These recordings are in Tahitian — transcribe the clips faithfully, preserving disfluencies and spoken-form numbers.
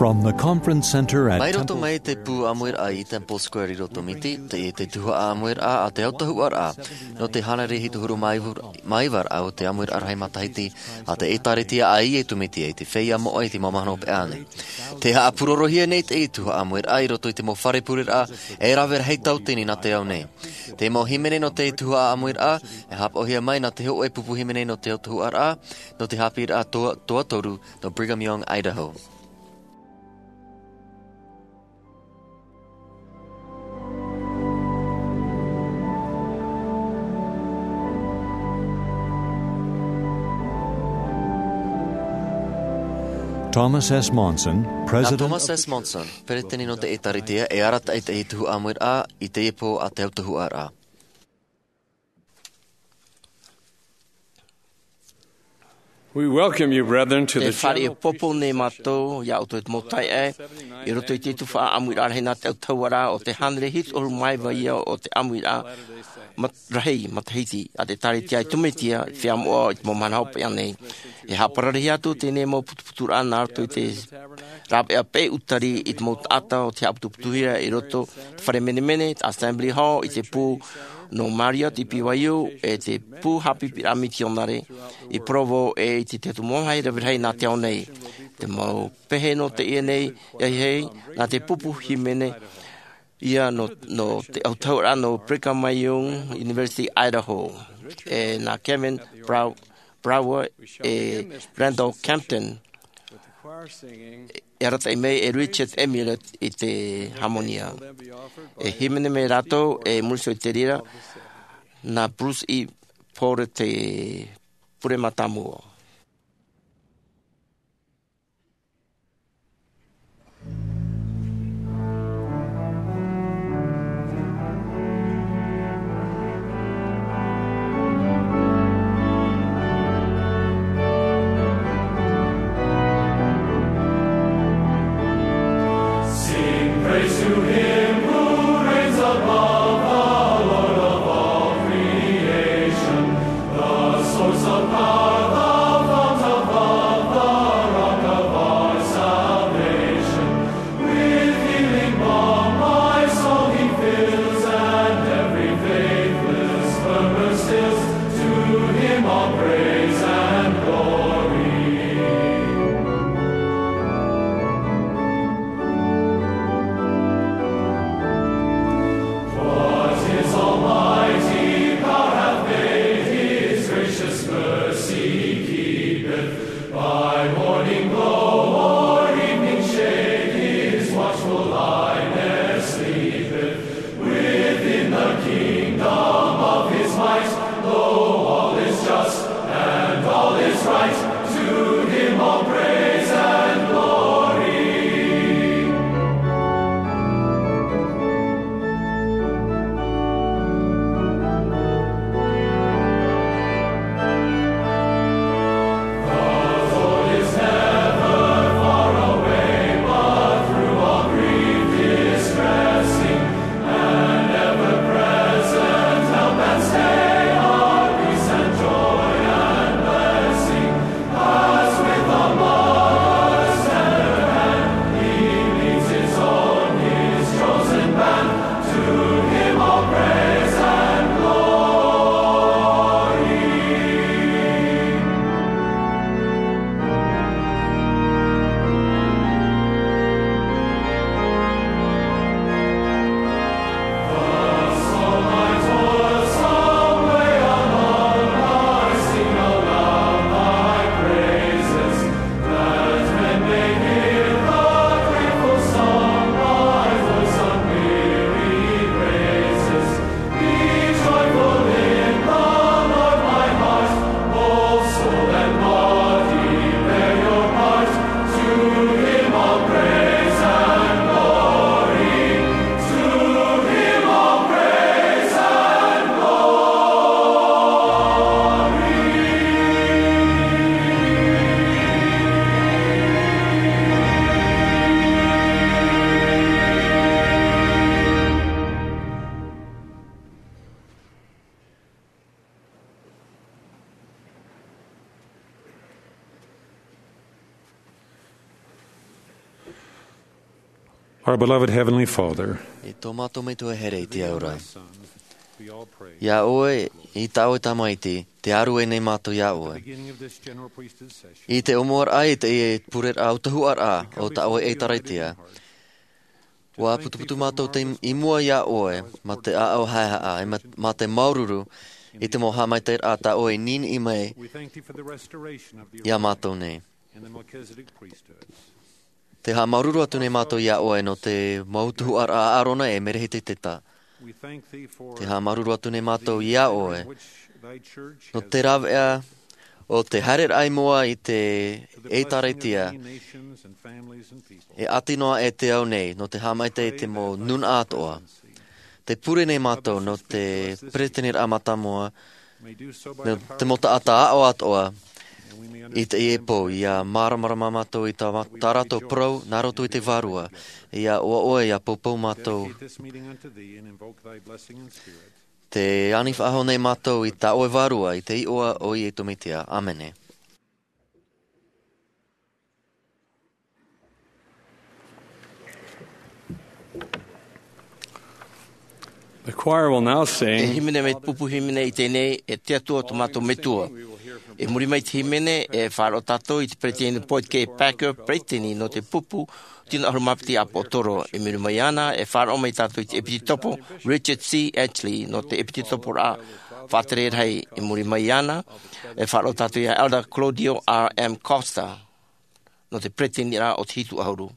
From the conference center at Mai roto Temple mai te Square pū ʻāmuiraʻa i Temple Square i Rotomiti, te, te tuhaʻa ʻāmuiraʻa a te autahuʻaraʻa nō te hānere hitu ʻahuru mā iva, mā iva raʻa o te ʻāmuiraʻa rahi matahiti a te ʻĒtārētia a Iesu Mesia i te feiā moʻa i te mau mahana hopeʻa nei. Tē haʻapurorohia nei te tuhaʻa ʻāmuiraʻa i roto i te mau fare pureraʻa e rave rahi tauatini nā te ao nei. Te mau hīmene nō te tuhaʻa ʻāmuiraʻa e haʻapaʻohia mai nā te hōʻē pupu hīmene nō te autahuʻaraʻa, nō te haʻapiʻiraʻa toa, toa toru, nō Brigham Young, Idaho. Thomas S. Monson, Nā President Thomas S. Monson, peretiteni nō te ʻĒtārētia, e arataʻi te tuhaʻa ʻāmuiraʻa i teie pō a te autahuʻaraʻa. We welcome you, brethren, to Te the fare general popo nei mātou, iā ʻoutou i te mau taeaʻe, i roto i te tuhaʻa ʻāmuiraʻa rahi nā te autahuʻaraʻa o te hānere hitu ʻahuru mā iva ia o te ʻāmuiraʻa mat-, rahi matahiti a te ʻĒtārētia a Iesu Mesia, feiā moʻa i te mau mahana hopeʻa nei. E haʻapararehia atu teie mau putuputuraʻa nā roto i te rāveʻa peʻe ʻutari i te mau taʻata o te haʻaputuputuhia i roto te fare menemene, te Assembly Hall, i te pū nō Marriott i B Y U, e te pū haʻapiʻiraʻa mitionare i Provo, e i te, te mau mōhai rave rahi nā te ao nei. Te mau pehe nō teie nei, ʻia hei, nā te pupu hīmene ia nō, nō te autahuʻaraʻa nō Brigham Young University, Idaho, e nā Kevin Brow-, Brower, e Randall Campton, e arataʻi mai e Richard Amulet i te hāmonia. E hīmene mai rātou, e muri iho i te reira, nā Bruce E. Porter te pure mātāmua. Sing praise to him who reigns above, the Lord of all creation, the source of power, the fount of love, the rock of our salvation. With healing balm my soul he fills, and every faithless slumber stills. To him all praise and glory. Our beloved Heavenly Father, I tō mātou Metua here i te ao ra. Iā ʻoe, i tā ʻoe Tamaiti, te āruʻe nei mātou iā ʻoe. I te ʻōmuaraʻa i teie pureraʻa autahuʻaraʻa o tā ʻoe ʻĒtārētia, ʻua putuputu mātou te, i mua iā ʻoe, mā te ʻāʻau haʻehaʻa, e mā, mā te māuruuru, i te mau haʻamaitaʻiraʻa tā ʻoe i niniʻi mai iā mātou nei. Te haʻamāuruuru atu nei mātou iā ʻoe nō te mau tuhaʻa a Arona e Merehiteta. Te haʻamāuruuru atu nei mātou iā ʻoe nō te rāveʻa o te haereraʻa i mua i te ʻĒtārētia, e ʻati noa e te ao nei, nō te haʻamaitaʻi i te mau nūnaʻa atoʻa. Te pure nei mātou nō te peresideniraʻa mātāmua, nō te mau taʻata aʻo atoʻa i teie pō, ʻia māramarama mātou i tā, tā rātou parau, nā roto i te Vārua, ʻia ʻoaʻoa, ʻia poupou mātou. Te ani faʻahou nei mātou i tā ʻoe Vārua, i te iʻoa o Iesu Mesia. ʻĀmene. The choir will now sing. E hīmene mai te pupu hīmene i teie nei, E te Atua tō mātou Metua. I muri mai i te hīmene, e faʻaroʻo tātou i te peretiteni Boyd K. Packer, peretiteni nō te pupu tino ʻahuru mā piti ʻāpōsetolo. I muri mai iāna, e faʻaroʻo mai tātou i te ʻepitopo Richard C. Ashley nō te ʻepitoporaʻa faʻatere rahi. I muri mai iāna, e faʻaroʻo tātou iā Elder Claudio R. M. Costa nō te peretiteniraʻa o te hitu ʻahuru.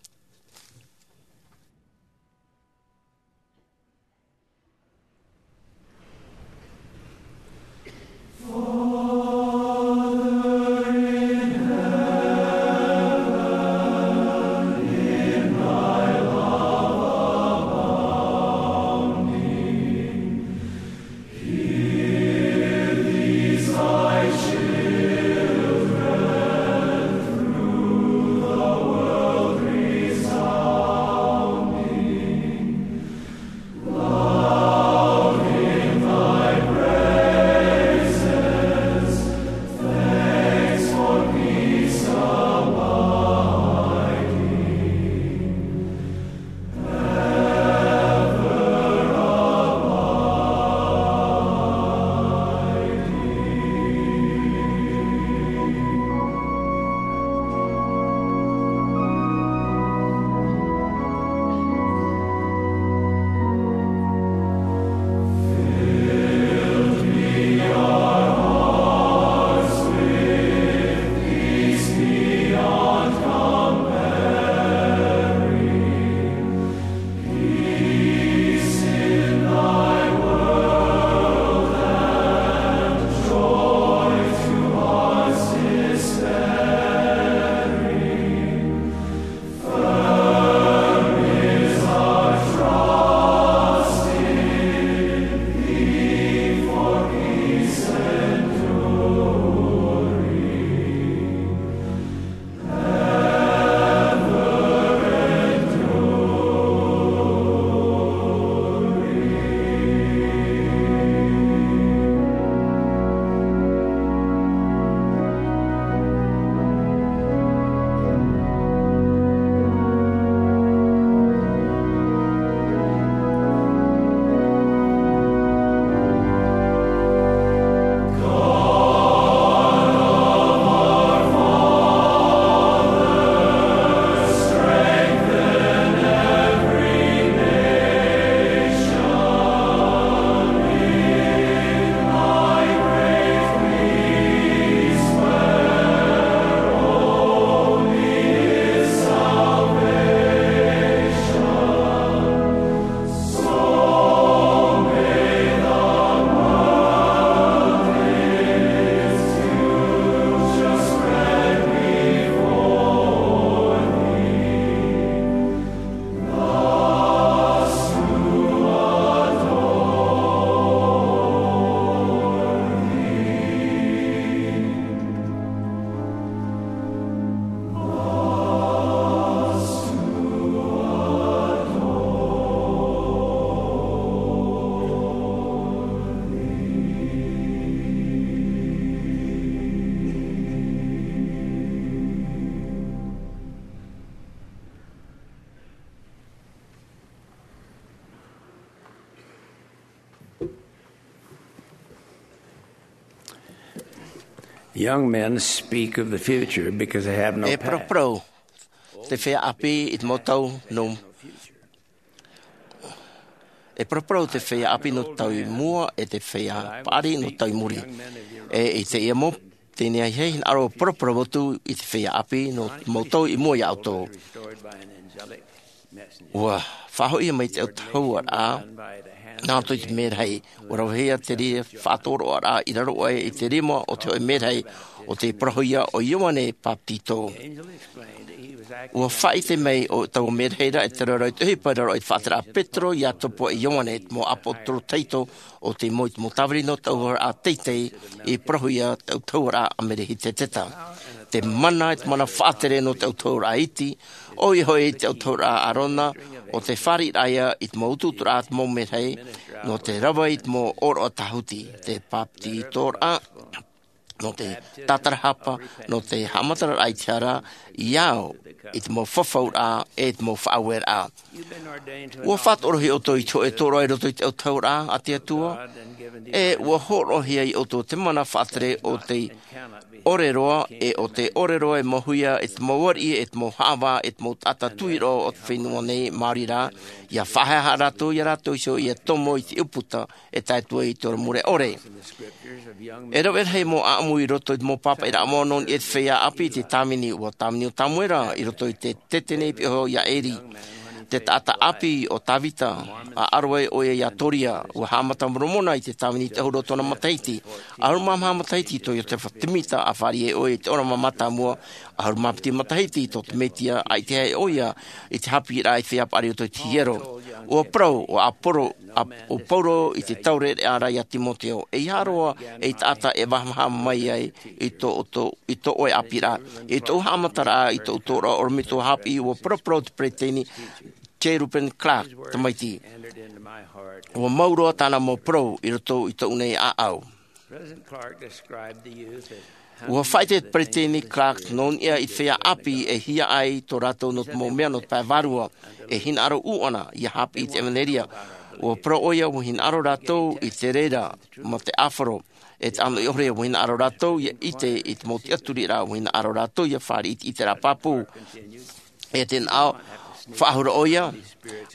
Young men speak of the future because they have no past. E paraparau te feiā ʻāpī i te mau tau nō e paraparau te feiā ʻāpī nō te tau i mua e te feiā paʻari nō te tau i muri. E i teie mau tēnei ahiahi hinaʻaro paraparau atu i te feiā ʻāpī nō te mau tau i mua iā ʻoutou. Ua faʻahoʻi mai te autahuʻaraʻa nā roto i te mērahi. Ua ravehia te reira faʻatoroʻaraʻa i raro aʻe i te rima o te hoʻē mērahi o te parauhia o ioane papetito. Ua faʻaʻite mai o taua mērahi ra e te raro i te ʻohipa i raro i te faʻatereraʻa petero iākobo e ioane te mau ʻāpōsetolo tahito o te mau i te mau tāviri nō te autahuʻaraʻa teitei i parauhia te autahuʻaraʻa a melehizedeka. Te mana e te mana faʻatere nō te autahuʻaraʻa iti ʻoia hoʻi te autahuʻaraʻa a ʻārona o te fāriʻiraʻa i te mau utuuturaʻa te mau mērahi nō te rave i te mau ʻōroʻa tāhuti te papetitoraʻa nō te tātarahapa nō te haʻamataraʻa i te hara i au i te mau fafauraʻa e te mau faʻaueraʻa. Ua faʻatorohia ʻoutou i te hoʻē tōroʻa i roto i te autahuʻaraʻa a te atua e ua hōroʻahia iā ʻoutou te mana faʻatere o te ʻore roa e o te ʻore roa e mau huia e te mau ariʻi e te mau haʻavā e te mau taʻata tuiroa o te fenua nei maori rā ia faʻahaehaʻa rātou iā rātou iho ia tomo i te ʻūputa e tae atu ai i te ora mure ʻore. E rave rahi mau ʻaʻamu i roto i te mau pāpaʻiraʻa moʻa nō niʻa i te feiā ʻāpī i te tāvini ua tāvini o samuela i roto i te tētene i piʻoho iā eri te taʻata ʻāpī o davida. A aro ai ʻoia iā toria ua haʻamata moromona i te tāvini i te ʻahuru o tōna matahiti. ʻAhuru mā maha matahiti i tō iosefa semita a fāriʻi ai ʻoia i te ora mātāmua. ʻAhuru mā piti matahiti i tō te mesia a ʻite ai ʻoia i te haʻapiʻiraʻa i te feiā paʻari o tō te hiero. Ua parau o aporo ua pauroa i te taureʻareʻa ra iā timoteo e ia roa ei taʻata e vahavaha mai ai i tō ʻoe ʻāpīraʻa i tōʻu haʻamataraʻa i tōʻu tōroʻa ʻorometua haʻapiʻi ua paraparau te peresideni j ruben clark tamaiti. Ua mau roa tāna mau parau i roto i tōʻu nei ʻāʻau. Ua faʻaʻite te peresideni clark nō niʻa i te feiā ʻāpī e hiaʻai tō rātou nō te mau mea nō te pae vārua e hinaʻaro ʻūʻana ia haʻapiʻi i te ʻevanelia. Ua parau ʻoia ua hinaʻaro rātou i te reira mā te ʻāfaro e te ʻano i ʻore ua hinaʻaro rātou ia ʻite i te mau tiʻaturiraʻa ua hinaʻaro rātou ia fāriʻi i te ʻiteraʻa pāpū. E te naʻo faʻahou ʻoia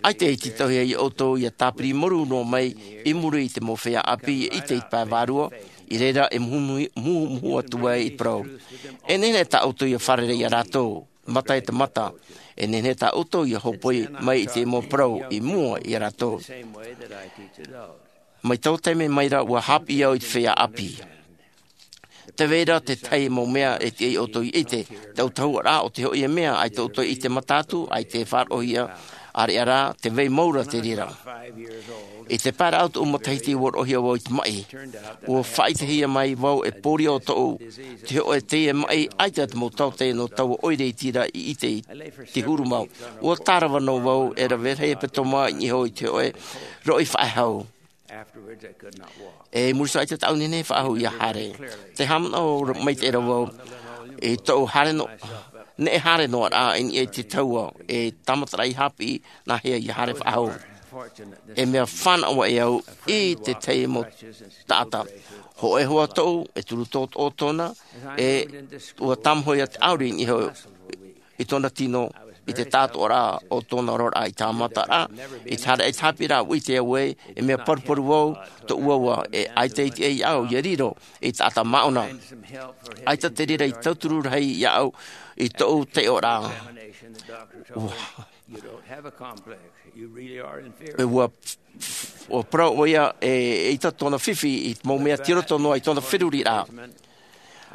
ʻaita i te tauhia iā ʻoutou ia tāpiri maru noa mai i muri i te mau feiā ʻāpī ia ʻite i te pae vārua i reira e muhumuhu atu ai i te parau. E nehenehe tā ʻoutou ia fārerei iā rātou mata e te mata. E nehenehe tā ʻoutou ia hopoi mai i te mau parau i mua iā rātou. Mai taua taime mai ra ua haʻapiʻi au i te feiā ʻāpī. Te vai ra te tahi mau mea e tiʻa iā ʻoutou ia ʻite te autahuʻaraʻa o te hoʻi e mea ʻaita ʻoutou ia ʻite mata atu ʻaita e faʻaroʻohia ʻāreʻa rā te vai mau ra te reira. I te paeraʻa o tōʻu matahiti ua roʻohia vau i te maʻi. Ua faʻaʻitehia mai vau e pōria o tōʻu te hoʻe teie maʻi ʻaita te mau taote nō taua ʻoire i tira i ʻite i te huru mau. Ua tārava noa vau e rave rahi e petoma i niʻa iho i te hoʻe roʻi faʻehau. E muri iho ʻaita tāʻu nehenehe faʻahou ia haere. Te haʻamanaʻo mai te ʻera vau i tōʻu haere noa neʻe haere noa raʻa i niʻa i te taua e tāmataraʻa i haʻapiʻi nā hea ia haere faʻahou. E mea fānaʻo aʻe au i te tahi mau taʻata hoʻe hoa tōʻu e turu tōtō tōna e ua tāmahoʻi ia te ʻauri i niʻa iho i tōna tino i te tātoʻaraʻa o tōna oraraʻa i tāmataraʻa i te haere i te haʻapiʻiraʻa ua ʻite au e e mea paruparu vau tōʻu ʻauʻa e ʻaita i tiʻa iā ʻu ia riro i te taʻata māʻona. ʻAita te reira i tauturu rahi iā ʻu i tōʻu taiʻoraʻa. Ua ua parau ʻoia e ʻaita tōna fifi i te mau mea tei roto noa i tōna feruriraʻa.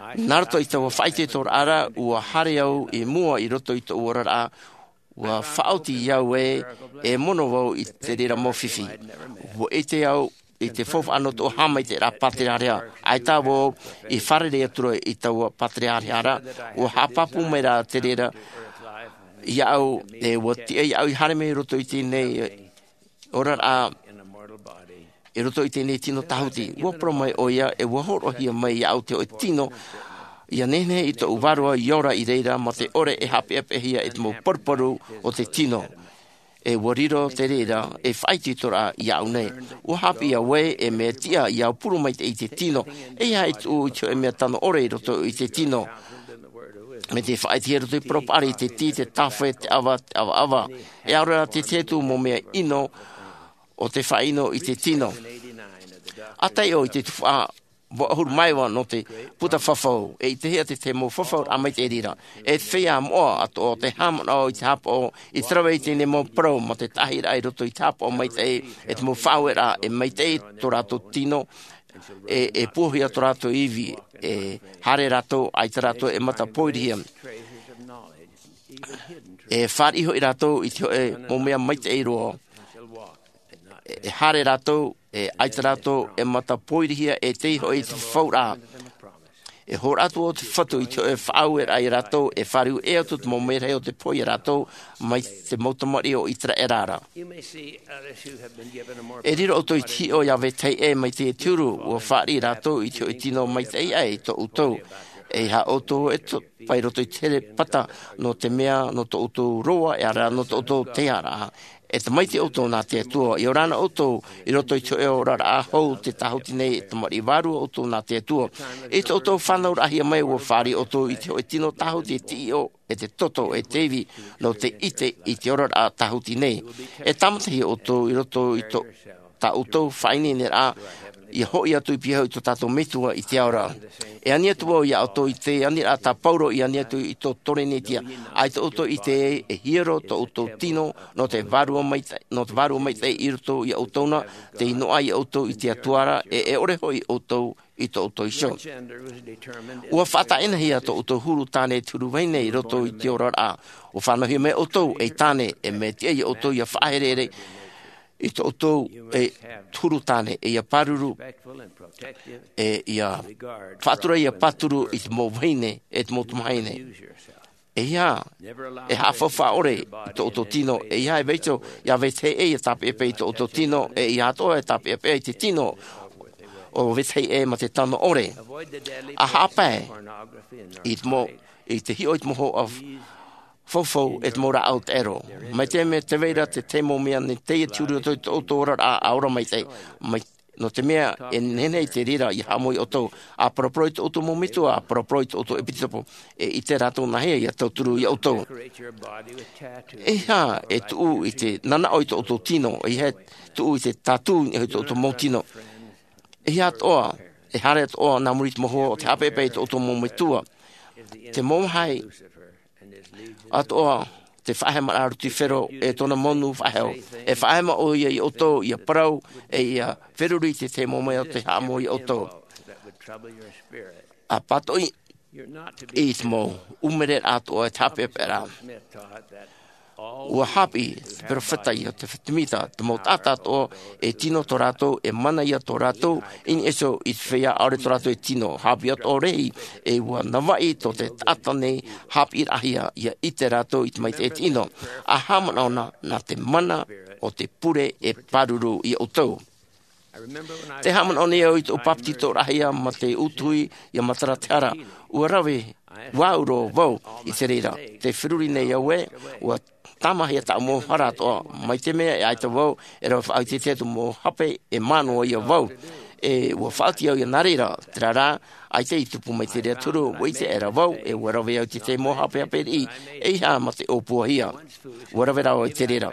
Nā roto i taua faʻaitoitoraʻa ra ua haere au i mua i roto i tōʻu oraraʻa. Ua faʻaoti au e e mono vau i te reira mau fifi. Ua ʻite au i te faufaʻa nō tōʻu haʻamaitaʻiraʻa pāterehareha. ʻAita vau i fārerei atu ra i taua pāterehareha ra ua haʻapāpū mai rā te reira iā ʻu e ua tiʻa iā ʻu i haere mai i roto i tēnei oraraʻa i roto i tēnei tino tāhuti. Ua parau mai ʻoia e ua hōroʻahia mai iā ʻu te hoʻe tino ia nehenehe i tōʻu vārua i ora i reira mā te ʻore e haʻapeʻapeʻahia e te mau paruparu o te tino. E ua riro te reira e faʻaitoitoraʻa iāʻu nei. Ua hāpiʻi au ē e mea tiʻa ia aupuru maitaʻi i te tino. E ia e tuʻu i te hoʻe mea tano ʻore i roto i te tino. Mai te faʻaʻitehia i roto i te parau paʻari, te tī, te tāfe, te ʻava, te ʻavaʻava. E ʻaore rā te tahi atu mau mea ʻino o te faʻaʻino i te tino. A taiʻo i te tuhaʻa vaʻu ʻahuru mā iva nō te puta fafau, e ʻitehia te tahi mau fafau rā maitaʻi reira. E te feiā moʻa atoʻa o te haʻamanaʻo i te haʻapaʻo i te rave i teie mau parau mā te taʻahiraʻa i roto i te haʻapaʻo maitaʻi, e te mau faʻaueraʻa e maitaʻi tō rātou tino, e, e puahia tō rātou ivi, e haere rātou, ʻaita rātou e mata pōirihia. E fāriʻi hoʻi rātou i te hoʻe mau mea maitaʻi roa. E haere rātou, e ʻaita rātou e mata pōirihia, e tei hoʻi te fafauraʻa. E hōroʻa atu ʻo te Fatu i te hoʻe faʻaueraʻa ia rātou, e fāriu ʻē atu te mau merahi o te pohe ia rātou mai te mau tamariʻi o ʻĪteraʻera ra. E riro ʻoutou i te hiʻo ia vetahi ʻē mai te huru, ua fāriʻi rātou i te hoʻe tino maitaʻi aʻe i tō ʻoutou. E ia ʻoutou e to-, pai roto i te herepata, nō te mea, nō tō ʻoutou roa, e ʻaore rā nō tō ʻoutou tearaʻa. E tamaiti ʻoutou nā te Atua, ia ora na ʻoutou i roto i te hoʻe oraraʻa hou, te tāhuti nei, e tamariʻi vārua ʻoutou nā te Atua. I tō ʻoutou fānauraʻahia mai, ua fāriʻi ʻoutou i te hoʻe tino tāhuti, e te ʻiʻo, e te toto, e te ivi, nō te ʻite i te oraraʻa tāhuti nei. E tāmatahia ʻoutou i roto i tō, tā ʻoutou faʻaineineraʻa, ia hoʻi atu i pihaʻi i tō tātou Metua i te ao ra. E ani atu vau ia ʻoutou i te aniraʻa tā Pauro i ani atu i tō Korinetia. ʻAita ʻoutou i ʻite e hiero tō ʻoutou tino, nō te vārua maitaʻi, nō te vārua maitaʻi i roto ia ʻoutou na, tei noaʻa ia ʻoutou i te Atua ra, e, e ʻore hoʻi ʻoutou i tō ʻoutou iho. Ua faʻatāʻinahia tō ʻoutou huru tāne e te huru vahine i roto i te oraraʻa. Ua fānauhia mai ʻoutou ei tāne, e mea tiʻa ia ʻoutou ia faʻaherehere i tō ʻoutou e huru tāne, e ia pāruru, e ia faʻatura, ia pāturu i te mau vahine, e te mau tamahine. E ia, e haʻafaufaʻa ʻore i tō ʻoutou tino, e ia e vaiiho ia vetahi ʻē ia tāpeʻapeʻa i tō ʻoutou tino, e ia atoʻa e tāpeʻapeʻa i te tino o vetahi ʻē mā te tano ʻore. A haʻapae i te mau, i te hiʻo i te mau hoa faufau, e te mau rāʻau taʻero. Mai te mea tē vai ra te tahi mau mea nei tei ʻite i roto i tō ʻoutou oraraʻa, ʻa ora maitaʻi, mai, nō te mea e nehenehe i te reira ia haʻamou ia ʻoutou. ʻA paraparau i tō ʻoutou mau metua, ʻa paraparau i tō ʻoutou ʻepisekopo, e ʻite rātou nāhea ia tauturu ia ʻoutou. E ia e tuʻu i te nanaʻo i tō ʻoutou tino, e ia e tuʻu i te tatū i tō ʻoutou mau tino. E ia atoʻa, e haere atoʻa nā muri i te mau hoa o te haʻapeʻapeʻa i tō ʻoutou mau metua. Te mau vāhi atoʻa, te faʻahemaraʻa a Lusifero e tōna mau nū faʻahou. E faʻahema ʻoia ia ʻoutou ia parau, e ia feruri i te tahi mau mea o te haʻamou ia ʻoutou. ʻA pātoʻi i te mau ʻumereraʻa atoʻa e te haʻapeʻapeʻa ra. Ua haʻapiʻi te perofeta ia Iosefa Sāmita, te mau taʻata atoʻa e tino tō rātou, e mana ia tō rātou i niʻa iho i te feiā ʻaore tō rātou e tino. Haʻapiʻi atoʻa rehi, e ua navaʻi tō te taʻata nei haʻapiʻiraʻahia, ia ʻite rātou i te maitaʻi e te ʻino. ʻA haʻamanaʻo na, nā te mana o te pure e pāruru ia ʻoutou. Tē haʻamanaʻo nei au i tōʻu papetitoraʻahia mā te utuhi ia Matara Tehara. Ua rave, ua au roa vau i te reira. Tē feruri nei au ē, ua tāmāhia tāʻu mau hara atoʻa, mai te mea e ʻaita vau e rave faʻaʻiteʻite i tōʻu mau hape, e manuia vau. E ua faʻaoti au ia nā reira, terā rā, ʻaita i tupu mai te reira te huru, ua ʻite aʻera vau, e ua rave au i te tahi mau hapehape riʻi, e ia mā te ʻōpuahia. Ua rave rā vau i te reira.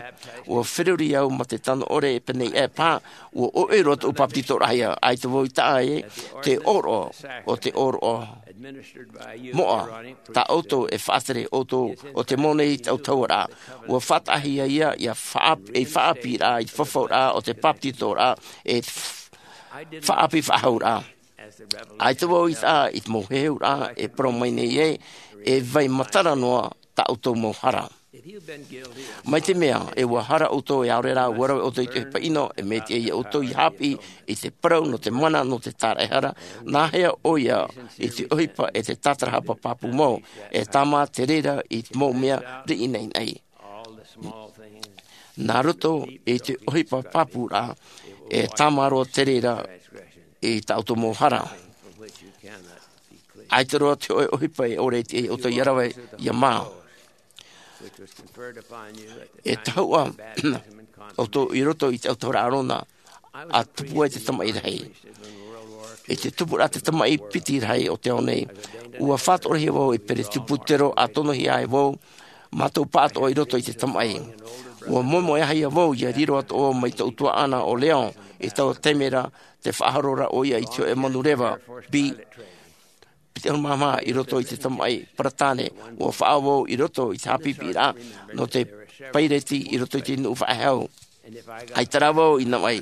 Ua feruri au mā te tano ʻore e pēnei aʻe paha, ua ʻoiʻoi roa tōʻu papetitoraʻahia, ʻaita vau i taʻa ē, te ʻōroʻa, o te ʻōroʻa moʻa, tā ʻoutou e faʻatere ʻoutou, ʻo te mau nei i taʻu tahuʻaraʻa. Ua faʻataʻahia ia, ia faʻaʻapi, ei faʻaʻapiraʻa, i te fafauraʻa, o te papetitoraʻa, e te f-, faʻaʻapi faʻahouraʻa. ʻAita vau i taʻa i te mau heheuraʻa e parau mai nei ē, e vai matara noa tā ʻoutou mau hara. Mai te mea, e ua hara ʻoutou e ʻaore rā, ua rave ʻoutou i te ʻohipa ʻino, e mea tiʻa ia ʻoutou ia haʻapiʻi i te parau nō te mana, nō te tāraʻehara, nāhea ʻoia i te ʻohipa e te tātarahapa pāpū mau, e tāmā te reira i te mau mea riʻi naʻinaʻi. Nā roto i te ʻohipa pāpūraʻa, e tāmā roa te reira i tā ʻoutou mau hara. ʻAita roa te hōʻē ʻohipa e ʻore i te ʻoutou ia rave ia mā. E tahuʻa ʻoutou i roto i te autahuʻaraʻa Arona, a tupu ai te tamaʻi rahi. I te tupu ra te tamaʻi piti rahi o te ao nei, ua faʻatoʻorahia vau e peresibutero, a tonohia ai vau, mātou pāʻatoʻa i roto i te tamaʻi. Ua moemoeʻahia vau ia riro atoʻa mai tōʻu tuaʻana o Leon, i taua taime ra, te faʻahoro ra ʻoia i te hōʻē manureva B piti ʻahuru mā maha i roto i te tamaʻi paratane. Ua faʻaau vau i roto i te haʻapiʻiraʻa nō te paireti i roto i te nuʻu faʻehau. ʻAita rā vau i navaʻi,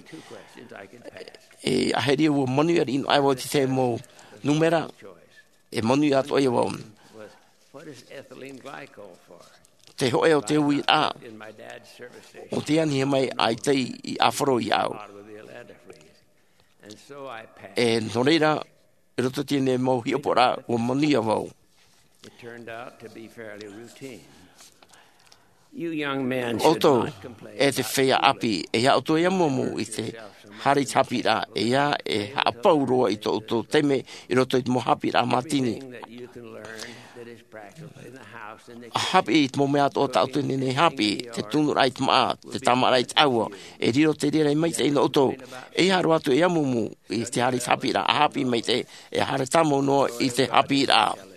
e aheri ua manuia riʻi noa ai vau i te tahi mau nūmera, e manuia atoʻa ia vau. Te hōʻē o te uiraʻa, ʻo tē anihia mai ʻaita i ʻāfaro iāʻu. E nō reira, i roto i teie mau hiʻopoʻaraʻa, ua manuia vau. ʻOutou, e te feiā ʻāpī, ʻeiaha ʻoutou e amuamu i te haere i te haʻapiʻiraʻa, ʻeiaha e haʻapau roa i tō ʻoutou taime i roto i te mau haʻapiʻiraʻa mātini. ʻA haʻapiʻi i te mau mea atoʻa tā ʻoutou e nehenehe e haʻapiʻi, te tunuraʻa i te māʻa, te tāmāʻaraʻa i te ʻāua, e riro te reira e maitaʻi nō ʻoutou. ʻEiaha roa atu e amuamu i te haere i te haʻapiʻiraʻa, ʻa haʻapiʻi maitaʻi, e haere tāmau noa i te haʻapiʻiraʻa.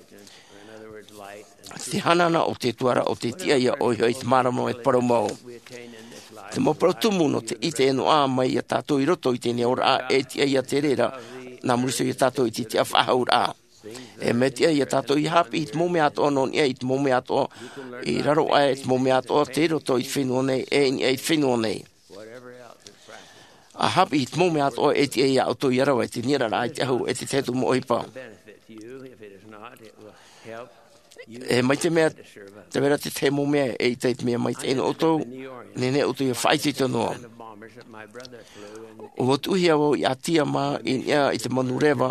Te hanahana o te Atua ra, ʻo te tiʻa ia ʻoia hoʻi te māramarama e parau mau. Te mau parau tumu nō te ʻite e noaʻa mai ia tātou i roto i teie nei oraraʻa, e tiʻa ia te reira, nā muri iho ia tātou i te tiʻa faʻahouraʻa. E mea tiʻa ia tātou ʻia haʻapiʻi i te mau mea atoʻa nō niʻa i te mau mea atoʻa i raro aʻe, te mau mea atoʻa tei roto i te fenua nei, e i niʻa i te fenua nei. ʻA haʻapiʻi i te mau mea atoʻa, e tiʻa ia ʻoutou ʻia rave i te niʻa ra i te ʻahu, e te tahi atu mau ʻohipa. E mai te mea, tē vai ra te tahi mau mea, eʻita i te mea maitaʻi nō ʻoutou, nehenehe ʻoutou ʻia faʻaitoito noa. Ua tuʻuhia vau i ʻĀtia mā i niʻa i te manureva,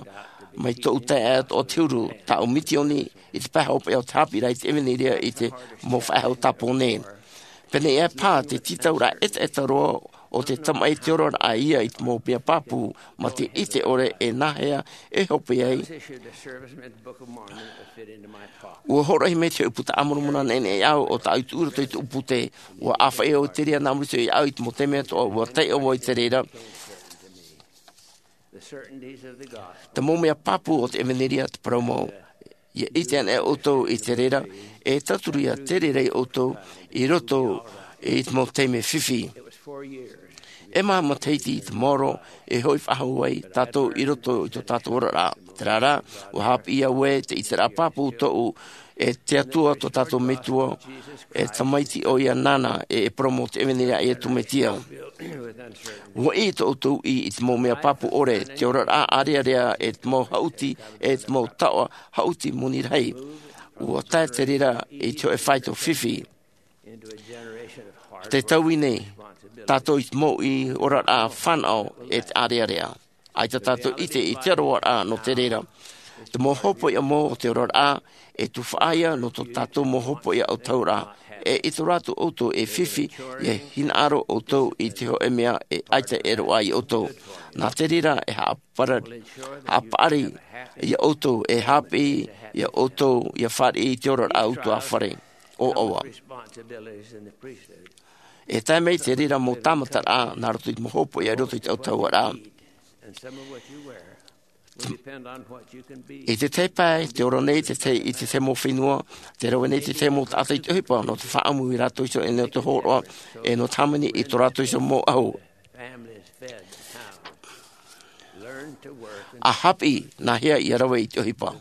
mai tōʻu taeaʻe atoʻa te huru, tāʻu misioni i te pae hopeʻa o te haʻapiʻiraʻa i te ʻevanelia i te mau faʻehau tāpō nei. Pēneiaʻe paha te tītauraʻa ʻetaʻeta roa o te tamaʻi, te oraraʻa ia i te mau mea pāpū, mā te ʻite ʻore e nāhea e hope ai. Ua hōroʻahia mai te hōʻē puta a Moromona neʻeneʻe iāʻu, ʻo tāʻu i tuʻu i roto i te ʻūpū tē, ua ʻāfaʻi au i te reira nā muri iho iāʻu i te mau taime atoʻa, ua taiʻo vau i te reira. Te mau mea pāpū o te ʻevanelia, te parau mau. ʻIa ʻite anaʻe ʻoutou i te reira, e tauturu ia te reira ia ʻoutou i roto i te mau taime fifi. E maha matahiti i te maoro e hoʻi faʻahou ai tātou i roto i tō tātou oraraʻa. Terā rā, ua haʻapiʻi au ē, te ʻiteraʻa pāpū tōʻu, e te Atua tō tātou Metua, e Tamaiti ʻoia nāna, e, e parau mau te ʻevanelia a Iesu Mesia. Ua ʻī tō ʻoutou ʻī i te mau mea pāpū ʻore, te oraraʻa ʻārearea, e te mau haʻuti, e te mau taoʻa haʻuti moni rahi. Ua tae te reira i te hōʻē faito fifi. Tē taui nei tātou i te mau ʻī oraraʻa fānaʻo, e te ʻārearea. ʻAita tātou ʻite i te aroaraʻa nō te reira. Te mau hopoiʻa mau o te oraraʻa, e tufaʻa ia nō tō tātou mau hopoiʻa autahuʻaraʻa. E ʻite roa atu ʻoutou e fifi, ʻia hinaʻaro ʻoutou i te hōʻē mea e ʻaita e roaʻa ia ʻoutou. Nā te reira e haʻapara-, haʻapaʻari ia ʻoutou, e haʻapiʻi ia ʻoutou, ʻia fāriʻi i te oraraʻa ʻutuāfare. ʻO ʻoia. E tae mai te reira mau tāmataraʻa, nā roto i te mau hopoiʻa i roto i te autahuʻaraʻa. I te tahi pae, tē ora nei te tahi, i te tahi mau fenua, tē rave nei te tahi mau taʻata i te ʻohipa, nō te faʻaʻamu ia rātou iho e nō te hōroʻa, e nō te hāmani i tō rātou iho mau ʻahu. ʻA haʻapiʻi, nāhea ʻia rave i te ʻohipa.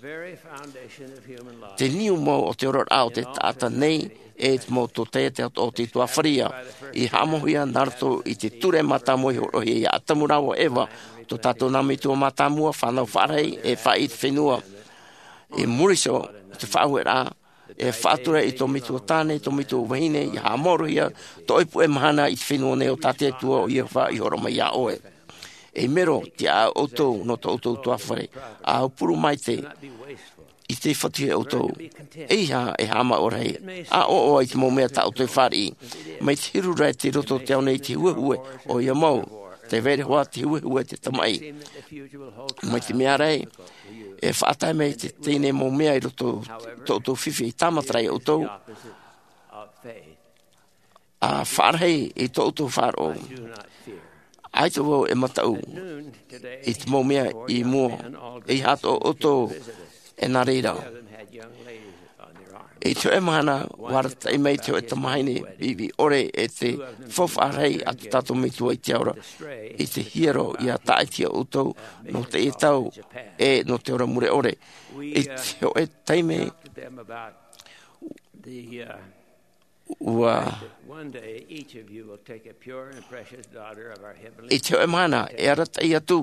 Te niu mau o te oraraʻa o te taʻata nei, e te mau tōtaiete o te ʻutuāfare ia, i haʻamauhia nā roto i te ture mātāmua i hōroʻahia ia Atamu rāua Eva, tō tātou nā metua mātāmua, fānau faʻarahi, e faʻaʻī i te fenua. I muri iho, te faʻaueraʻa, e faʻatura i tō metua tāne, tō metua vahine, ʻia haʻamāuruhia tō ʻoe puʻe mahana i te fenua nei o tā te Atua ʻo Iehova i hōroʻa mai iā ʻoe. E mero, tiʻa ʻoutou nō tō ʻoutou ʻutuāfare, ʻa aupuru maitaʻi, ʻia fatuhia ʻoutou. ʻEiaha e haʻamāuʻa rahi, ʻa ʻoaʻoa i te mau mea tā ʻoutou e fāriʻi. Mai te hiru ra tei roto te ao nei i te huehue, ʻoia mau. Tē vai ra hoʻi te huehue te tamaʻi. Mai te mea ra, e faʻatae mai te, teie nei mau mea i roto tō ʻoutou fifi, e tāmata ra ia ʻoutou. A faʻarahi i tō ʻoutou faʻaroʻo. ʻAita vau e mataʻu i te mau mea i mua, i hātoʻo ʻoutou e nā reira. I te hoʻe mahana, ua arataʻi mai te hoʻe tamahine viʻiviʻi ʻore e te faufaʻa rahi a tō tātou Metua i te ao ra, i te hiero ia tāʻatihia ʻoutou nō teie tau, e nō te ora mure ʻore. I te hoʻe taime ua, i te hoʻe mahana e arataʻi atu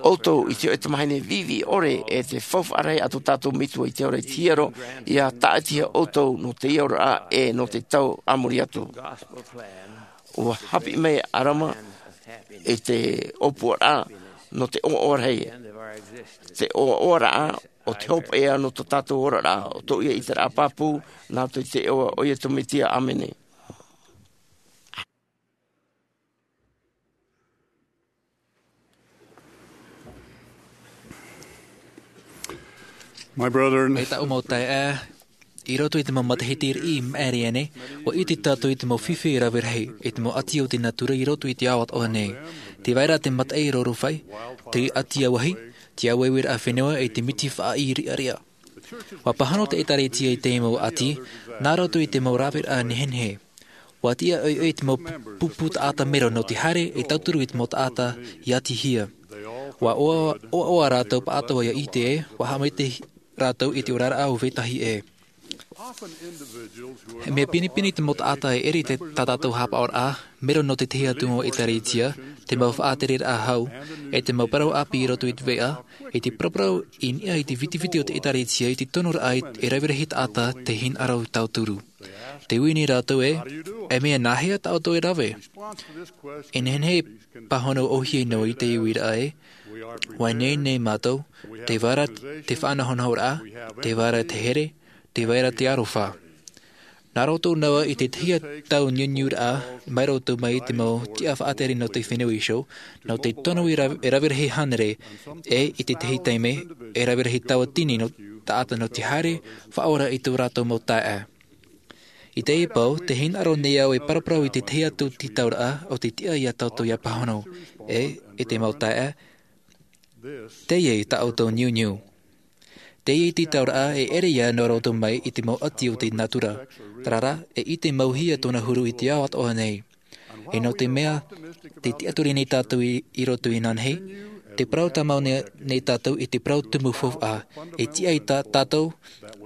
ʻoutou i te hoʻe tamahine viʻiviʻi ʻore e te faufaʻa rahi a tō tātou Metua i te ao ra, i te hiero ia tāʻatihia ʻoutou nō te aroha e nō te tau a muri atu. Ua haʻapiʻi mai ʻo ʻAdama i te ʻōpuaraʻa nō te ʻoaʻoa rahi, te ʻoaʻoaraʻa o te hopeʻa nō tō tātou oraraʻa, ʻo tōʻu ʻiteraʻa pāpū, nā roto i te iʻoa o Iesu Mesia, ʻāmene. My brethren, e tāʻu mau taeaʻe, i roto i te mau matahiti riʻi i maʻiri aʻe nei, ua ʻite tātou i te mau fifi e rave rahi, i te mau ʻati o te natura i roto i te ao atoʻa nei. Tē vai ra te mataʻi roro fai, te ʻati ʻāvahi, te ʻāveveraʻa fenua, e te miti faʻaʻī riʻariʻa. Ua pāhono te ʻĒtārētia i te mau ʻati, nā roto i te mau raveraʻa nehenehe. Ua tiʻa ʻoiʻoi te mau pupu taʻata mero nō te haere e tauturu i te mau taʻata i ʻatihia. Ua ʻoaʻoa, ʻoaʻoa rātou pāʻatoʻa ia ʻite ē, ua haʻamaitaʻi rātou i te oraraʻa o vetahi ē. He mea pinepine te mau taʻata e ʻere i te, tā tātou haʻapaʻoraʻa, mero nō te tahi atu mau ʻĒtārētia, te mau faʻatereraʻa hau, e te mau parau ʻāpī i roto i te veʻa, i te paraparau i niʻa i te vitiviti o te ʻĒtārētia i te tonoraʻa e rave rahi taʻata tē hinaʻaro tauturu. Tē ui nei rātou ē, e mea nāhea tā ʻoutou e rave? E nehenehe e pāhono ʻōhie noa i te uiraʻa ē, ua ineine mātou, tē vai ra te faʻanahonahoraʻa, tē vai ra te here, tē vai ra te aroha. Nā roto noa i te tahi tau niuniuraʻa, mai roto mai i te mau tiʻa faʻatere nō te fenua iho, nō te tono e rave, e rave rahi hānere, e i te tahi taime, e rave rahi tauatini nō taʻata nō te haere, faʻaora i tō rātou mau taeaʻe. I teie pō, tē hinaʻaro nei au e paraparau i te tahi atu tītauraʻa o te tiʻa ia tātou ʻia pāhono, e, e te mau taeaʻe, teie tā ʻoutou niuniu. Teie tītauraʻa e ʻere ia nō roto mai i te mau ʻati o te natura, terā rā, e ʻite mauhia tōna huru i te ao atoʻa nei. E nō te mea, tē tiʻaturi nei tātou i, i roto inanahi, tē parau tāmau nei, nei tātou i te parau tumu faufaʻa, e tiʻa ia tā, tātou,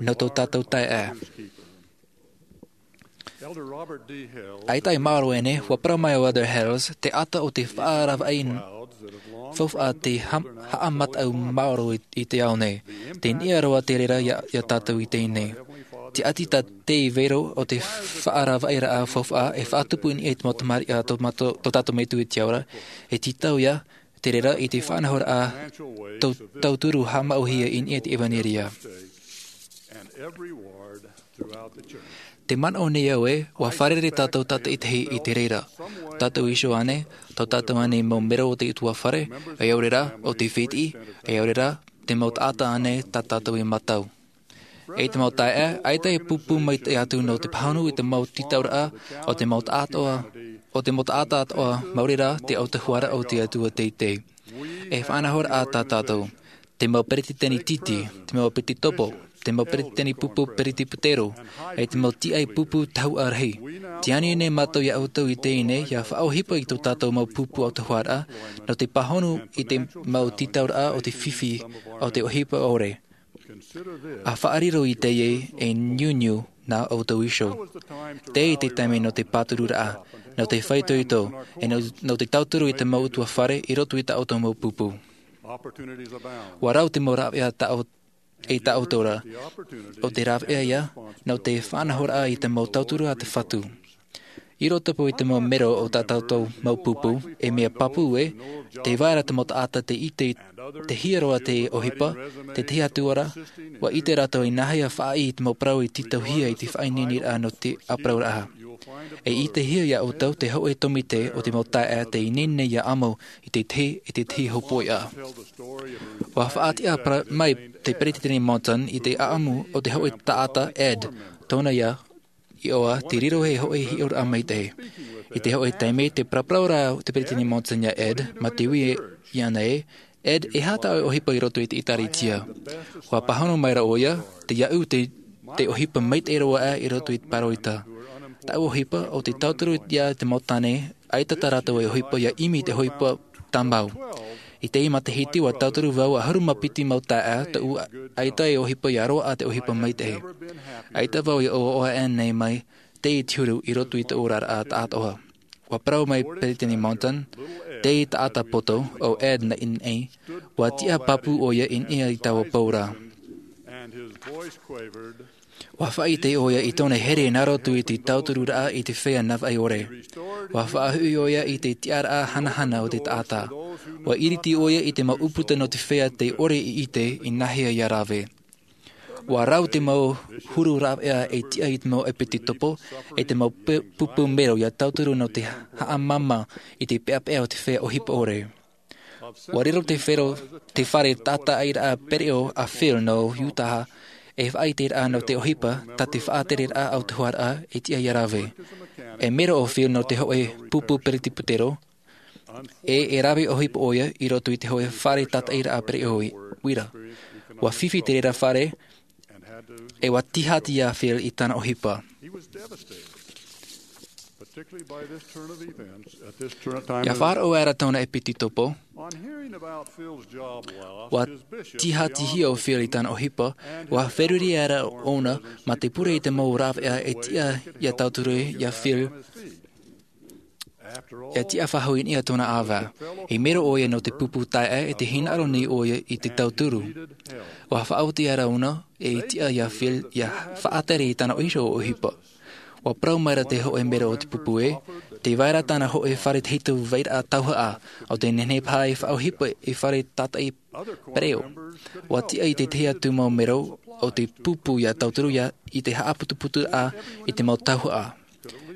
nō tō tātou taeaʻe. ʻAita e maoro ʻē nei, ua parau mai ʻo Elder Hales, te ata o te faʻaravaʻi faufaʻa tē ha-, haʻamataʻu maoro i, i te ao nei. Tē niʻa roa te reira ia, ia tātou i teie nei. Te ʻati tā te vero o te faʻaravaʻiraʻa faufaʻa e faʻatupu i niʻa i te mau tamariʻi a tō mātou, tō tātou Metua i te ao ra, e tītau ia, te reira i te faʻanahoraʻa tau-, tauturu haʻamauhia i niʻa i te ʻevaneria. Tē manaʻo nei au ē, ua fārerei tātou tātaʻitahi i te reira. Tātou iho ānei, tō tātou ānei mau mero o te ʻutuāfare, ʻaore rā, o te fētiʻi, ʻaore rā, te mau taʻata ānei tā tātou i mātau. E te mau taeaʻe, ʻaita e pūpū maitaʻi atu nō te pāhono i te mau tītauraʻa o te mau taʻata atoʻa, o te mau taʻata atoʻa, maori rā te autahuʻaraʻa o te Atua teitei. E faʻanahoraʻa tā tātou, te mau peretiteni tītī, te mau ʻēpīsekopo, te mau peretiteni pupu peretiputero, e te mau tiaʻi pupu tahuʻa rahi. Tē ani nei mātou ia ʻoutou i teie nei, ʻia faʻaʻohipa i tō tātou mau pupu autahuʻaraʻa, nō te pāhono i te mau tītauraʻa o te fifi o te ʻohipa ʻore. ʻA faʻariro i teie e niuniu nā ʻoutou iho. Teie te taime nō te pātururaʻa, nō te faʻaitoito, e nō, nō te tauturu i te mau ʻutuāfare i roto i tā ʻoutou mau pupu. Ua rau te mau rāveʻa tā ʻou-, e tā ʻoutou ra. ʻO te rāveʻa ïa, nō te faʻanahoraʻa i te mau tauturu a te Fatu. I roto paʻi i te mau mero o tā tātou mau pupu, e mea pāpū ē, tē vai ra te mau taʻata tē ʻite i te hiero a te ʻohipa, te tahi atu ra, ua ʻite rātou i nāhea faʻaʻī i te mau parau i tītauhia i te faʻaineineraʻa nō te ʻāparauraʻa. E ʻitehia ia ʻoutou te hōʻē tōmite o te mau taeaʻe tē ineine ïa ʻamu i te tahi, i te tahi hopoiʻa. Ua faʻatiʻa pra-, mai te Peretiteni Monson i te ʻaʻamu o te hōʻē taʻata Ed, tōna ïa, iʻoa te riro hei hoʻi hiʻoraʻa maitaʻi. I te hoʻi taime te paraparau ra te peresideni Monson iā Ed ma te ui iāna ē, Ed, e aha tā ʻoe ʻohipa i roto i te ʻēkālesia? Ua pāhono mai ra ʻoia, te iaʻu te ʻohipa maitaʻi roa aʻe i roto i te pāroita. Tāʻu ʻohipa o te tauturu iā te mau tāne ʻaita tā rātou e ʻohipa ia ʻimi i te ʻohipa tāmau. I te matahiti ua tauturu vau ʻahuru ma piti mau taeaʻe tōʻu ʻaita e ʻohipa ia roaʻa te ʻohipa maitaʻi. ʻAita vau ia ʻoaʻoa ʻānei mai tei te huru i roto i tōʻu oraraʻa taʻatoʻa. Ua parau mai peresideni Monson, te taʻata poto o Ed naʻinaʻi, ua tiʻa pāpū ʻoia i niʻa i taua pou ra. Ua faʻaʻite ʻoia i tōna here nā roto i te tautururaʻa i te feiā navaʻi ʻore. Ua faʻahoʻi ʻoia i te tiʻaraʻa hanahana o te taʻata. Ua iriti ʻoia i te mau ʻūputa nō te feiā tei ʻore i ʻite i nāhea ia rave. Ua rau te mau huru rāveʻa e tiʻa i te mau ʻepitopo e te mau pupu mero ia tauturu nō te haʻamāmā i te peʻapeʻa o te feiā ʻohipa ʻore. Ua riro te fare taʻataʻiraʻa pereʻoʻo a Phil nō Utah, e faʻaʻiteraʻa nō te ʻohipa tā te faʻatereraʻa autahuʻaraʻa e tiʻa ia rave. E mero o Phil nō te hoʻi pupu peretiputero e e rave ʻohipa ʻoia i roto i te hoʻi fare taʻataʻiraʻa pereʻoʻo i uira. Ua fifi te reira fare e ua tīhāti iā Phil i tāna ʻohipa. Ia faʻaroʻo aʻera tōna ʻepitopo. Ua tīhātihia o Phil i tāna ʻohipa. Ua feruri aʻera ʻōna ma te pure i te mau rāveʻa e tiʻa ia tauturu iā Phil. Ia tiʻa faʻahou i niʻa tōna ʻāvae. I mero ʻoia nō te pupu taeaʻe e te hinaʻaro nei ʻoia i te tauturu. Ua faʻaoti aʻera ʻōna e tiʻa iā Phil ia faʻatere i tāna iho ʻohipa. Ua parau mai ra te hoʻi mero o te pupu ē, tē vai ra tāna hoʻi fare tahito vairaʻa tauhaʻa, ʻo tē nehenehe paha e faʻaʻohipa i fare taʻataʻi pereʻoʻo. Ua tiʻa i te tahi atu mau mero o te pupu ia tauturu ia i te haʻaputuputuraʻa i te mau tauhaʻa.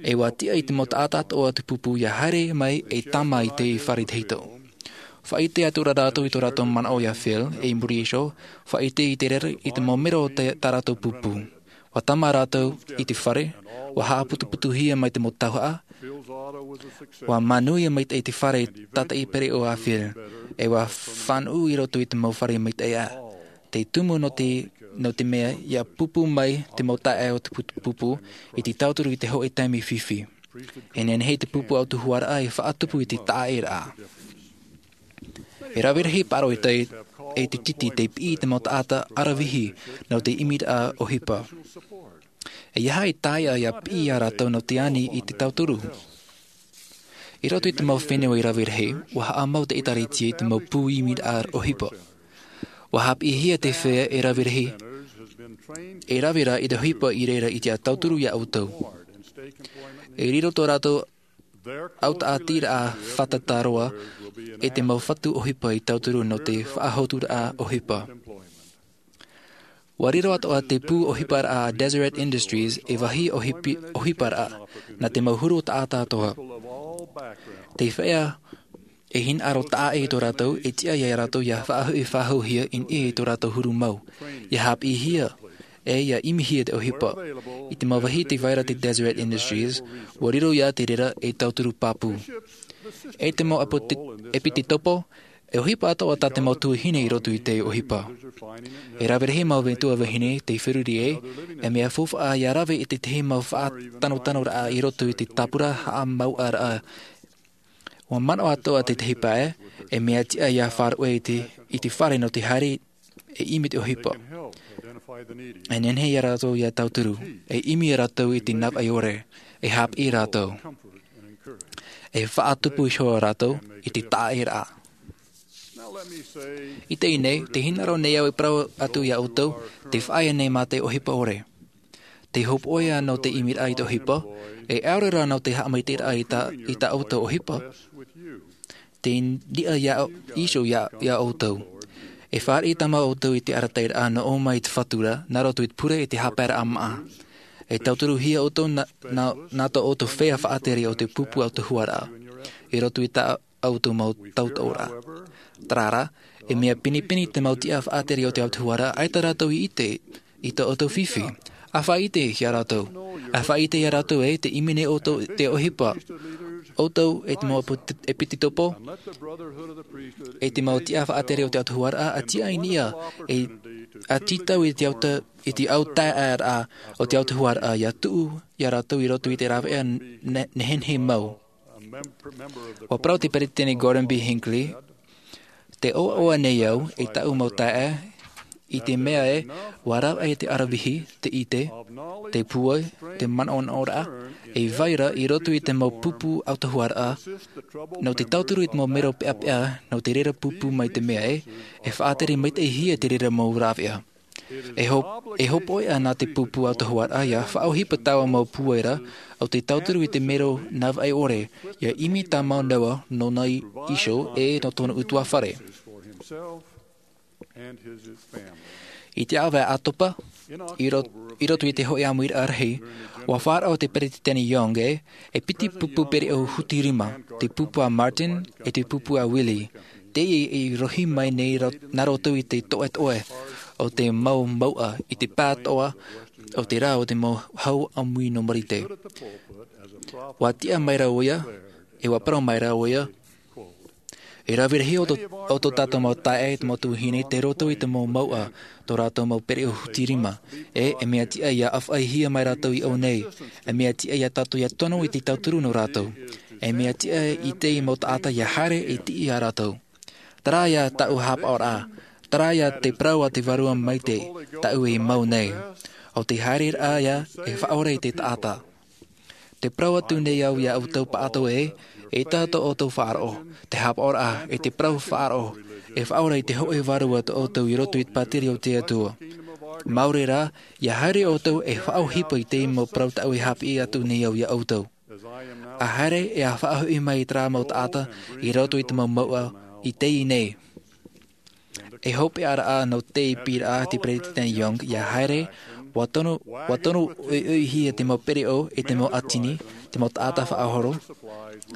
E ua tiʻa i te mau taʻata atoʻa o te pupu ia haere mai e tāmā i te fare tahito. Faʻaʻite atu ra rātou i tō rātou manaʻo iā Phil, e i muri iho, faʻaʻite i te reira i te mau mero o tā rātou pupu. Ua tāmā rātou i te fare, ua haʻaputuputuhia mai te mau tauhaʻa, ua manuia maitaʻi te fare taʻataʻi pereʻoʻo a Phil, e ua fānuʻu i roto i te mau fare maitaʻi aʻe. Te tumu nō te, nō te mea ia pupu mai te mau taeaʻe o te pupu i te tauturu i te hoʻi taime fifi. E nehenehe te pupu autahuʻaraʻa e faʻatupu i te taʻaʻēraʻa. E rave rahi pāroita e te titi tei piʻi i te mau taʻata ʻaravihi nō te ʻimiraʻa ʻohipa. E aha e taea ia piʻi iā rātou nō te ani i te tauturu? I roto i te mau fenua i rave rahi, ua haʻamau te ʻēkālesia i te mau pū ʻimiraʻa ʻohipa. Ua haʻapiʻihia te feiā e rave rahi, e rave ra i te ʻohipa i reira i te tauturu iā ʻoutou. E riro tō rātou autaʻatiraʻa fātata roa e te mau fatu ʻohipa i tauturu nō te faʻahotuaraʻa ʻohipa. Ua riro atoʻa te pū ʻohiparaʻa a Deseret Industries ei vāhi ʻohipi-, ʻohiparaʻa nā te mau huru taʻata atoʻa. Te feiā e hinaʻaro taʻa ʻē tō rātou, e tiʻa iā rātou ia faʻahoʻi faʻahouhia i niʻa i tō rātou huru mau. Ia haʻapiʻihia, e ia ʻimihia te ʻohipa. I te mau vāhi tē vai ra te Deseret Industries, ua riro ia te reira ei tauturu pāpū. E te mau ʻepiti-, ʻepitopo, e ʻohipa atoʻa tā te mau tuahine i roto i te ʻohipa. E rave rahi mau metua vahine tei feruri ai, e mea faufaʻa ia rave i te tahi mau faʻatanotanoraʻa i roto i te tāpura haʻamauʻaraʻa. Ua manaʻo atoʻa te tahi pae, e mea tiʻa ia faʻaruʻe i te, i te fare nō te haere e ʻimi te ʻohipa. E nehenehe iā rātou ia tauturu, e ʻimi rātou i te navaʻi ʻore, e haʻapiʻi rātou. E faʻatupu iho rātou i te taʻaʻēraʻa. I teie nei, tē hinaʻaro nei au e parau atu iā ʻoutou, tē faʻaea nei mā te ʻohipa ʻore. Te hopoiʻa nō te ʻimiraʻa i te ʻohipa, e ʻaore rā nō te haʻamaitaʻiraʻa i tā, i tā ʻoutou ʻohipa. Tē niʻa iho iā, iā ʻoutou. E fāriʻi tāmau ʻoutou i te arataʻiraʻa nō ʻō mai i te Fatu ra, nā roto i te pure e te haʻapaeraʻa māʻa. E tauturuhia ʻoutou nā, nā, nā tō ʻoutou feiā faʻatere o te pupu autahuʻaraʻa. I roto i tā ʻoutou mau tauturu ra. Terā rā, e mea pinepine te mau tiʻa faʻatere o te autahuʻaraʻa, ʻaita rātou i ʻite i tō ʻoutou fifi. ʻA faʻaʻite iā rātou. ʻA faʻaʻite iā rātou ē, tē ʻimi nei ʻoutou i te ʻohipa. ʻOutou e te mau epit-, epitetopo, e te mau tiʻa faʻatere o te autahuʻaraʻa, ʻa tiʻa i niʻa, e, ʻa tītau i te auta-, i te autaeaʻeraʻa o te autahuʻaraʻa, ʻia tuʻu iā rātou i roto i te rāveʻa ne-, nehenehe mau. ʻUa parau te Peresideni Gordon B. Hinckley, tē ʻoaʻoa nei au i tāʻu mau taeaʻe, i te mea ē, ʻua rave te ʻaravihi, te ʻite, te pūai, te manaʻonaʻoraʻa, e vai ra i roto i te mau pupu autahuʻaraʻa, nō te tauturu i te mau mero peʻapeʻa, nō te reira pupu mai te mea ē, e faʻatere maitaʻihia te reira mau rāveʻa. E hop-, e hopoiʻa nā te pupu autahuʻaraʻa ʻia faʻaʻohipa taua mau pūai ra, ʻo te tauturu i te mero navaʻi ʻore, ʻia ʻimi tāmau noa nōna iho e nō tōna ʻutuāfare. I te ʻāvaʻe ʻātopa, i ro-, i roto i te hōʻē ʻāmuiraʻa rahi, ʻua faʻaroʻo te Peresideni Young ē, e piti pupu pereʻoʻo hutirima, te pupu a Martin, e te pupu a Willie. Teie i rohi mai nei ro-, nā roto i te toʻetoʻe o te mau mouʻa i te pātoʻa o te rā o te mau hau ʻāmui nō Marite. ʻUa tiʻa mai ra ʻoia, e ʻua parau mai ra ʻoia, e rave rahi ʻo tō, ʻo tō tātou mau taeaʻe, te mau tuahine, tei roto i te mau mouʻa, tō rātou mau pereʻoʻo hutirima. E, e mea tiʻa ʻia ʻāfaʻihia mai rātou i ʻō nei. E mea tiʻa iā tātou ʻia tono i te tauturu nō rātou. E mea tiʻa i te mau taʻata ʻia haere e tiʻi iā rātou. Terā ïa tāʻu haʻapaʻoraʻa. Terā ïa te parau a te Vārua Maitaʻi, tāʻu e mau nei. ʻO te haereraʻa ïa e faʻaora i te taʻata. Tē parau atu nei au iā ʻoutou pāʻatoʻa ē, ʻeita tō ʻoutou faʻaroʻo, te haʻapaʻoraʻa, e te parau faʻaroʻo, e faʻaora i te hōʻē vārua tō ʻoutou i roto i te pātireia o te Atua. Māuruuru rā, ʻia haere ʻoutou e faʻaʻohipa i te mau parau tāʻu e haʻapiʻi atu nei au iā ʻoutou. ʻA haere e ʻa faʻahoʻi mai i terā mau taʻata i roto i te mau mouʻa i teie nei. E hopeʻa rā nō te piʻiraʻa a te Peresideni Young ʻia haere, ʻua tono, ʻua tono ʻoiʻoihia te mau pereʻoʻo e te mau ʻātini, te mau taʻata faʻahoro,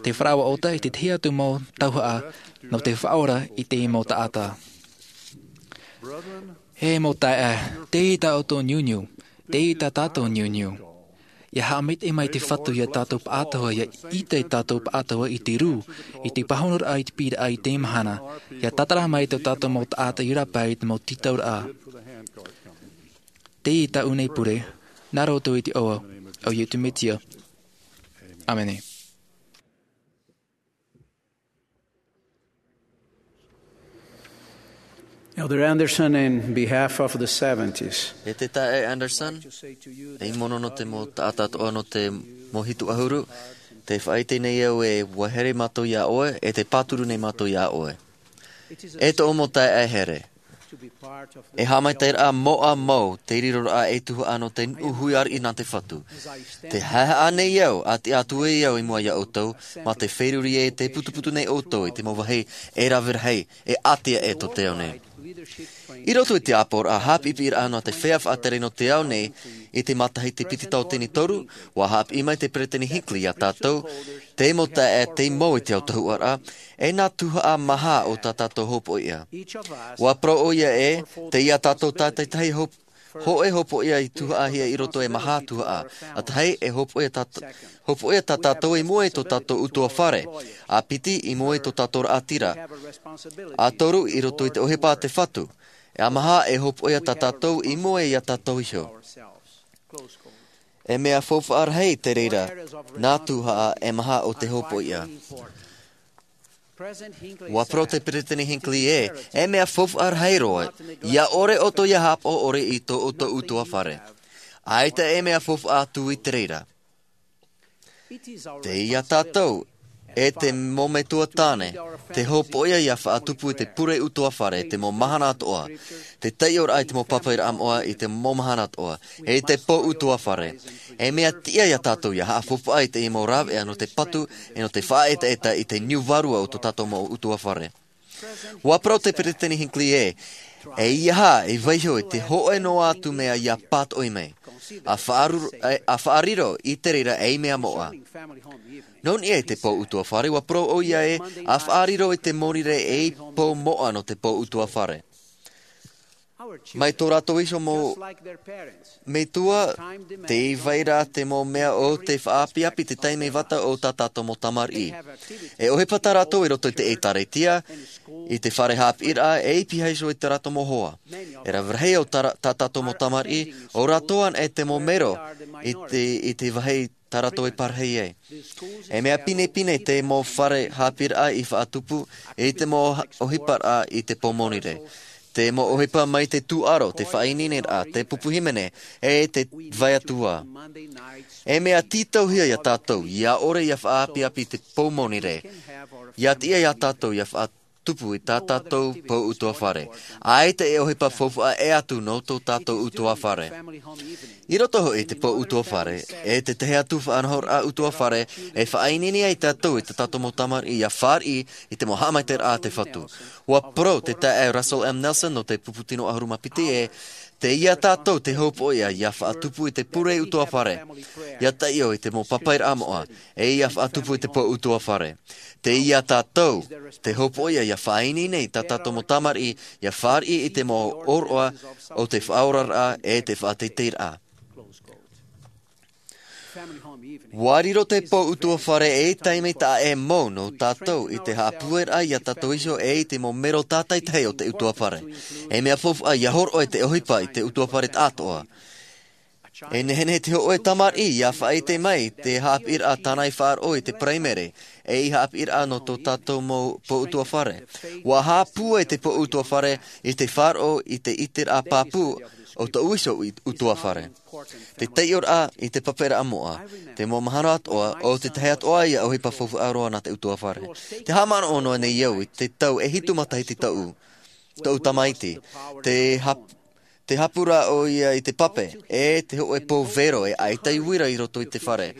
te faraoa ʻota e te tahi atu mau tauhaʻa nō te faʻaora i te mau taʻata. E mau taeaʻe, teie tā ʻoutou niuniu, teie tā tātou niuniu. ʻIa haʻamaitaʻi mai te Fatu iā tātou pāʻatoʻa, ʻia ʻite tātou pāʻatoʻa i te rū, i te pāhonoraʻa, i te piʻiraʻa i teie mahana, ʻia tātara mai tō tātou mau taʻata i rāpae i te mau tītauraʻa. Teie tāʻu nei pure, nā roto i te iʻoa o Iesu Mesia. ʻĀmene. Elder Anderson, in behalf of the seventies, E te taeaʻe Anderson, e mono nō te mau taʻata atoʻa nō te mau hitu ʻahuru, tē faʻaʻite nei au ē ʻua haere mātou iā ʻoe, e tē pāturu nei mātou iā ʻoe. E tōʻu mau taeaʻe here, e haʻamaitaʻiraʻa moʻa mau te riroraʻa e tuhaʻa nō te nuʻu hui ariʻi nā te Fatu. Tē haʻehaʻa nei au, ʻa tiʻa atu ai au i mua iā ʻoutou, mā te feruri ē tē putuputu nei ʻoutou i te mau vāhi e rave rahi, e ʻātea e tō te ao nei. I roto i te ʻāpoʻoraʻa haʻapiʻipiʻiraʻa nō te feiā faʻatere nō te ao nei, i te matahiti piti tauatini toru, ʻua haʻapiʻi mai te Peresideni Hinckley iā tātou, te mau taeaʻe, te mau i te autahuʻaraʻa, e nā tuhaʻa maha o tā tātou hopoiʻa. ʻUa parau ʻoia ē, tei iā tātou tātaitahi hop-, hōʻē hopoiʻa i tuhaʻahia i roto e maha tuhaʻa. ʻA tahi, e hopoiʻa tā t-, hopoiʻa tā tātou i mua i tō tātou ʻutuāfare. ʻA piti, i mua i tō tātou raʻatira. ʻA toru, i roto i te ʻohipa a te Fatu. ʻA maha, e hopoiʻa tā tātou i mua iā tātou iho. E mea faufaʻa rahi te reira, nā tuhaʻa e maha o te hopoiʻa. ʻUa parau te Peresideni Hinckley ē, e mea faufaʻa rahi roa, ʻia ʻore ʻoutou ʻia haʻapaʻo ʻore i tō ʻoutou ʻutuāfare. ʻAita e mea faufaʻa atu i te reira. Tei iā tātou, e te mau metua tāne, te hopoiʻa ʻia faʻatupu i te pure ʻutuāfare, te mau mahana atoʻa, te taiʻoraʻa i te mau pāpaʻiraʻa moʻa i te mau mahana atoʻa, e te pō ʻutuāfare. E mea tiʻa iā tātou ʻia haʻafaufaʻa i te mau rāveʻa nō te patu, e nō te faʻaetaeta i te niu vārua o tō tātou mau ʻutuāfare. ʻUa parau te Peresideni Hinckley ē, e ʻeiaha e vaiiho i te hōʻē noa atu mea ʻia pātoʻi mai. ʻA faʻaru-, e, ʻa faʻariro i te reira ei mea moʻa. Nō niʻa i te pō ʻutuāfare, ʻua parau ʻoia ē, ʻa faʻariro i te Mōnirē ei pō moʻa nō te pō ʻutuāfare. Mai tō rātou iho mau metua, tei vai ra te mau mea o te faʻaapiapi te taime vata o tā tātou mau tamariʻi. E ʻohipa tā rātou i roto i te ʻēkālesia, i te fare haʻapiʻiraʻa, e i pihaʻi iho i tā rātou mau hoa. E rave rahi o tā, tā tātou mau tamariʻi, ʻo rātou anaʻe te mau mero i te, i te vāhi tā rātou e parahi ai. E mea pinepine te mau fare haʻapiʻiraʻa i faʻatupu i te mau ʻohiparaʻa i te pō monirē. Te mau ʻohipa mai te tūʻaro, te faʻaineineraʻa, te pupu hīmene, e te vai atu ā. E mea tītauhia iā tātou, ʻia ʻore ʻia faʻaapiapi te pō monirē. ʻIa tiʻa iā tātou ʻia faʻatupu i tā tātou pō ʻutuāfare. ʻAita e ʻohipa faufaʻa ʻē atu nō tō tātou ʻutuāfare. I roto hoʻi i te pō ʻutuāfare, e te tahi atu faʻanahoraʻa ʻutuāfare, e faʻaineine ai tātou i tā tātou mau tamariʻi ʻia fāriʻi i te mau haʻamaitaʻiraʻa a te Fatu. ʻUa parau te taeaʻe Russell M. Nelson nō te pupu tino ʻahuru mā piti ē, tei iā tātou te hopoiʻa ʻia faʻatupu i te pure ʻutuāfare, ʻia taiʻo i te mau pāpaʻiraʻa moʻa, e ʻia faʻatupu i te pō ʻutuāfare. Tei iā tātou te hopoiʻa ʻia faʻaineine i tā tātou mau tamariʻi, ʻia fāriʻi i te mau ʻōroʻa o te faʻaoraraʻa e te faʻateiteiraʻa. ʻUa riro te pō ʻutuāfare ei taime taʻa ʻē mau nō tātou i te haʻapūairaʻa iā tātou iho e i te mau mero tātaitahi o te ʻutuāfare. E mea faufaʻa ʻia hōroʻa i te ʻohipa i te ʻutuāfare taʻatoʻa. E nehenehe te hōʻē tamariʻi ʻia faʻaʻite mai te haʻapiʻiraʻa tāna i faʻaroʻo i te paraimere, e i haʻapiʻiraʻa nō tō tātou mau pō ʻutuāfare. ʻUa haʻapūai te pō ʻutuāfare i te faʻaroʻo i te ʻiteraʻa pāpū o tōʻu iho ʻutuāfare. Te taiʻoraʻa i te pāpaʻiraʻa moʻa, te mau mahana atoʻa, ʻo te tahi atoʻa ia ʻohipa faufaʻa roa nā te ʻutuāfare. Te haʻamanaʻo noa nei au i te tau e hitu matahiti tōʻu, tōʻu tamaiti. Te hap-, te hapu ra ʻoia i te pape, e te hōʻē pō vero e ʻaita i uira i roto i te fare.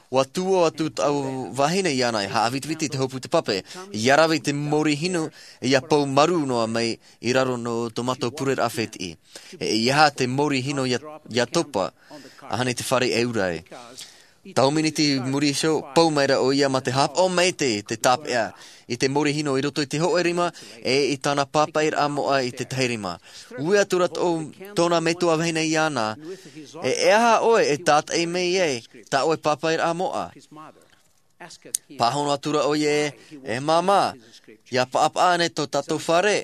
ʻUa tuō atu tāʻu vahine iāna e haʻavitiviti i te hopu i te pape, ʻia rave i te mōrī hinu, ʻia pou marū noa mai i raro nō tō mātou pureraʻa fētiʻi. E ʻeiaha te mōrī hinu ʻia, ʻia topa, ʻahani te fare e ura ai. Tau miniti i muri iho, pou maira ʻoia mā te haʻapaʻo maitaʻi te tāpeʻa i te mōrī hinu i roto i te hōʻē rima, e i tāna pāpaʻiraʻa moʻa i te tahi rima. Ui atu ra tō, tōna metua vahine iāna, e, e aha ʻoe e tātaʻi mai ai tā ʻoe pāpaʻiraʻa moʻa? Pāhono atu ra ʻoia ē, e māmā, ʻia paʻapaʻa ānei tō tātou fare?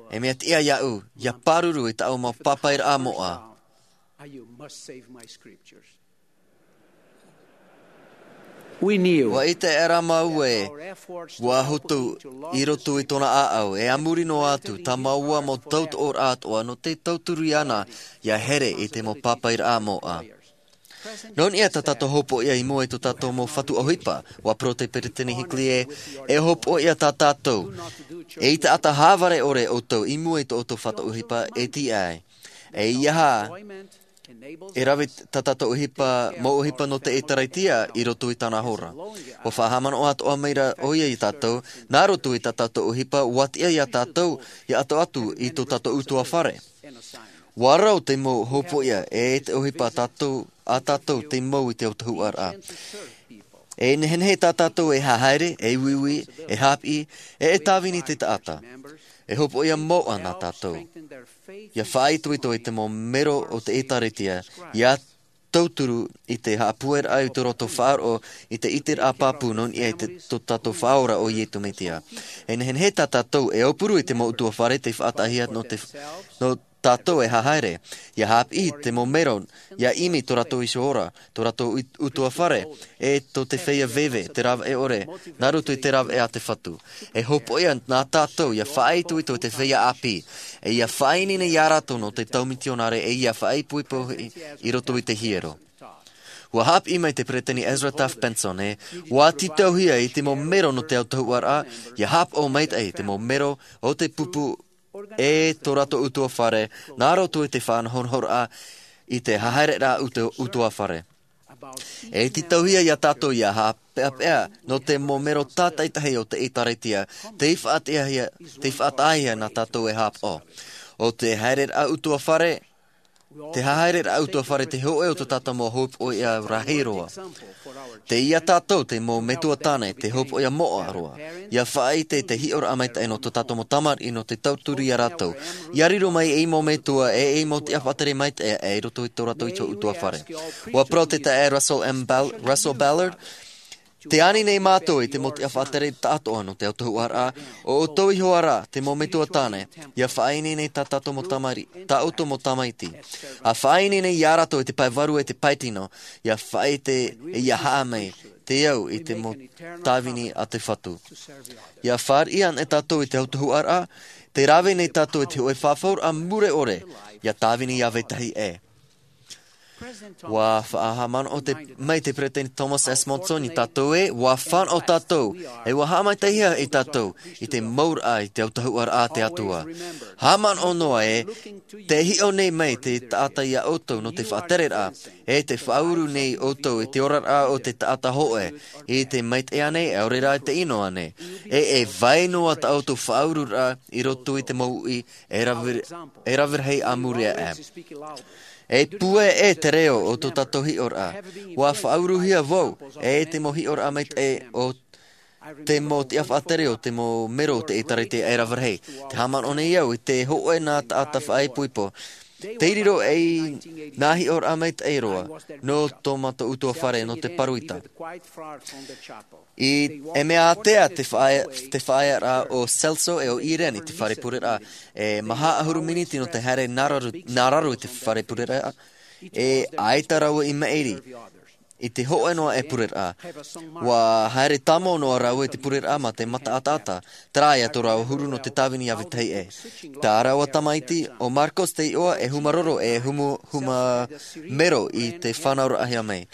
E mea tiʻa iāʻu, ʻia pāruru i tāʻu mau pāpaʻiraʻa moʻa. ʻUa ʻite aʻera māua ē, ʻua hotu i roto i tōna ʻāʻau, e a muri noa atu, tā māua mau tautoʻoraʻa atoʻa nō te tauturu iāna, ʻia here i te mau pāpaʻiraʻa moʻa. Nō niʻa tā tātou hopoiʻa i mua i tō tātou mau fatu ʻohipa, ʻua parau te Peresideni Hinckley ē, e hopoiʻa tā tātou, e i taʻata hāvare ʻore ʻoutou i mua i tō ʻoutou fatu ʻohipa e tiʻa ai. E ʻeiaha, e rave tā tātou ʻohipa, mau ʻohipa nō te ʻĒtārētia i roto i tāna hora. ʻUa faʻahaʻamanaʻo atoʻa maira ʻoia iā tātou, nā roto i tā tātou ʻohipa, ʻua tiʻa iā tātou, ʻia ʻato atu i tō tātou ʻutuāfare. ʻUa rau te mau hopoiʻa, e te ʻohipa a tātou, a tātou te mau i te autahuʻaraʻa. E nehenehe tā tātou e hahaere, e uiui, e haʻapiʻi, e, e tāvini te taʻata. E hopoiʻa moʻa nā tātou. ʻIa faʻaitoito i te mau mero o te ʻĒtārētia, ʻia tauturu i te haʻapūairaʻa i tō rātou faʻaroʻo i te ʻiteraʻa pāpū nō niʻa i te, tō tātou Faʻaora ʻo Iesu Mesia. E nehenehe tā tātou e aupuru i te mau ʻutuāfare tei faʻataʻahia nō te, nō tātou e hahaere, ʻia haʻapiʻi te mau mero, ʻia ʻimi tō rātou iho ora, tō rātou ut-, ʻutuāfare, e tō te feiā veve, te rāveʻa ʻore, nā roto i te rāveʻa a te Fatu. E hopoiʻa nā tātou ʻia faʻaitoito i te feiā ʻāpī, e ʻia faʻaineine iā rātou nō te tau mitionare, e ʻia faʻaipoipo i, i roto i te hiero. ʻUa haʻapiʻi mai te Peresideni Ezra Taft Benson ē, ʻua tītauhia i te mau mero nō te autahuʻaraʻa, ʻia haʻapaʻo maitaʻi i te mau mero o te pupu e tō rātou ʻutuāfare, nā roto i te faʻanahonahoraʻa i te hahaereraʻa ʻutu-, ʻutuāfare. E tītauhia iā tātou ʻia haʻapeʻapeʻa nō te mau mero tātaitahi o te ʻĒtārētia, tei faʻataʻahia, tei faʻataʻahia nā tātou e haʻapaʻo. ʻO te haereraʻa ʻutuāfare, Te hahaereraʻa ʻutuāfare te hōʻē o tō tātou mau hōpoiʻa rahi roa. Tei ia tātou te mau metua tāne, te hōpoiʻa moʻa roa. ʻIa faʻaʻite te hiʻoraʻa maitaʻi nō tō tātou mau tamariʻi nō te tauturu ia rātou. ʻIa riro mai ei mau metua, e ei mau tiʻa faʻatere maitaʻi, e roto i tō rātou iho ʻutuāfare. ʻUa parau te taeaʻe Russell M. Ball-, Russell Ballard, Te ani nei mātou i te mau tiʻa faʻatere taʻatoʻa nō te autahuʻaraʻa, ʻo ʻoutou iho ā rā, te mau metua tāne, ʻia faʻaineine tā tātou mau tamari-, tā ʻoutou mau tamaiti. ʻA faʻaineine ia rātou i te pae vārua e te pae tino, ʻia faʻaʻite e ʻia haʻa mai, te au i te mau tāvini a te Fatu. ʻIa fāriʻi anaʻe tātou i te autahuʻaraʻa, tē rave nei tātou i te hōʻē fafauraʻa mure ʻore, ʻia tāvini ʻia vetahi ʻē. ʻUa faʻahaʻamanaʻo te, mai te Peresideni Thomas S. Monson ia tātou ē, ʻua fānaʻo tātou, e ʻua haʻamaitaʻihia e tātou, i te mauraʻa i te autahuʻaraʻa a te Atua. Haʻamanaʻo noa ē, tē hiʻo nei mai te taʻata ia ʻoutou nō te faʻatereraʻa, e tē faʻauru nei ʻoutou i te oraraʻa o te taʻata hōʻē, i te maitaʻi ānei, ʻaore rā i te ʻino ānei. E, e vai noa tā ʻoutou faʻaururaʻa i roto i te mau uʻi, e rave, e rave rahi a muri aʻe. E puʻe ʻē te reo o tō tātou hiʻoraʻa. ʻUa faʻauruhia vau, e te mau hiʻoraʻa maitaʻi o te mau tiʻa faʻatere o te mau mero o te ʻĒtārētia e rave rahi. Tē haʻamanaʻo nei au i te hōʻē nā taʻata faʻaipoipo. Tei riro ei nā hiʻoraʻa maitaʻi roa, nō tō mātou ʻutuāfare, nō te Paruita. I, e mea ātea te faʻa-, te faʻaearaʻa o Celso e o Irene i te fare pureraʻa, e maha ʻahuru miniti nō te haere nā raro, nā raro i te fare pureraʻa, e ʻaita rāua i maʻiri i te hōʻē noa e pureraʻa. ʻUa haere tāmau noa rāua i te pureraʻa mā te mata ʻataʻata, terā ia tō rāua huru nō te tāvini ʻia vetahi ʻē. Tā rāua tamaiti, ʻo Marcos te iʻoa, e huma roro, e humu-, huma mero i te fānauraʻahia mai.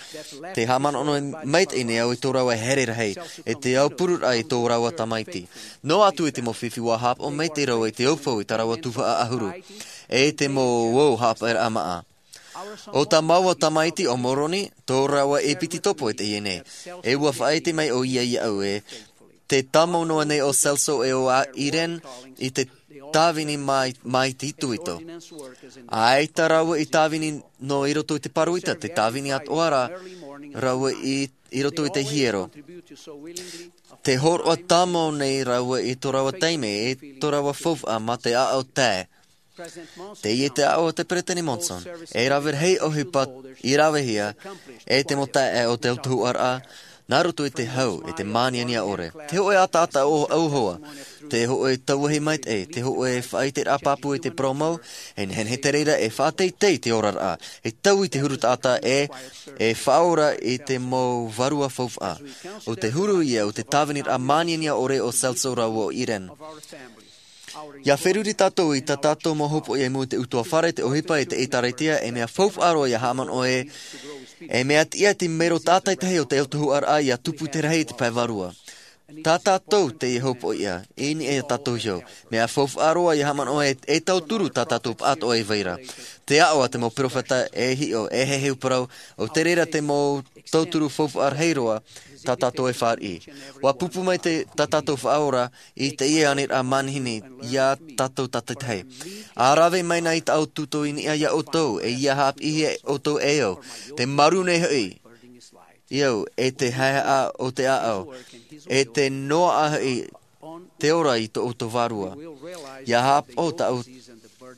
Tē haʻamanaʻo noa maitaʻi nei au i tō rāua here rahi, e te aupururaʻa i tō rāua tamaiti. Noa atu i te mau fifi ʻua haʻapaʻo maitaʻi rāua i te aupuru i tā rāua tuhaʻa ʻahuru. E te mau ʻō haʻapaʻoraʻa māʻa. ʻO tā māua tamaiti ʻo Moroni, tō rāua e piti topo i teie nei. E ʻua faʻaʻite mai ʻoia iāʻu ē, tē tāmau noa nei ʻo Celso e o a Irene i te tāvini mai, mai te itoito. ʻAita rāua i tāvini nō i roto i te Paruita, tē tāvini atoʻa ra rāua i, i roto i te hiero. Tē hōroʻa tāmau nei rāua i tō rāua taime, e tō rāua faufaʻa mā te ʻāʻau tae. Teie te aʻo a te Peresideni Monson, e rave rahi ʻohipa i ravehia, e te mau taeaʻe o te autahuʻaraʻa, nā roto i te hau, e te māniania ʻore. Te hōʻē ʻataʻata ʻo-, ʻauhau, te hōʻē tauahi maitaʻi, te hōʻē faʻaʻiteraʻa pāpū i te parau mau, e nehenehe te reira e faʻateitei te oraraʻa, e taui te huru taʻata e, e faʻaora i te mau vārua faufaʻa. ʻO te huru ia, ʻo te tāviniraʻa māniania ʻore o Celso rāua ʻo Irene. ʻIa feruri tātou i tā tātou mau hōpoiʻa i mua i te ʻutuāfare, te ʻohipa, e te ʻĒtārētia, e mea faufaʻa roa ʻia haʻamanaʻo ē, e mea tiʻa te mero tātaitahi o te autahuʻaraʻa ʻia tupu te rahi i te pae vārua. Tā tātou teie hōpoiʻa, i niʻa ia tātou iho, mea faufaʻa roa ʻia haʻamanaʻo ē, e tauturu tā tātou pāʻātoʻa i vai ra. Te aʻo a te mau perofeta e hiʻo, e heheu parau, ʻo te reira te mau tauturu faufaʻa rahi roa, tā tātou e fāriʻi. ʻUa pupu mai te, tā tātou Faʻaora, i teie aniraʻa manihini ia tātou tātaitahi. ʻA rave mai na i tāʻu tūtō i niʻa ia ʻoutou, e ʻia haʻapiʻihia ʻoutou e au, te marū nei hoʻi, i au, e te haehaʻa o te ʻāʻau, e te noaʻa hoʻi te ora i tō ʻoutou vārua. ʻIa haʻapaʻo tāʻu,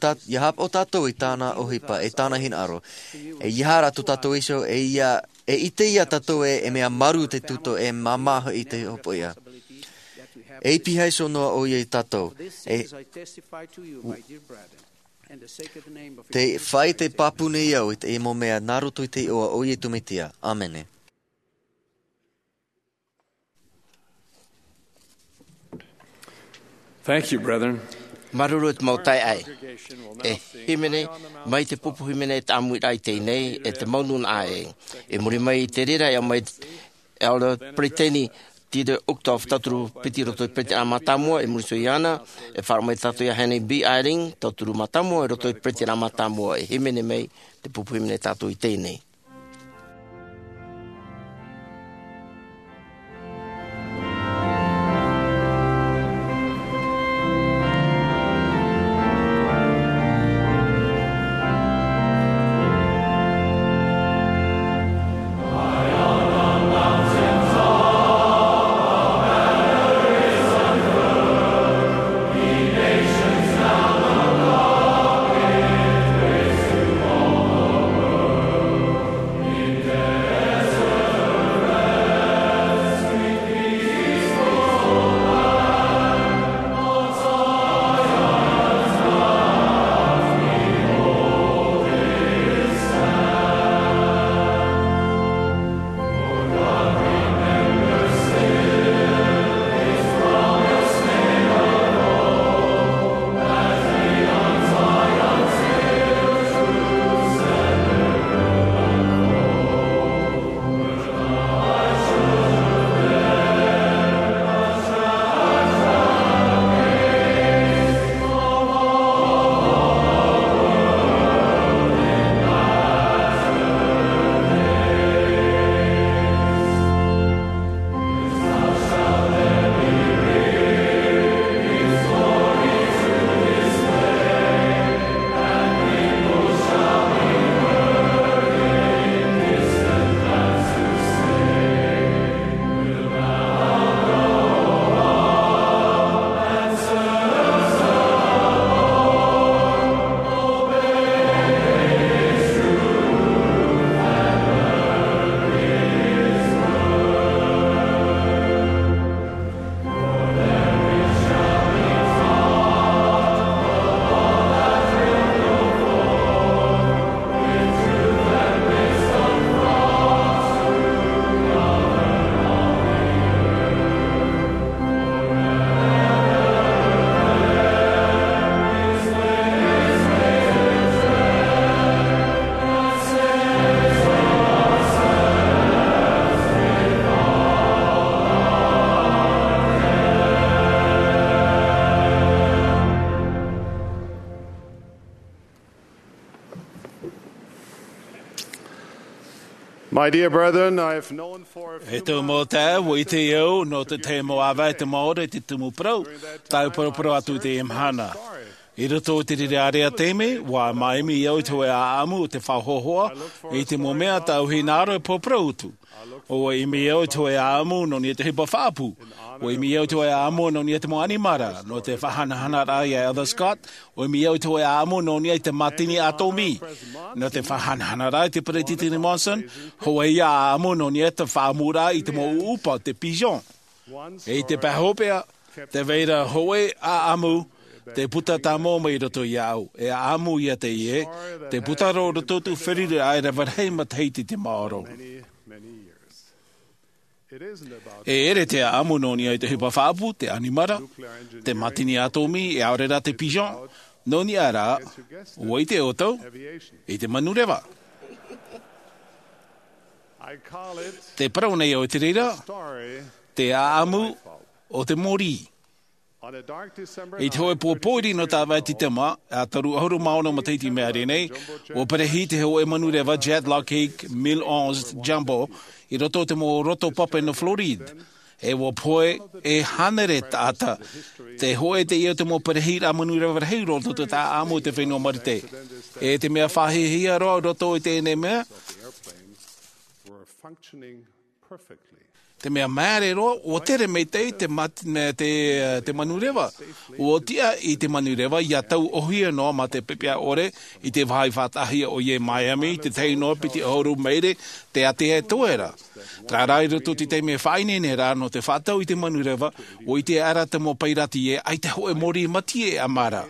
tā-, ʻia haʻapaʻo tātou i tāna ʻohipa, e tāna hinaʻaro. E ʻia haere tō tātou iho, e ʻia, e ʻite ia tātou ē, e mea marū te tūtō, e māmā hoʻi te hōpoiʻa. E pihaʻi iho noa ʻoia ia tātou. E, tē faʻaʻite pāpū nei au i teie mau mea nā roto i te iʻoa o Iesu Mesia. ʻĀmene. Thank you, brethren. Māuruuru te mau taeaʻe. E hīmene, mai te pupu hīmene tāʻamuraʻa i teie nei, e te mau nūnaʻa ē. I muri mai i te reira, e au mai Elder Peresideni Dieter Uchtdorf, tauturu piti i roto i te Peretitiraʻa Mātāmua, i muri iho iāna, e faʻaroʻo mai tātou ia Henry B. Eyring, tauturu mātāmua, i roto i te Peretitiraʻa Mātāmua, e hīmene mai te pupu hīmene tātou i teie nei. My dear brethren, I have known for a few E tō mau taeaʻe, ʻua ʻite au nō te tahi mau ʻāvaʻe i te māʻore i te tumu parau, tāu e paraparau atu i teie mahana. I roto i te reira area taime, ʻua māʻimi au i te hōʻē ʻāʻamu o te faʻahoahoa i te mau mea tāu e hinaʻaro e paraparau atu. ʻUa ʻimi au i te hōʻē ʻāʻamu nō niʻa i te ʻohipa faʻaʻapu. ʻUa ʻimi au i te hōʻē ʻāʻamu nō niʻa i te mau ʻanimara, nō te faʻahanahanaraʻa ia Elder Scott. ʻUa ʻimi au i te hōʻē ʻāʻamu nō niʻa i te mātini ʻātōmī, nō te faʻahanahanaraʻa ia te Peretiteni Monson. Hōʻē ïa ʻāʻamu nō niʻa i te faʻaʻamuraʻa i te mau ʻuʻupa, te pigeon. E i te pae hopeʻa, tē vai ra hōʻē ʻāʻamu, te puta tāmau mai roto iāʻu. E ʻāʻamu ïa teie, te puta roa roto i te feruriraʻa e rave rahi matahiti i te maoro. E ʻere te ʻāʻamu nō niʻa i te ʻohipa faʻaʻapu, te ʻanimara, te mātini ʻātōmī, e ʻaore rā te pigeon, nō niʻa rā, ʻua ʻite ʻoutou, i te manureva. Te parau nei au i te reira, te ʻāʻamu o te mōrī. I te hōʻē pō pōiri nō Tāvai Tītema, ʻa toru ʻahuru mā ono matahiti i maʻiri nei, ʻua perehi te hōʻē manureva Jet Lockheed mille onze Jumbo i roto i te mau roto pape nō Floride. E ʻua pohe e hānere taʻata. Te hōʻē teie o te mau perehiraʻa manureva rahi roa i roto i te ʻāʻamu o te fenua Marite. E te mea faʻahiahia roa i roto i teie nei mea, te mea māere roa, ʻua tere maitaʻi te mat-, me te, te manureva. ʻUa tiʻa i te manureva ʻia tauʻohia noa mā te pepeʻa ʻore i te vāhi faʻataʻahia ʻoia i Miami, te tahi noa piti ʻahuru maere te ātea e toe ra. Terā rā, i roto i te taime faʻaineineraʻa nō te faʻatau i te manureva, ʻua ʻite aʻera te mau pairati ē, ʻaita hōʻē mōrī matie e ʻamara.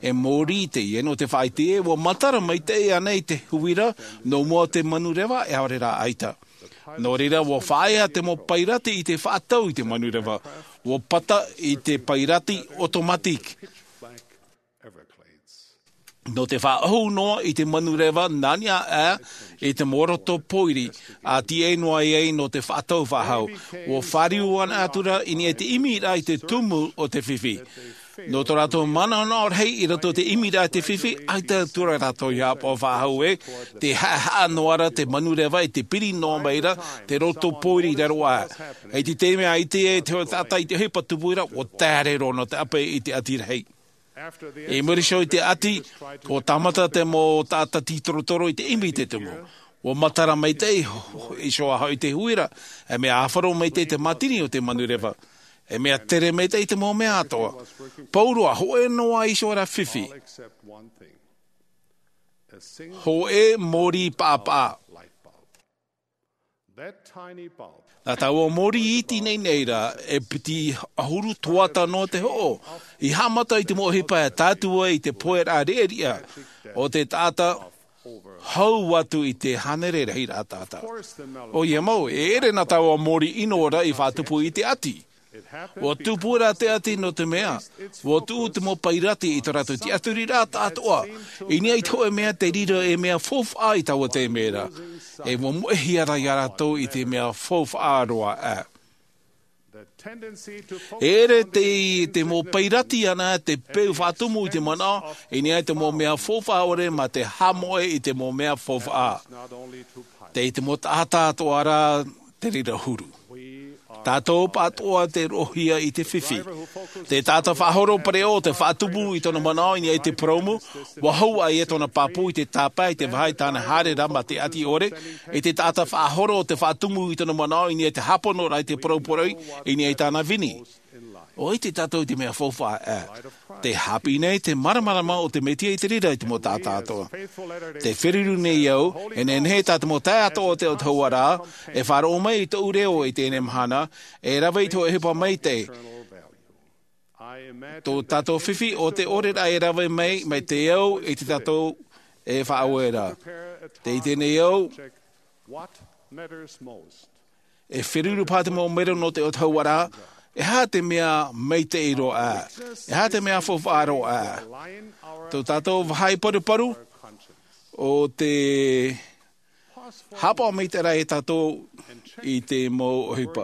E mōrī teie nō te faʻaʻite ē, ʻua matara maitaʻi ānei te huira nō mua o te manureva, e ʻaore rā ʻaita. Nō reira, ʻua faʻaea te mau pairati i te faʻatau i te manureva. ʻUa pata i te pairati automatique. Nō te faʻaʻohu noa i te manureva nā niʻa aʻe i te mau roto pōiri, ʻa tiʻa noa ai nō te faʻatau faʻahou. ʻUa fāriu anaʻe atu ra i niʻa i te ʻimiraʻa i te tumu o te fifi. Nō tō rātou manaʻonaʻo rahi i roto i te ʻimiraʻa i te fifi, ʻaita atu ra rātou i ʻāpoʻo faʻahou ē, tē haʻehaʻa noa ra te manureva i te piri noa mai ra te roto pōiri i raro aʻe. I te taime ʻua ʻite ai te hōʻē taʻata i te ʻohipa tupu ra, ʻua taere roa nō te ʻape i te ʻati rahi. I muri iho i te ʻati, ʻua tāmata te mau taʻata tītorotoro i te ʻimi i te tumu. ʻUa matara maitaʻi iho ā hoʻi te huira, e mea ʻāfaro maitaʻi te mātini o te manureva. E mea tere maitaʻi te mau mea atoʻa. Pauroa, hōʻē noa iho ra fifi. Hōʻē mōrī paʻapaʻa. Nā taua mōrī iti nei nei ra, e piti ʻahuru tuata noa te hoʻo, i haʻamata i te mau ʻohipa e tātū ai i te poeraʻa riʻariʻa o te taʻata hau atu i te hānere rahiraʻa taʻata. ʻOia mau, e ʻere nā taua mōrī ʻino ra i faʻatupu i te ʻati. ʻUa tupu ra te ʻati nō te mea, ʻua tuʻu te mau pairati i tō rātou tiʻaturiraʻa tāʻātoʻa, i niʻa i te hōʻē mea tei riro ei mea faufaʻa i taua taime ra. E ʻua moʻehia ra ia rātou i te mea faufaʻa roa aʻe. E ʻere te, te mau pairati ānei te peu faʻatumu i te manaʻo, i niʻa i te mau mea faufaʻa ʻore mā te haʻamoʻe i te mau mea faufaʻa. Tei te mau taʻata atoʻa ra te reira huru. Tātou pāʻatoʻa tei roʻohia i te fifi. Te taʻata faʻahoro pereʻoʻo tei faʻatumu i tōna manaʻo i niʻa i te purōmu, ʻua hau ʻoia tōna pāpū i te tāpae i te vāhi tāna haere ra mā te ʻati ʻore, i te taʻata faʻahoro tei faʻatumu i tōna manaʻo i niʻa i te hāpono ra i te poroʻi i niʻa i tāna vini. ʻUa ʻite tātou i te mea faufaʻa aʻe. Tē haʻapiʻi nei te māramarama o te Mesia i te reira i te mau taʻata atoʻa. Tē feruri nei au, e nehenehe tā te mau taeaʻe atoʻa o te autahuʻaraʻa, e faʻaroʻo mai i tōʻu reo i teie mahana, e rave i te hōʻē ʻohipa maitaʻi. Tō tātou fifi ʻo te ʻore ra e rave mai, mai te au i tā tātou e faʻaue ra. Tē ʻite nei au, e feruri paha te mau mero nō te autahuʻaraʻa, e aha te mea maitaʻi roa aʻe, e aha te mea faufaʻa roa aʻe. Tō tātou vāhi paruparu, ʻo te haʻapaʻo maitaʻi ra e tātou i te mau ʻohipa.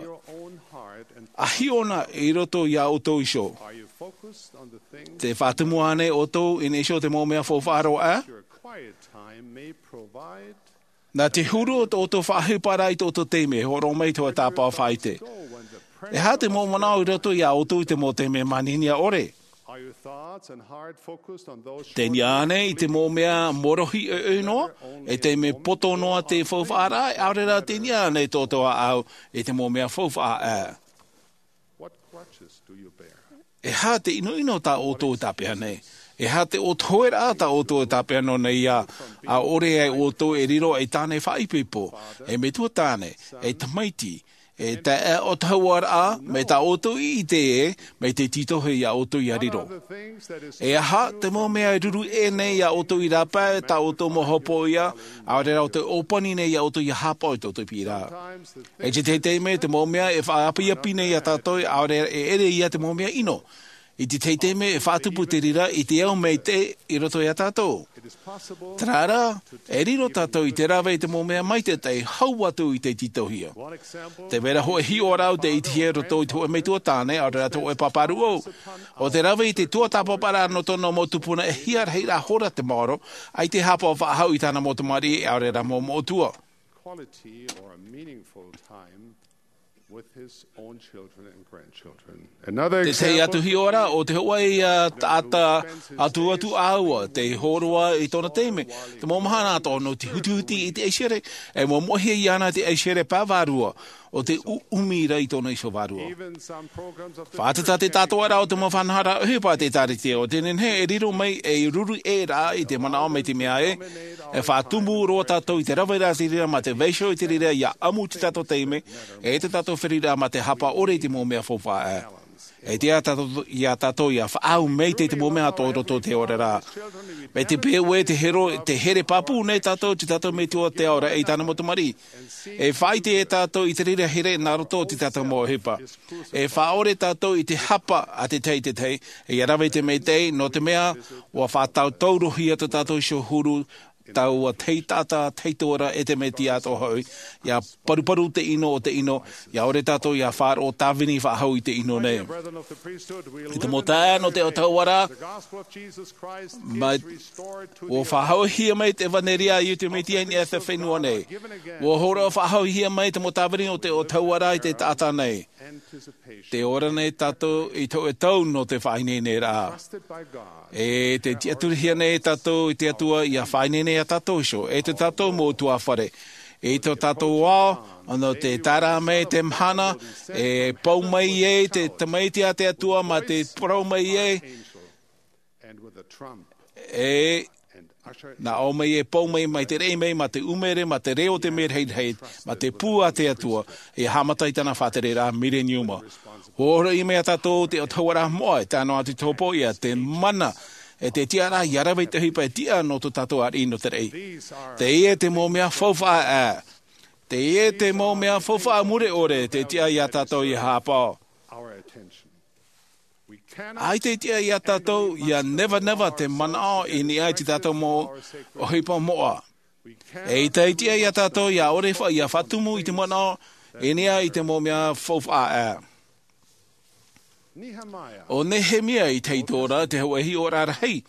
ʻA hiʻo na i roto iā ʻoutou iho. Tē faʻatumu ānei ʻoutou i niʻa iho i te mau mea faufaʻa roa aʻe? Nā te huru o tō ʻoutou faʻaʻohipa ra i tō ʻoutou taime, hōroʻa mai te hōʻē tāpaʻo faʻaʻite. E aha te mau manaʻo i roto iā ʻoutou i te mau taime manihini ʻore? Tē niʻa ānei i te mau mea morohi ʻoiʻoi noa, e taime poto noa te faufaʻa ra, ʻaore rā tē niʻa ānei tō ʻoutou ʻāʻau i te mau mea faufaʻa ʻā? E aha te ʻinoʻino tā ʻoutou e tāpeʻa nei? E aha te ʻōtoheraʻa tā ʻoutou e tāpeʻa noa nei ia, ʻaore ai ʻoutou e riro ei tāne faʻaipoipo, ei metua tāne, ei tamaiti, e taeaʻe ʻōtoheraʻa, mai tā ʻoutou i ʻite ē, mai te tītohi iā ʻoutou ia riro? E aha te mau mea e ruru ʻē nei iā ʻoutou i rāpae tā ʻoutou mau hopoiʻa, ʻaore rā ʻoutou e ʻōpani nei iā ʻoutou ia hāpaʻo i tō ʻoutou piʻiraʻa? E te tahi taime te mau mea e faʻaapiapi nei iā tātou, ʻaore e ʻere ia te mau mea ʻino. I te tahi taime e faʻatupu te reira i te ao maitaʻi i roto iā tātou. Terā rā, e riro tātou i te rave i te mau mea maitaʻi hau atu i te tītohia. Te vera hōʻē hiʻoraʻa tē ʻitehia i roto i te hōʻē metua tāne, ʻaore rā te hōʻē pāpā rūʻau. ʻO te rave i te tuatāpaparaʻa nō tōna mau tupuna, e hia rahi rā hora te maoro, ʻaita e hāpaʻo faʻahou i tāna mau tamariʻi, ʻaore rā mau moʻotua. Quality or a meaningful time with his own children and grandchildren. Another example. Te tahi atu hiʻoraʻa, ʻo te hōʻē ia taʻata atu atu ʻāua, tē hōroʻa i tōna taime, te mau mahana atoʻa nō te hutihuti i te ʻaisereʻa, e moʻomoʻohia iāna te ʻaisereʻa pae vārua, ʻo te ʻuʻumi ra i tōna iho vārua. Even some programs of the Faʻatata te tātoʻaraʻa o te mau faʻanahoraʻa ʻohipa a te ʻĒtārētia, ʻo te nehenehe e riro mai ei ruru ʻē ra i te manaʻo mai te mea ē, e faʻatumu roa tātou i te rave i te reira mā te vaiiho i te reira ia ʻamu i tō tātou taime, e tō tātou feruriraʻa mā te hāpaʻo ʻore i te mau mea faufaʻa ʻā. E tiʻa tātou, iā tātou ia faʻaau maitaʻi te mau mea atoʻa i roto i te oraraʻa. Mai te peu ē tē hero, tē here pāpū nei tātou i tō tātou Metua te Ao ra e i tāna mau tamariʻi. E faʻaʻite tātou i te reira here nā roto i tō tātou mau ʻohipa. E faʻaʻore tātou i te hapa a te tahi i te tahi, e ia rave i te maitaʻi, nō te mea, ʻua faʻatautaurohia tō tātou iho huru, taua tahi taʻata, tahi atu ra e te Mesia atoʻa hoʻi, ia paruparu te ʻino o te ʻino, ia ʻore tātou ia faʻaroʻo tāvini faʻahou i te ʻino nei. I te mau taeaʻe nō te autahuʻaraʻa, mai, ʻua faʻahoʻihia mai te ʻevanelia a Iesu Mesia i niʻa i te fenua nei. ʻUa hōroʻa faʻahoʻihia mai te mau tāvini o te autahuʻaraʻa i te taʻata nei. Tē ora nei tātou i te hōʻē tau nō te faʻaineineraʻa. E tē tiʻaturihia nei tātou i te Atua ia faʻaineine iā tātou iho, e tō tātou mau ʻutuāfare. I tō tātou ao, nō te tae ra mai te mahana, e pau mai ai te Tamaiti a te Atua mā te parau mai ai, e nā ʻō mai e pau mai, mai te reʻi mai, mā te ʻumere, mā te reo o te mea rahirahi, mā te pū a te Atua, ia haʻamata i tāna faʻatereraʻa mileniuma. ʻUa hōroʻa mai iā tātou te autahuʻaraʻa moʻa, e tae noa atu i te hopoiʻa, te mana, e te tiʻaraʻa ia rave i te ʻohipa e tiʻa nō tō tātou ariʻi nō te raʻi. Teie te mau mea faufaʻa ʻā. Teie te mau mea faufaʻa mure ʻore, tē tiʻa iā tātou ia hāpaʻo. ʻAita e tiʻa iā tātou ia nevaneva te manaʻo i niʻa i tō tātou mau ʻohipa moʻa. ʻAita e tiʻa iā tātou ia ʻore faʻa-, ia faʻatumu i te manaʻo i niʻa i te mau mea faufaʻa ʻā. ʻO Nehemia i te ʻaito ra, te hōʻē hiʻoraʻa rahi,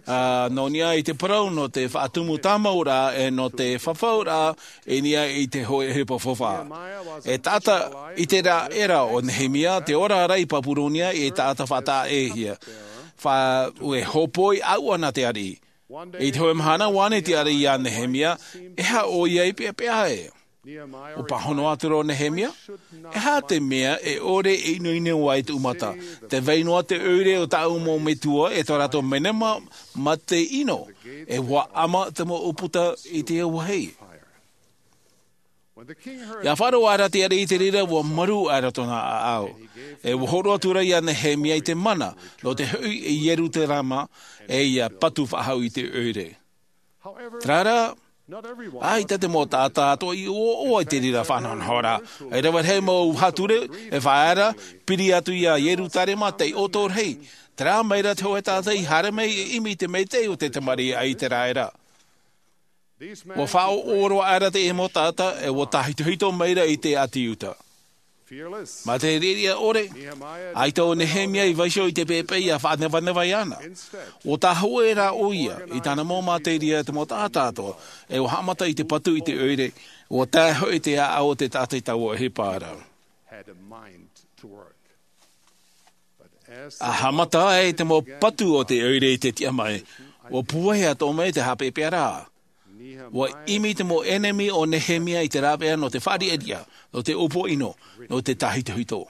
ā, nō niʻa i te parau nō te faʻatumu tāmauraʻa, e nō te fafauraʻa, i niʻa i te hōʻē ʻohipa faufaʻa. E taʻata ʻĪteraʻera ʻo Nehemia, tē ora ra i Papuronia, e taʻata faʻataʻa-ʻē-hia. Fa-, e hōpoi ʻāuʻa nā te ariʻi. I te hōʻē mahana, ʻua ʻite te ariʻi iā Nehemia, e aha ʻoia i peʻapeʻa ai? ʻUa pāhono atu ra ʻo Nehemia, e aha te mea e ʻore e ʻinoʻino ai tōʻu mata? Tē vai noa te ʻoire o tāʻu mau metua, e tō rātou manaʻo mā te ʻino, e ʻua ʻama te mau ʻūputa i te auahi. ʻIa faʻaroʻo aʻera te ariʻi i te reira, ʻua marū aʻera tōna ʻāʻau. E ʻua hōroʻa atu ra iā Nehemia i te mana, nō te hoʻi i Ierutarema, e ʻia patu faʻahou i te ʻoire. Terā rā, ʻaita te mau taʻata atoʻa i ʻoaʻoa i te reira faʻanahonahoraʻa. E rave rahi mau haʻature, e faʻaea ra, piri atu iā Ierutarema, taiʻo atoʻa rahi. Terā mai ra te hōʻē taʻata i haere mai e ʻimi i te maitaʻi o te tamariʻi a ʻĪteraʻera. ʻUa faʻaʻoʻoʻo roa aʻera teie mau taʻata, e ʻua tāhitohito mai ra i te ʻāti Iuta. Mā te riʻariʻa ʻore, ʻaita ʻo Nehemia i vaiiho i te pepe ia faʻanevaneva iāna. ʻUa tāhōʻē rā ʻoia i tāna mau mātairia te mau taʻata atoʻa, e ʻua haʻamata i te patu i te ʻoire, ʻua tae hoʻi te ʻāʻau o te taʻata i taua ʻohipa ra. A haʻamata ai te mau patu o te ʻoire i te tiʻa mai, ʻua pūai atoʻa mai te haʻapeʻapeʻa ra. ʻUa ʻimi te mau ʻenemi o Nehemia i te rāveʻa nō te faʻariʻariʻa, nō te ʻōpua ʻino, nō te tāhitohito.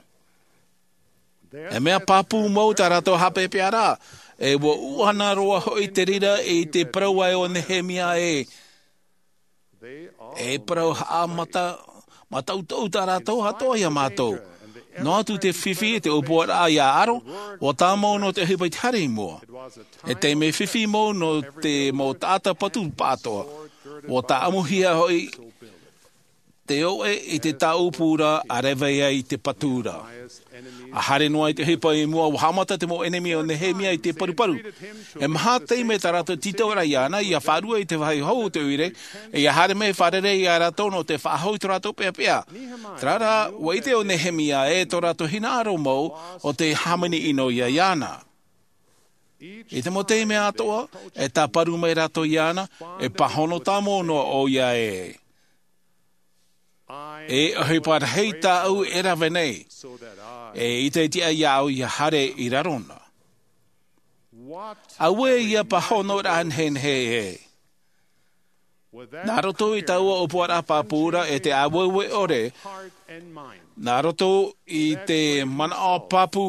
E mea pāpū mau tā rātou haʻapeʻapeʻa ra, e ʻua ʻuʻana roa hoʻi te reira i te parau ē ʻo Nehemia ē. E parau haʻamata, mātaʻutaʻu tā rātou atoʻa iā mātou. Noa atu te fifi e te ʻōpuaraʻa iā ʻAro, ʻua tāmau nō te ʻohipa i te haere i mua. E taime fifi mau nō te mau taʻata patu pāʻatoʻa. ʻUa tāʻamuhia hoʻi te ʻoʻe i te tāʻupu ra a rave ai te patu ra. A haere noa i te ʻohipa i mua, ʻua haʻamata te mau ʻenemi o Nehemia i te paruparu. E maha taime tā rātou tītau ra iāna ia faʻarue i te vāhi hou o te ʻoire, e ia haere mai fārerei iā rātou nō te faʻahou i tō rātou peʻapeʻa. Terā rā, ʻua ʻite ʻo Nehemia ē tō rātou hinaʻaro mau ʻo te hāmani ʻino ia iāna. I te mau taime atoʻa, e tāparu mai rātou iāna, e pāhono tāmau noa ʻoia ē. E ʻohipa rahi tāʻu e rave nei, e ʻite iti ai au ia haere i raro na. Auē ia pāhonoraʻa nehenehe ē. Nā roto i taua ʻōpuaraʻa pāpū ra e te ʻāueue ʻore, nā roto i te manaʻo pāpū,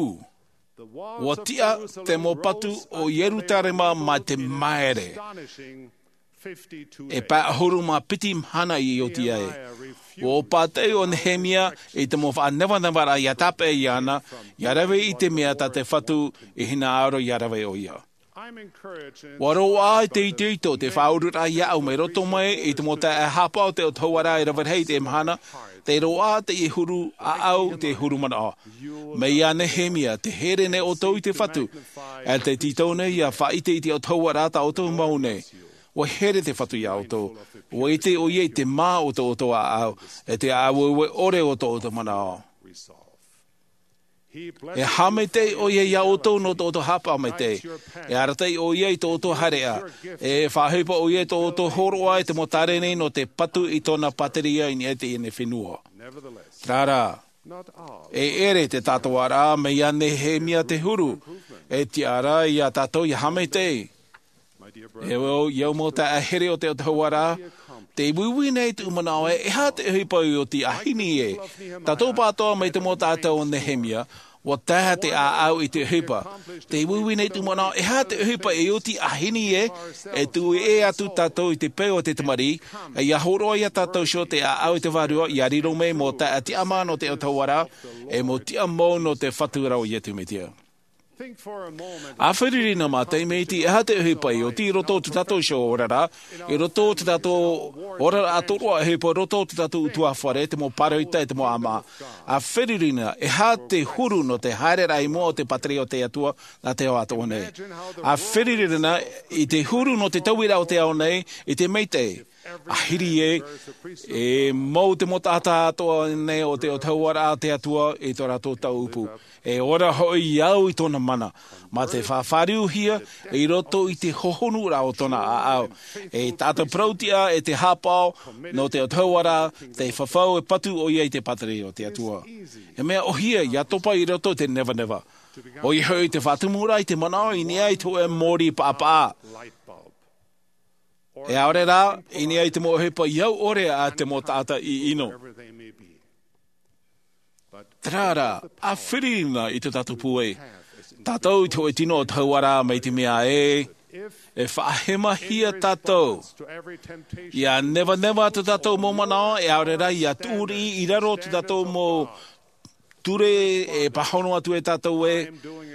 ʻua tiʻa te mau patu o Ierutarema mā te maere. E pae ʻahuru mā piti mahana i oti ai. ʻUa pātaʻi ʻo Nehemia i te mau faʻanevanevaraʻa ia tāpeʻa iāna, ia rave i te mea tā te Fatu i hinaʻaro ia rave ʻoia. ʻUa roaʻa te itoito te faʻaururaʻa iāʻu mai roto mai i te mau taeaʻe haʻapaʻo o te ʻOtua ra e rave rahi i te mahana, te roaʻa te huru ʻāʻau te huru manaʻo. Mai iā Nehemia, tē here nei ʻoutou i te Fatu, e tē tītau nei ia faʻaʻite i te ʻOtua ra tā ʻoutou mau nei. ʻUa here te Fatu iā ʻoutou. ʻUa ʻite ʻoia i te mā o tō ʻoutou ʻāʻau, e te ʻāueue ʻore o tō ʻoutou manaʻo. E haʻamaitaʻi ʻoia iā ʻoutou nō tō ʻoutou haʻapaʻo maitaʻi. E arataʻi ʻoia i tō ʻoutou haereʻa. E faʻaʻohipa ʻoia i tō ʻoutou hōroʻa i te mau tāreni nō te patu i tōna pāteria i niʻa i teie nei fenua. Terā rā, e ʻere te tātauaraʻa mai iā Nehemia te huru, e tiʻa ra iā tātou ia haʻamaitaʻi. E au, e au mau taeaʻe here o te ʻOtua ra, tē uiui nei tōʻu manaʻo ē, e aha te ʻohipa i oti a Hini ē. Tātou pāʻatoʻa mai te mau taʻata o Nehemia, ʻua tae te ʻāʻau i te ʻohipa. Tē uiui nei tōʻu manaʻo, e aha te ʻohipa i oti a Hini ē, e tuʻu ʻē atu tātou i te peu o te tamariʻi, e ia hōroʻa iā tātou iho te ʻāʻau i te Vārua, ia riro mai mau taeaʻe tiʻamā nō te ʻOtua ra, e mau tiʻa mau nō te Fatu ra ʻo Iesu Mesia. ʻA fāriʻi na mā te taime iti, e aha te ʻohipa i oti i roto o tō tātou iho oraraʻa, i roto o tō tātou oraraʻa tōroʻa ʻohipa, i roto o tō tātou ʻutuāfare, te mau pāroita, te mau ʻāmaʻa. ʻA fāriʻi na, e aha te huru nō te haereraʻa i mua o te pāteria o te Atua nā te ao atoʻa nei. ʻA fāriʻi na i te huru nō te tauiraʻa o te ao nei, i te maitaʻi. ʻA Hiri ē, e mau te mau taʻata atoʻa nei o te ʻOtua ra te Atua i tō rātou tāʻupu. E ora hoʻi au i tōna mana, mā te faʻafāriuhia i roto i te hohonuraʻa o tōna ʻāʻau. E tātou parautiʻa e te haʻapaʻo nō te ʻOtua ra, te fafau e patu ʻoia i te pāteria o te Atua. E mea ʻōhie ia topa i roto i te nevaneva. ʻOia hoʻi te faʻatumuraʻa i te manaʻo i niʻa i te hōʻē mōrī paʻapaʻa. E ʻaore rā, i niʻa i te mau ʻohipa i au ʻore a te mau taʻata ʻiʻino. Terā rā, ʻa fāriʻi na i tō tātou pūai. Tātou i te hōʻē tino ʻOtua ra mai te mea ē, e faʻahemahia tātou. Ia nevaneva tō tātou mau manaʻo, e ʻaore rā, ia tuʻuriʻi i raro tō tātou mau ture e pāhono atu e tātou ē,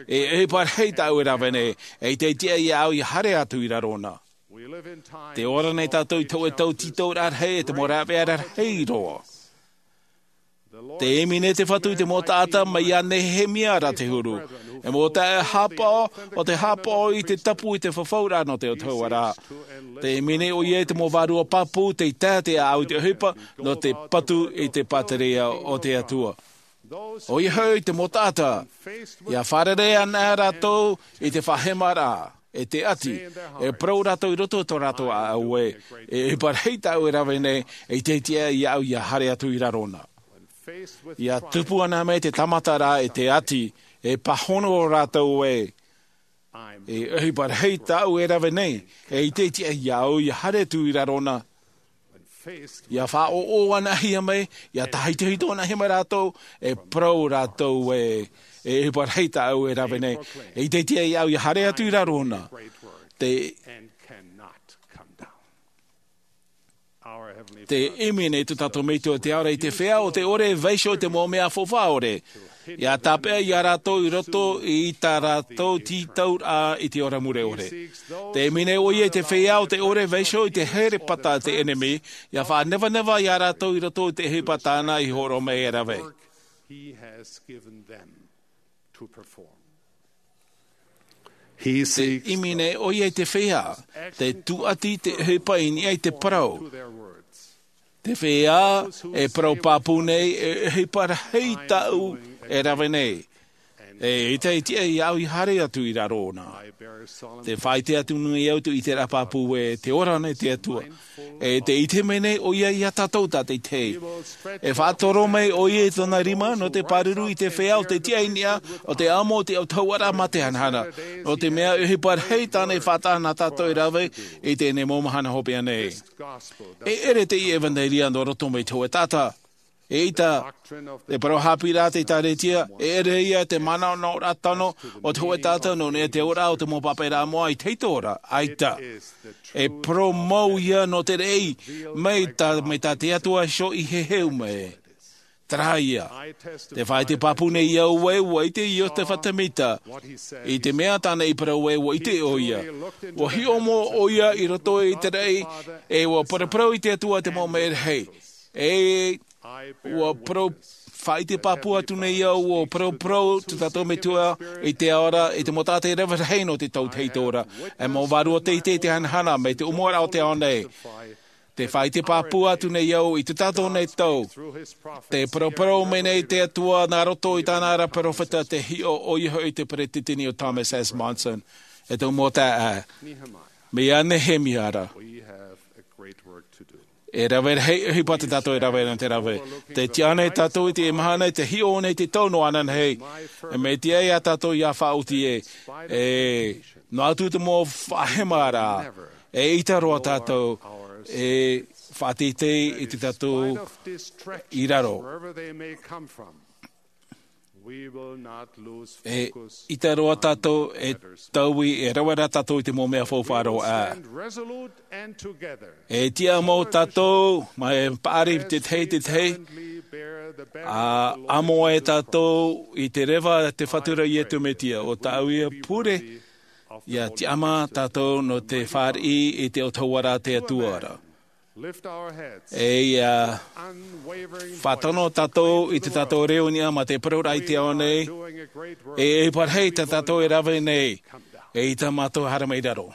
e ʻohipa rahi tāʻu e rave nei, e ʻite iti ai au ia haere atu i raro na. Tē ora nei tātou i te hōʻē tau tītauraʻa rahi, e te mau rāveʻa rahi roa. Tē ʻimi nei te Fatu i te mau taʻata mai iā Nehemia ra te huru. E mau taeaʻe haʻapaʻo, ʻo te haʻapaʻo i te tapu i te fafauraʻa nō te ʻOtua ra. Tē ʻimi nei ʻoia i te mau vārua pāpū, tei tae te ʻāʻau i te ʻohipa, nō te patu i te pāteria o te Atua. ʻOia hoʻi te mau taʻata, ia fārerei ana rātou i te faʻahemaraʻa, e te ʻati, e parau rātou i roto i tō rātou ʻāʻau ē, e ʻohipa rahi tāʻu e rave nei, e ʻite iti ai au ia haere atu i raro na. Ia tupu ana mai te tāmataraʻa e te ʻati, e pāhono rātou ē, e ʻohipa rahi tāʻu e rave nei, e ʻite iti ai au ia haere atu i raro na. Ia faʻaʻoʻo anahia mai, ia tahitohito anahia mai rātou, e parau rātou ē, e ʻohipa rahi tāʻu e rave nei, e ʻite iti ai au ia haere atu i raro na. Te, te ʻimi nei tō tātou Metua i te ao ra i te feiā ʻo tē ʻore e vaiiho i te mau mea faufaʻa ʻore. Ia tāpeʻa ia rātou i roto i tā rātou tītauraʻa i te ora mure ʻore. Te ʻimi nei ʻoia i te feiā ʻo tē ʻore e vaiiho i te herepata a te ʻenemi, ia faʻanevaneva ia rātou i roto i te ʻohipa tāna i hōroʻa mai e rave. Te ʻimi nei ʻoia i te feiā, te tūʻati te ʻohipa i niʻa i te parau. Te feiā e parau pāpū nei, e ʻohipa rahi tāʻu e rave nei. E ʻite iti ai au ia haere atu i raro na. Te faʻaʻite atu nei au te ʻiteraʻa pāpū ē, tē ora nei te Atua. E tē ʻite mai nei ʻoia ia tātou tātaʻitahi. E faʻatoro mai ʻoia i tōna rima, nō te pāruru i te feiā ʻo tē tiʻa i niʻa, ʻo tē amo i te autahuʻaraʻa mā te hanahana. Nō te mea e ʻohipa rahi tāna e faʻataʻa nā tātou e rave i teie nei mau mahana hopeʻa nei. E ʻere teie ʻevanelia nō roto mai te hōʻē taʻata. ʻEita, te parau haʻapiʻiraʻa a te ʻĒkālesia, e ʻere ia te manaʻonaʻoraʻa tano o te hōʻē taʻata nō niʻa i te auraʻa o te mau pāpaʻiraʻa moʻa i te ʻaito ra, ʻaita. E parau mau ia nō te raʻi, mai tā, mai tā te Atua iho i heheu mai. Terā ia. Te faʻaʻite pāpū nei au ē, ʻua ʻite Iosepha Semita. I te mea tāna i parau ē, ʻua ʻite ʻoia. ʻUa hiʻo mau ʻoia i roto i te raʻi, e ʻua paraparau i te Atua te mau mea rahi. E ʻua parau, faʻaʻite pāpū atu nei au, ʻua paraparau tō tātou Metua i te ao ra, i te mau taʻata e rave rahi nō te tau te ʻaito ra. E mau vārua teitei te hanahana, mai te ʻōmuaraʻa o te ao nei. Te faʻaʻite pāpū atu nei au i tō tātou nei tau. Te paraparau mai nei te Atua nā roto i tāna ra perofeta te hiʻo ʻoia hoʻi te peretiteni ʻo Thomas S. Monson. E tō mau taeaʻe. Mai iā Nehemia ra. E rave rahi, e ʻohipa tā tātou e rave ana te rave. Tē tiʻa nei tātou i te mahana, te hiʻo nei te tau nō ananahi. E mea tiʻa ia tātou ia faʻaoti ē. E noa atu te mau faʻahemaraʻa. E ʻita roa tātou, e faʻateitei i tō tātou i raro. E ʻita roa tātou, e taui, e rave ra tātou i te mau mea faufaʻa roa. E tiʻa mau tātou, mai paʻari te tahi, te tahi, ʻa amo ai tātou i te reva te Fatu ra Iesu Mesia, ʻo tāʻu ia pure, ia tiʻamā tātou nō te fāriʻi i te autahuʻaraʻa a te Atua ra. E ia faʻatano tātou i tō tātou reo i niʻa mā te parau ra i te ao nei, e ʻohipa rahi tā tātou e rave nei, e ʻita mātou haere mai raro.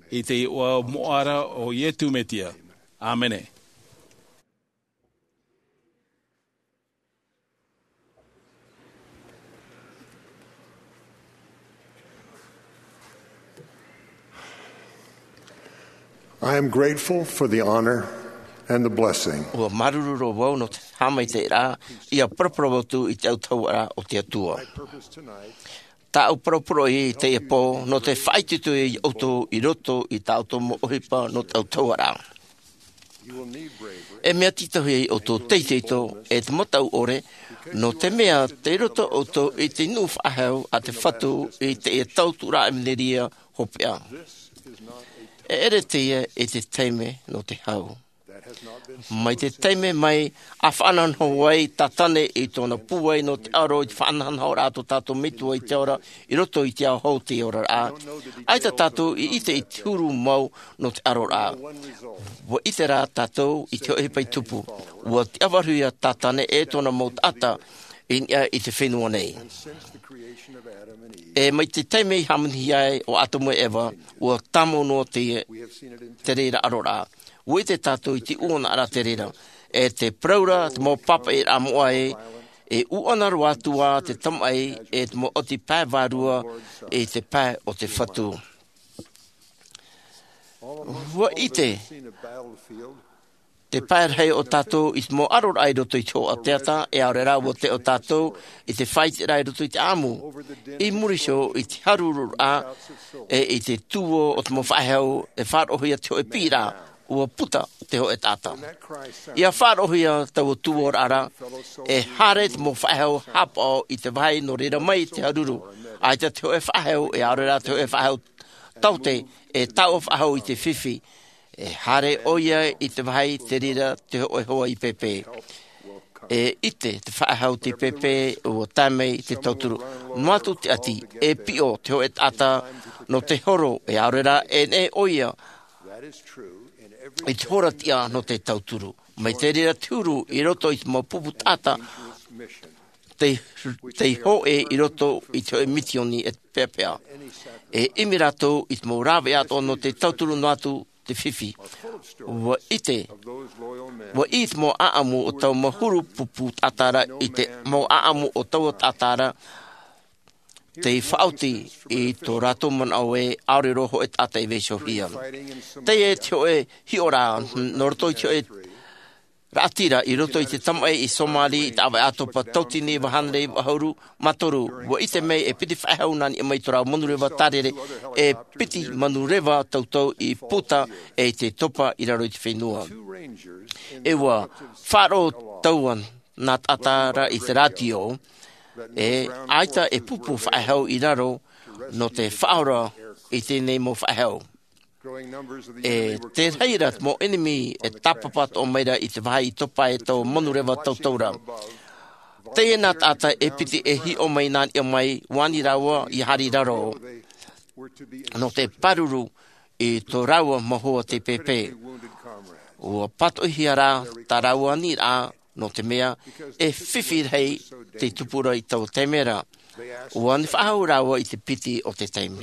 I te iʻoa moʻa ra o Iesu Mesia. ʻĀmene. I am grateful for the honor and the blessing. ʻUa māuruuru roa vau nō te haʻamaitaʻiraʻa ʻia paraparau atu i te autahuʻaraʻa o te Atua. Tāʻu parau poroʻi i teie pō, nō te faʻaitoito ia ʻoutou i roto i tā ʻoutou mau ʻohipa nō te autahuʻaraʻa. E mea tītauhia ia ʻoutou te ʻeʻita, e te mataʻu ʻore, nō te mea tei roto ʻoutou i te nuʻu faʻahou a te Fatu i teie tauturu ʻevanelia hopeʻa. E ʻere teie i te taime nō te hau. Mai te taime mai, ʻa faʻanahonaho ai Satane i tōna pūai nō te aro i te faʻanahonahoraʻa a tō tātou Metua i te ao ra, i roto i te ao hou o te oraraʻa. ʻAita tātou i ʻite i te huru mau nō te aroraʻa. ʻUa ʻite rā tātou i te hōʻē ʻohipa i tupu. ʻUa tiʻavarehia Satane e tōna mau taʻata i niʻa i te fenua nei. E mai te taime i hāmani ai ʻo Atamu e Eva, ʻua tāmau noa te, te reira aroraʻa. ʻUa ʻite tātou i te ʻuanaʻaraʻa te reira. E te parau ra, te mau pāpaʻiraʻa moʻa ē, E ʻūʻana roa atu ā te tamaʻi e te mau ʻati pae vārua i te pae o te Fatu. Ua ʻite te pae rahi o tātou i te mau ʻaroraʻa i roto i te hoʻa teata, e ʻaore rā ua teʻo tātou i te faʻaiteraʻa i roto i te ʻāʻamu. I muri iho i te haruru raʻa e i te tuō o te mau faʻehau e faʻaroʻohia te hoʻe piʻiraʻa, ua puta te hoʻe taʻata. ʻIa faʻaroʻohia taua tuōraʻa ra, e haere te mau faʻehau haʻapaʻo i te vāhi nō reira mai te haruru. ʻAita te hoʻe faʻehau, e ʻaore rā te hoʻe faʻehau taote, e taoʻa faʻahou i te fifi. E haere ʻoia i te vāhi te reira te hoʻe hoa i pēpē. E ʻite te faʻehau te pēpē, ua tae mai te tauturu. Noa atu te ʻati, e piʻo te hoʻe taʻata nō te horo, e ʻaore rā e neʻe ʻoia i te hora tiʻa nō te tauturu. Mai te reira te huru i roto i te mau pupu taʻata, tei, tei hōʻē i roto i te hoʻe mitioni e peʻapeʻa. E ʻimi rātou i te mau rāveʻa atoʻa nō te tauturu noa atu te fifi. Ua ʻite, ua ʻī te mau ʻaʻamu o taua mau huru pupu taʻata ra i te mau ʻaʻamu o taua taʻata ra, tei faʻaoti i tō rātou manaʻo ē ʻaore roa hoʻe taʻata e vaiihohia. Teie te hoʻe hiʻoraʻa, nō roto i te hoʻe raʻatira, i roto i te tamaʻi i Somali, i te ʻāvaʻe ʻātopa tauatini iva hānere iva ʻahuru mā toru, ua ʻite mai e piti faʻehau nā niʻa mai tō rāua manureva tārere, e piti manureva tautau i puta, e i te topa i raro i te fenua. E ua faʻaroʻo taua nā taʻata ra i te rātio, e ʻaita e pupu faʻehau i raro nō te faʻaora i teie nei mau faʻehau. E te reira te mau ʻenemi e tāpapa atoʻa mai ra i te vāhi i topa e taua manureva tautau ra. Teie nā taʻata e piti e hiʻo mai nā niʻa mai, ʻua ani rāua ʻia haere i raro nō te pāruru i tō rāua mau hoa tei pēpē. Ua pātoʻihia rā tā rāua aniraʻa, nō te mea e fifi rahi tei tupu ra i taua taime ra. ʻUa ani faʻahou rāua i te piti o te taime.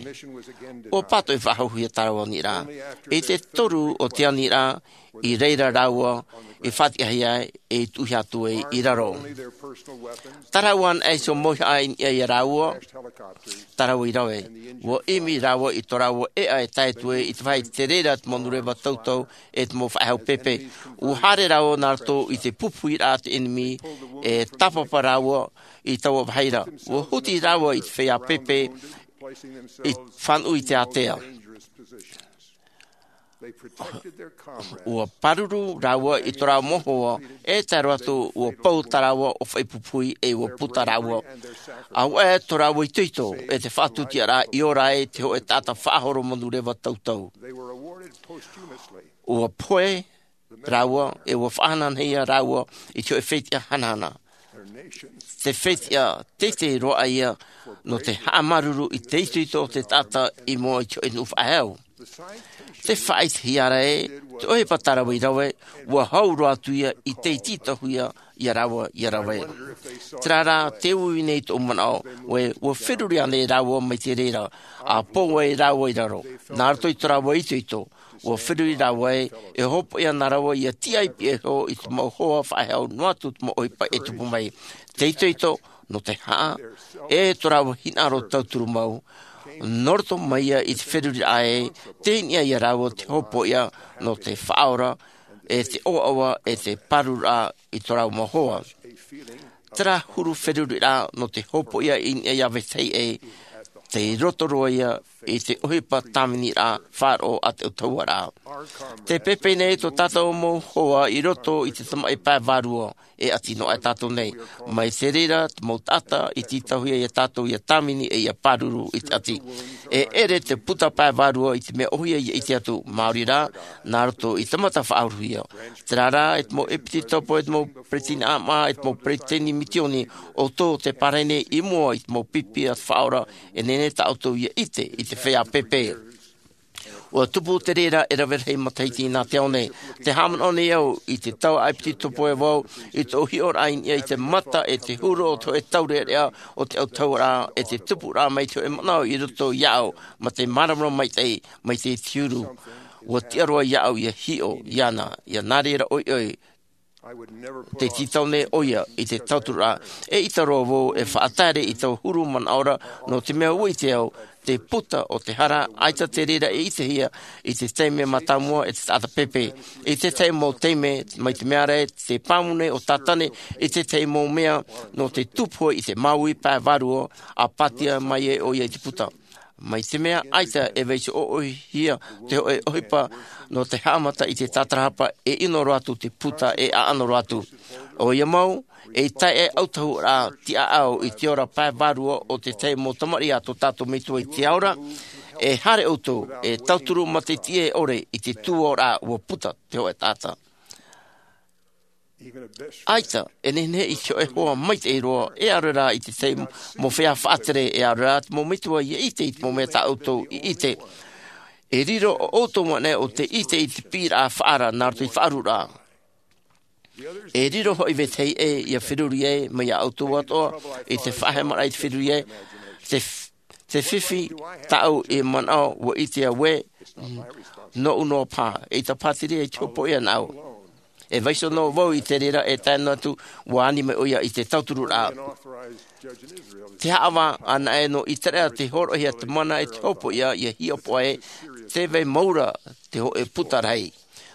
ʻUa pātoʻi faʻahouhia tā rāua aniraʻa. I te toru o te aniraʻa, i reira rāua i faʻatiʻahia ai, e i tuʻuhia atu ai i raro. Tā rāua anaʻe iho mau haʻa i niʻa ia rāua, tā rāua i rave. ʻUa ʻimi rāua i tō rāua ʻēʻa e tae atu ai i te vāhi te reira te manureva tautau e te mau faʻehau pēpē. ʻUa haere rāua nā roto i te pupuhiraʻa a te ʻenemi, e tāpapa rāua i taua vāhi ra. ʻUa huti rāua i te feiā pēpē i fānaʻo i te ātea. ʻUa pāruru rāua i tō rāua mau hoa, e tae roa atu ʻua pau tā rāua ʻōfaʻi pupuhi, e ʻua puta rāua. ʻAuaʻe tō rāua itoito, e te faʻatusiaraʻa i ora ai te hoʻe taʻata faʻahoro manureva tautau. ʻUa pohe rāua, e ʻua faʻahanahanahia rāua i te hoʻe fetiʻa hanahana. Te fetiʻa teitei roa ʻaia nō te haʻamāuruuru i te itoito o te taʻata i mua i te hoʻe nuʻu faʻahou. Te faʻaʻitehia ra ē, te ʻohipa tā rāua i rave, ʻua hau roa atu ia i te tītauhia ia rāua ʻia rave. Terā rā, te uiui nei tōʻu manaʻo, ʻua, ʻua feruri ānei rāua mai te reira, ʻa pō ai rāua i raro, nā roto i tō rāua itoito, ʻua feruri rāua ē, e hōpoiʻa nā rāua ʻia tiʻa i pihaʻi iho i te mau hoa faʻehau noa atu te mau ʻohipa e tupu mai. Te itoito, nō te haʻa, e tō rāua hinaʻaro tauturu mau, nō roto mai ia i te feruriraʻa ē, tei niʻa ia rāua te hōpoiʻa, nō te faʻaora, e te ʻoaʻoa, e te pārururaʻa i tō rāua mau hoa. Terā huru feruriraʻa nō te hōpoiʻa i niʻa ia vetahi ē, tei roto roa ia i te ʻohipa tāviniraʻa faʻaroʻo a te ʻautahuʻaraʻa. Te pēpē nei tō tātou mau hoa i roto i te tamaʻi pae vārua, e ʻati noa aʻe tātou nei. Mai te reira, te mau taʻata i tītauhia ia tātou ʻia tāvini e ʻia pāruru i te ʻati. E ʻere te puta pae vārua i te mea ʻōhie ʻia ʻite atu, maori rā, nā roto i te mata faʻahorohia. Terā rā, e te mau ʻepititopo, e te mau peresideni ʻāmaʻa, e te mau peresideni misioni, ʻoutou te pārahi nei i mua i te mau pipi a te Faʻaora, e nehenehe tā ʻoutou ʻia ʻite i te feiā pēpē. ʻUa tupu te reira e rave rahi matahiti nā te ao nei. Tē haʻamanaʻo nei au i te taua ʻepititopo e vau, i tōʻu hiʻoraʻa i niʻa i te mata e te huru o te hōʻē taureʻareʻa o te ʻautahuʻaraʻa, e te tupuraʻa mai te hōʻē manaʻo i roto iāʻu, mā te māramarama maitaʻi, mai te huru. ʻUa tiʻa roa iāʻu ʻia hiʻo iāna, ʻia nā reira ʻoiʻoi. Te tītau nei ʻoia i te tauturu ra. E ʻita roa vau e faʻataere i taua huru manaʻo ra, nō te mea ua ʻite au te puta o te hara, ʻaita te reira e ʻitehia i te taime mātāmua e te taʻata pēpē. I te tahi mau taime, mai te mea ra te pāmu nei o tātane i te tahi mau mea nō te tupu i te māuiui pae vārua, a pātia mai ai ʻoia i te puta. Mai te mea ʻaita e vaiiho ʻoʻohia te hoʻe ʻohipa nō te haʻamata i te tātarahapa, e ʻino roa atu te puta e ʻaʻano roa atu. ʻOia mau, e tae e autahu ra tiʻaʻau i te ora pae vārua o te tahi mau tamariʻi a tō tātou Metua i te ao ra. E haere ʻoutou e tauturu mā te tiʻe ʻore i te tuaoraʻa ua puta te hoʻe taʻata. ʻAita e nehenehe i te hoʻe hoa maitaʻi roa, e ʻaore rā i te tahi mau feiā faʻatere, e ʻaore rā te mau metua ia ʻite i te mau mea tā ʻoutou i ʻite. E riro ʻo ʻoutou manaʻo o te ʻite i te piʻiraʻa faʻaara nā roto i te faʻaruaraʻa. E riro hoʻi vetahi ʻē ia feruri ai mai iā ʻoutou atoʻa i te faʻahemaraʻa i te feruri ai. Te, te fifi tāʻu i manaʻo ua ʻite au ē, nōʻu noa paha, eʻita paha te reira i te hopoiʻa nāʻu. E vaiiho noa vau i te reira, e tae noa atu ua ani mai ʻoia i te tauturuʻraʻa. Te haʻavā anaʻe nō ʻĪteraʻera te hōroʻahia te mana e te hopoiʻa ia hiʻopoʻa ē, tē vai mau ra te hoʻe puta rahi.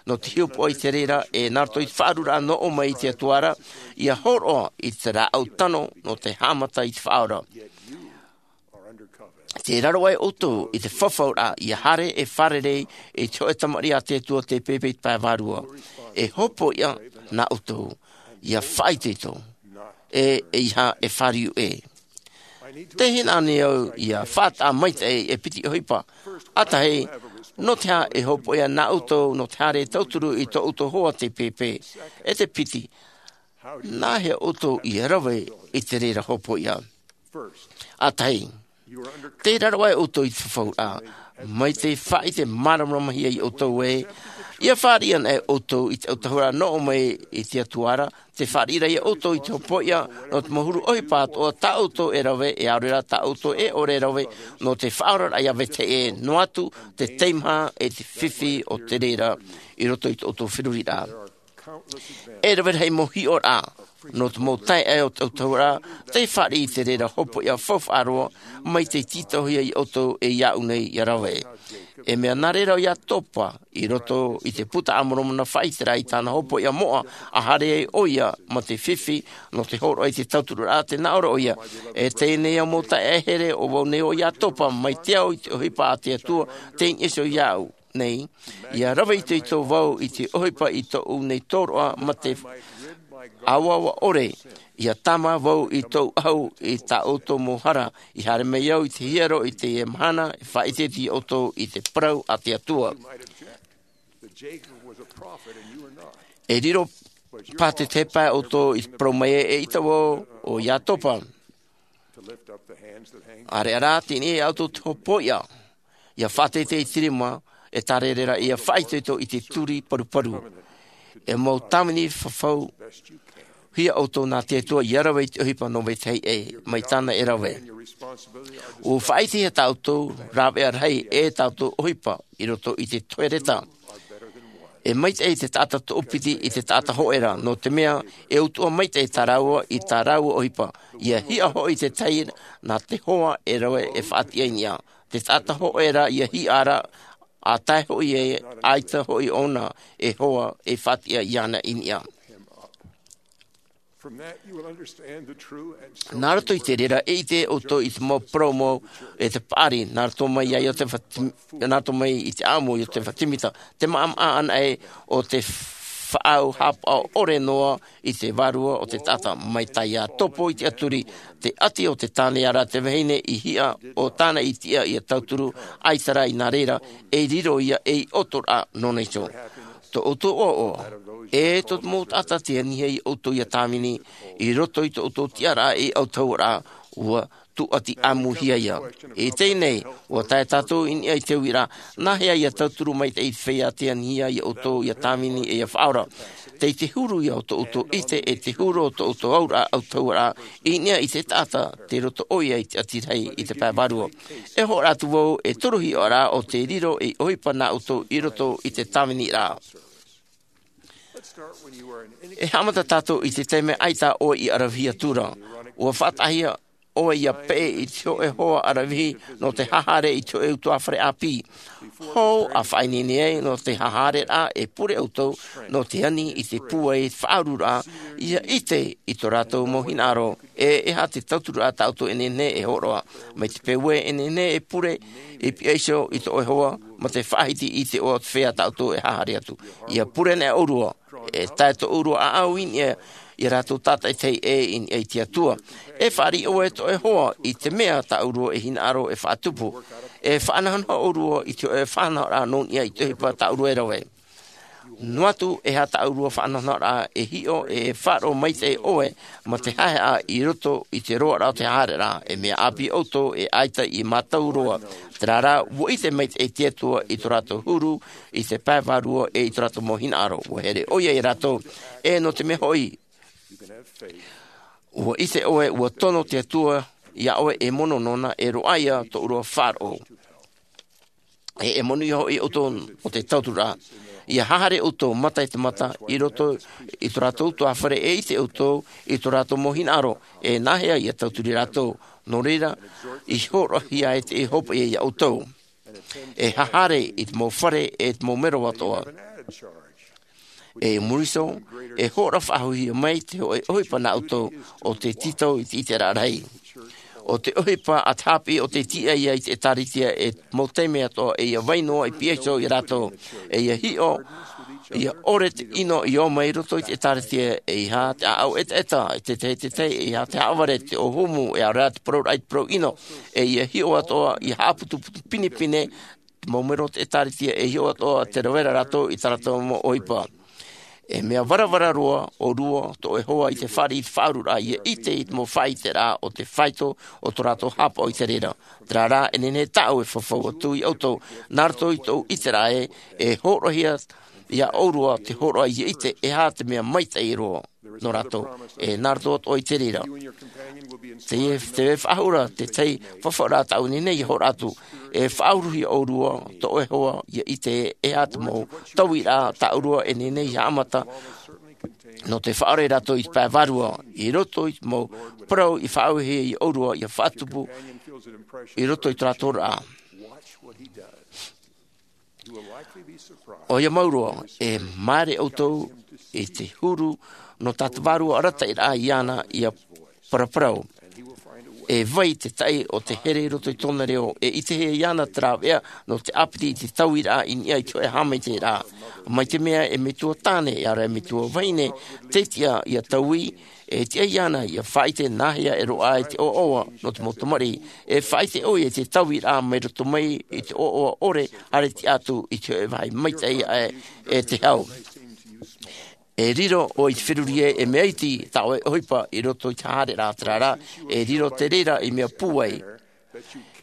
Nō te hiʻopoʻa i te reira, e nā roto i te faʻaruaraʻa nō ʻō mai i te Atua ra, ia hōroʻa i te rāʻau tano nō te haʻamata i te Faʻaora. Tē raro aʻe ʻoutou i te fafauraʻa, ia haere e fārerei i te hoʻe tamariʻi a te Atua tei pēpē i te pae vārua. E hopoiʻa nā ʻoutou, ia faʻaitoito, e, ʻeiaha e fāriu ʻē. Tē hinaʻaro nei au ia faʻataʻa maitaʻi e piti ʻohipa. ʻA tahi, nō te aha e hopoiʻa nā ʻoutou nō te haere tauturu i tō ʻoutou hoa tei pēpē? E te piti, nāhea ʻoutou ia rave i te reira hopoiʻa? ʻA tahi, tē raro aʻe ʻoutou i te fafauraʻa, mai te faʻaʻite māramarama hia iā ʻoutou ē, ia fāriʻi anaʻe ʻoutou i te autahuʻaraʻa nō ʻō mai i te Atua ra, tē fāriʻi ra iā ʻoutou i te hopoiʻa nō te mau huru ʻohipa atoʻa tā ʻoutou e rave, e ʻaore rā tā ʻoutou e ʻore e rave, nō te faʻaoraraʻa ia vetahi ʻē, noa atu te teimaha e te fifi o te reira i roto i tō ʻoutou feruriraʻa. E rave rahi mau hiʻoraʻa nō te mau taeaʻe o te autahuʻaraʻa tei fāriʻi i te reira hopoiʻa faufaʻa roa, mai tei tītauhia iā ʻoutou e iāʻu nei ia rave. E mea nā reira ʻo Iatopa i roto i te Puta a Moromona, faʻaʻite ra i tāna hopoiʻa moʻa, a haere ai ʻoia mā te fifi nō te hōroʻa i te tauturuʻraʻa, tē nā ʻō ra ʻoia, e teie nei au mau taeaʻe here, ʻo vau nei ʻo Iatopa, mai te ao i te ʻohipa a te Atua tei niʻa iho iāʻu nei, ia rave itoito vau i te ʻohipa i tōʻu nei tōroʻa mā te ʻāvaʻava ʻore, ia tāmā vau i tōʻu ʻahu i tā ʻoutou mau hara, i haere mai au i te hiero i teie mahana, e faʻaʻite iā ʻoutou i te parau a te Atua. E riro paha te tahi pae ʻoutou i te parau mai ē, eʻita vau ʻo Iatopa. ʻAreʻa rā, teie nei ʻoutou te hopoiʻa, ia faʻateitei i te rima, e tārere ra ia faʻaitoito i te turi paruparu. E mau tāvini fafau hia ʻoutou nā te Atua ia rave i te ʻohipa nō vetahi ʻē, mai tāna e rave. ʻUa faʻaʻitehia tā ʻoutou rāveʻa rahi e tā ʻoutou ʻohipa i roto i te tohereta. E maitaʻi te taʻata toʻopiti i te taʻata hōʻē ra, nō te mea e utuʻa maitaʻi tā rāua i tā rāua ʻohipa. Ia hiʻa hoʻi te tahi nā te hoa e rave e faʻatiʻa i niʻa. Te taʻata hōʻē ra ia hiʻa ra, ʻa tae hoʻi ē, ʻaita hoʻi ʻōna e hoa e faʻatiʻa iāna i niʻa. Nā roto i te reira, e ʻite ʻoutou i te mau parau mau, e te paʻari, nā roto mai iā Iotefa Tim-, nā roto mai i te ʻāʻamu o Iotefa Timita, te maʻamaʻa anaʻe o te faʻaau haʻapaʻo ʻore noa i te vārua o te taʻata, mai tā Iatopa i te ʻaturi, te ʻati o te tāne, ʻareʻa te vahine i hiʻa ʻo tāna i tiʻa ia tauturu, ʻaita rā i nā reira, e riro ia ei ʻoto ra nōna iho. Tō ʻoutou ʻoaʻoa, e tō te mau taʻata tei anihia iā ʻoutou ia tāvini, i roto i tō ʻoutou tiʻaraʻa ei autahuʻaraʻa, ʻua tūʻati ʻāmuhia ia. I teie nei, ʻua tae tātou i niʻa i te uiraʻa, nāhea ia tauturu maitaʻi i te feiā tei anihia iā ʻoutou ia tāvini e ia faʻaora? Tei te huru ia o tō ʻoutou ʻite, e te huru o tō ʻoutou auraʻa autahuʻaraʻa, i niʻa i te taʻata, tei roto ʻoia i te ʻati rahi i te pae vārua. E hōroʻa atu vau, e toru hiʻoraʻa ʻo tē riro ei ʻohipa nā ʻoutou i roto i te tāviniraʻa. E haʻamata tātou i te taime ʻaita ʻoe i ʻaravihi atu ra. Ua faʻataʻahia ʻoe ʻia peʻe i te hōʻē hoa ʻaravihi nō te haʻahaere i te hōʻē utuafare ʻāpī. Hou a faʻaineine ai nō te haʻahaereraʻa e pure ʻoutou nō te ani i te pūai faʻaururaʻa ʻia ʻite i tō rātou mau hinaʻaro. E e aha te tauturu a tātou e nehenehe e hōroʻa mai te peu e nehenehe e pure i piha iho i tō ʻoe hoa ma te faʻahiti i te ʻoa o te feiā tātou e haʻahaere atu. ʻIa pure nei ʻōrua e tae tō ʻōrua ʻaʻau i niʻa i a rātou tātaʻitahi e i niʻa i te atua. E fāriʻi ʻoe tō ʻoe hoa i te mea tā ʻōrua e hinaʻaro e faʻatupu. E faʻanahonaho ʻōrua i te hōʻē faʻanahoraʻa nō niʻa i te ʻohipa tā ʻōrua e rave. Noa atu e aha tā ʻōrua faʻanahonahoraʻa e hiʻo e faʻaroʻo maitaʻi ʻoe ma te haʻehaʻa i roto i te roaraʻa o te haʻahaereraʻa e mea ʻāpī ʻoutou e ʻaita i mātau roa. Tērā rā ua ʻite maitaʻi te atua i tō rātou huru i te pae vārua e i tō rātou mau hinaʻaro ua here ʻoia i a rātou. E nō te mea hoʻi ua ʻite ʻoe ua tono te atua iā ʻoe e mono nōna e roaʻa ia tō ʻōrua faʻaroʻo. E e monū ia hoʻi ʻoutou o te tauturu ra ʻia haʻahaere ʻoutou mata i te mata i roto i tō rātou utuafare e ʻite ʻoutou i tō rātou mau hinaʻaro. E nāhea ia tauturu i a rātou? Nō reira i hōroʻahia ai te hopoiʻa iā ʻoutou. E haʻahaere i te mau fare e te mau mero atoʻa. E muri iho e hōroʻa faʻahouhia mai te hōʻē ʻohipa nā ʻoutou o te tītau i te ʻiteraʻa rahi. O te ʻohipa a te haʻapiʻi o te tiʻa ia i te ʻēkālesia e mau taime atoʻa e ia vai noa i piha iho i a rātou e ia hiʻo ia ʻore te ʻino i ō mai roto i te ʻēkālesia e aha te ʻaʻau ʻetaʻeta e tētahi tētahi e aha te haʻavare te ʻōhumu e ʻaore rā te parauraʻa i te parau ʻino. E ia hiʻo atoʻa ia haʻaputuputu pinepine te mau mero o te ʻēkālesia e hiʻo atoʻa te rave ra rātou i tā rātou mau ʻohipa. E mea varavara roa ʻōrua tō ʻoe hoa i te fāriʻi i te faʻaururaʻa ia ʻite i te mau faʻaʻiteraʻa o te faito o tō rātou haʻapaʻo i te reira. Tērā rā e nehenehe tāʻu e fafau atu iā ʻoutou nā roto i tōʻu ʻiteraʻa ē e hōroʻahia iā ʻōrua te hōroʻa ia ʻite e aha te mea maitaʻi roa nō rātou. E nā roto atoʻa i te reira te e te faʻahou ra tētahi fafauraʻa tāʻu e nehenehe ia hōroʻa atu. E faʻauruhia ʻōrua tō ʻoe hoa ia ʻite e aha te mau tauiraʻa tā ʻōrua e nehenehe ia haʻamata nō te faʻaora ia rātou i te pae vārua i roto i te mau parau i faʻaauhia iā ʻōrua ia faʻatupu i roto i tō rātou oraraʻa. ʻOia mau roa e māere ʻoutou i te huru nō tā te vārua arataʻiraʻa iāna ia paraparau. E vai te taʻi o te here i roto i tōna reo e ʻitehia iāna te rāveʻa nō te ʻāpiti i te tauiraʻa i niʻa i te hōʻē haʻamaitaʻiraʻa. Mai te mea e metua tāne e ara e metua vahine te tiʻa ia taui e tiʻa iāna ia faʻaʻite nāhea e roaʻa ai te ʻoaʻoa nō te mau tamariʻi. E faʻaʻite ʻoia i te tauiraʻa mai roto mai i te ʻoaʻoa ʻore haere tiʻa atu i te hōʻē vāhi maitaʻi aʻe e te hau. E riro ʻoe i te feruri ē e mea iti tā ʻoe ʻohipa i roto i te haʻahaereraʻa. Tērā rā e riro te reira i mea pūai.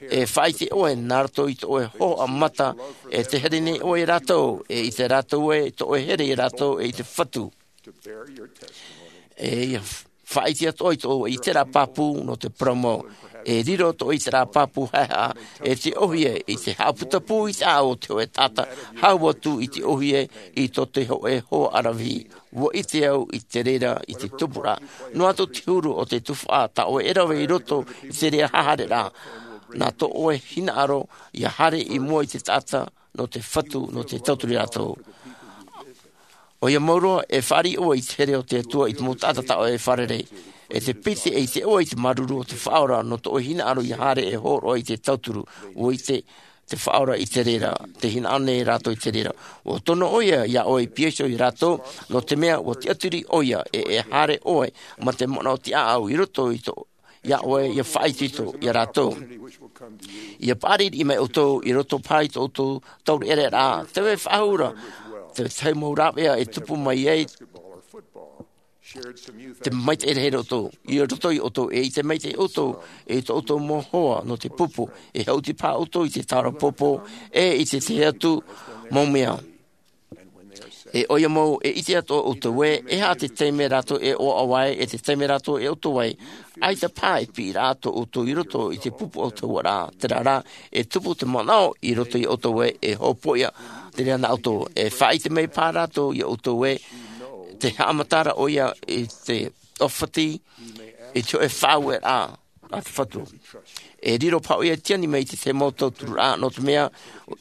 E faʻaʻite ʻoe nā roto i tō ʻoe hōhoʻa mata e te here nei ʻoe iā rātou e ʻite rātou ē tō ʻoe here iā rātou e i te fatu. E ia faʻaʻite atoʻa i tō ʻoe ʻiteraʻa pāpū nō te parau mau. E riro tō ʻoe ʻiteraʻa pāpū haʻehaʻa e te ʻōhie i te haʻaputapū i te ʻāʻau o te hōʻē taʻata hau atu i te ʻōhie i tō te hōʻē hoa ʻaravihi. Ua ʻite au i te reira i te tupuraʻa noa atu te huru o te tuhaʻa tā ʻoe e rave i roto i te reira haʻahaereraʻa. Nā tō ʻoe hinaʻaro ia haere i mua i te taʻata nō te fatu nō te tauturu iā rātou. ʻOia mau roa e fāriʻi ʻoe i te here o te atua i te mau taʻata tā ʻoe e fārerei. E te piti e ʻite ʻoe i te māuruuru o te faʻaora nō tō ʻoe hinaʻaro ia haere e hōroʻa i te tauturu. Ua ʻite te faʻaora i te reira te hinaʻaro nei rātou i te reira. Ua tono ʻoia iā ʻoe i piha iho iā rātou nō te mea ua tiʻaturi ʻoia e e haere ʻoe ma te manaʻo tiʻaʻau i roto i tō iā ʻoe ia faʻaitoito iā rātou. Ia paʻari riʻi mai ʻoutou i roto paha i tō ʻoutou taureʻareʻa rā te vai faʻahou ra te tahi mau rāveʻa e tupu mai ai te maitaʻi rahi roto i roto i ʻoutou e ʻite maitaʻi ʻoutou e i tō ʻoutou mau hoa nō te pupu e haʻuti paha ʻoutou i te taura pōpō e i te tahi atu mau mea. E ʻoia mau e ʻite atoʻa ʻoutou ē e aha te taime rātou e ʻoaʻoa ai e te taime rātou e ʻoutou ai. ʻAita paha e piʻiraʻa tō ʻoutou i roto i te pupu ʻoutou ara tērā rā e tupu te manaʻo i roto i ʻoutou ē e hopoiʻa te reira nā ʻoutou e faʻaʻite mai paha rātou iā ʻoutou ē Te haʻamata ra ʻoia i te ʻōfati i te hōʻē faʻaueraʻa a te Fatu. E riro paha ʻoia i te ani mai i te tahi mau tauturuʻraʻa, nō te mea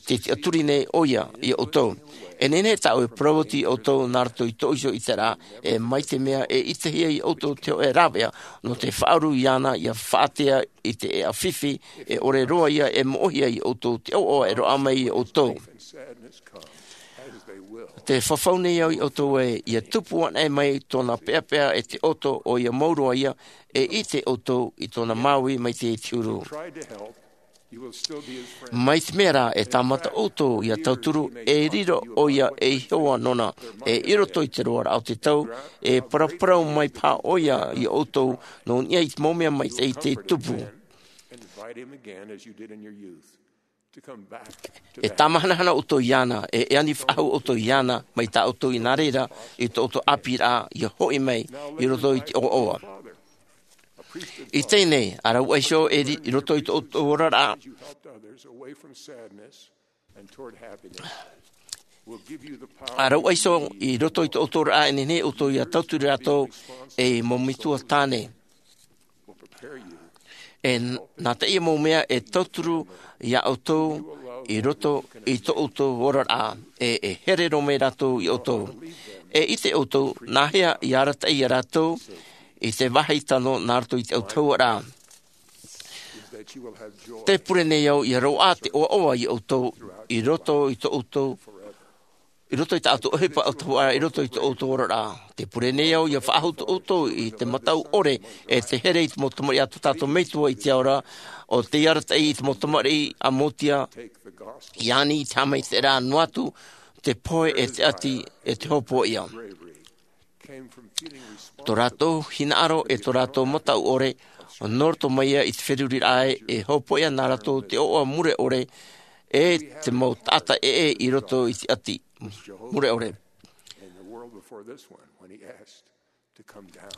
tē tiʻaturi nei ʻoia ia ʻoutou. E nehenehe tāʻu e parau atu ia ʻoutou nā roto i tōʻu iho ʻiteraʻa, e mai te mea e ʻitehia ia ʻoutou te hōʻē rāveʻa nō te faʻauru iāna ia faʻatea i te ʻēʻa fifi, e ʻore roa ia e moʻohia ia ʻoutou te ʻoaʻoa e roaʻa mai ia ʻoutou. Te fafau nei au ia ʻoutou ē, ia tupu anaʻe mai tōna peʻapeʻa e te ʻoto, ʻoia mau roa ia e ʻite ʻoutou i tōna māuiui maitaʻi i te huru. Mai te mea rā, e tāmata ʻoutou ia tauturu, e riro ʻoia ei hoa nōna, e i roto i te roaraʻa o te tau, e paraparau mai paha ʻoia ia ʻoutou nō niʻa i te mau mea maitaʻi tei tupu. E tāmahanahana ʻoutou iāna, e, e ani faʻahou ʻoutou iāna, mai tā ʻoutou i nā reira, i tō ʻoutou ʻāpīraʻa, ia hoʻi mai, i roto i te ʻoaʻoa. I teie nei, ʻa rau ʻoe iho e ri-, i roto i tō ʻoutou oraraʻa. ʻA rau ʻoe iho i roto i tō ʻoutou oraraʻa, e nehenehe ʻoutou ia tauturu rātou ei mau metua tāne. E n-, nā teie mau mea e tauturu ia ʻoutou i roto i tō ʻoutou oraraʻa, e, e here roa mai rātou ia ʻoutou. E ʻite ʻoutou, nāhea i arataʻi ia rātou i te vāhi tano nā roto i te autahuʻaraʻa. Te pure nei au ia roaʻa te ʻoaʻoa ia ʻoutou i roto i tō ʻoutou, i roto i tā ʻoutou ʻohipa autahuʻaraʻa, i roto i tō ʻoutou oraraʻa. Te pure nei au ia faʻahou tō ʻoutou i te mataʻu ʻore, e te here i te mau tamariʻi a tō tātou Metua i te ao ra, ʻo tei arataʻi i te mau tamariʻi a Motia, i ani i te haʻamaitaʻiraʻa noa atu, te pohe e te ʻati, e te hopoiʻa. Tō rātou hinaʻaro e tō rātou mataʻu ʻore, nō roto mai ia i te feruriraʻa e, e hopoiʻa nā rātou te ʻoaʻoa mure ʻore, e te mau taʻata ʻē i roto i te ʻati mure ʻore.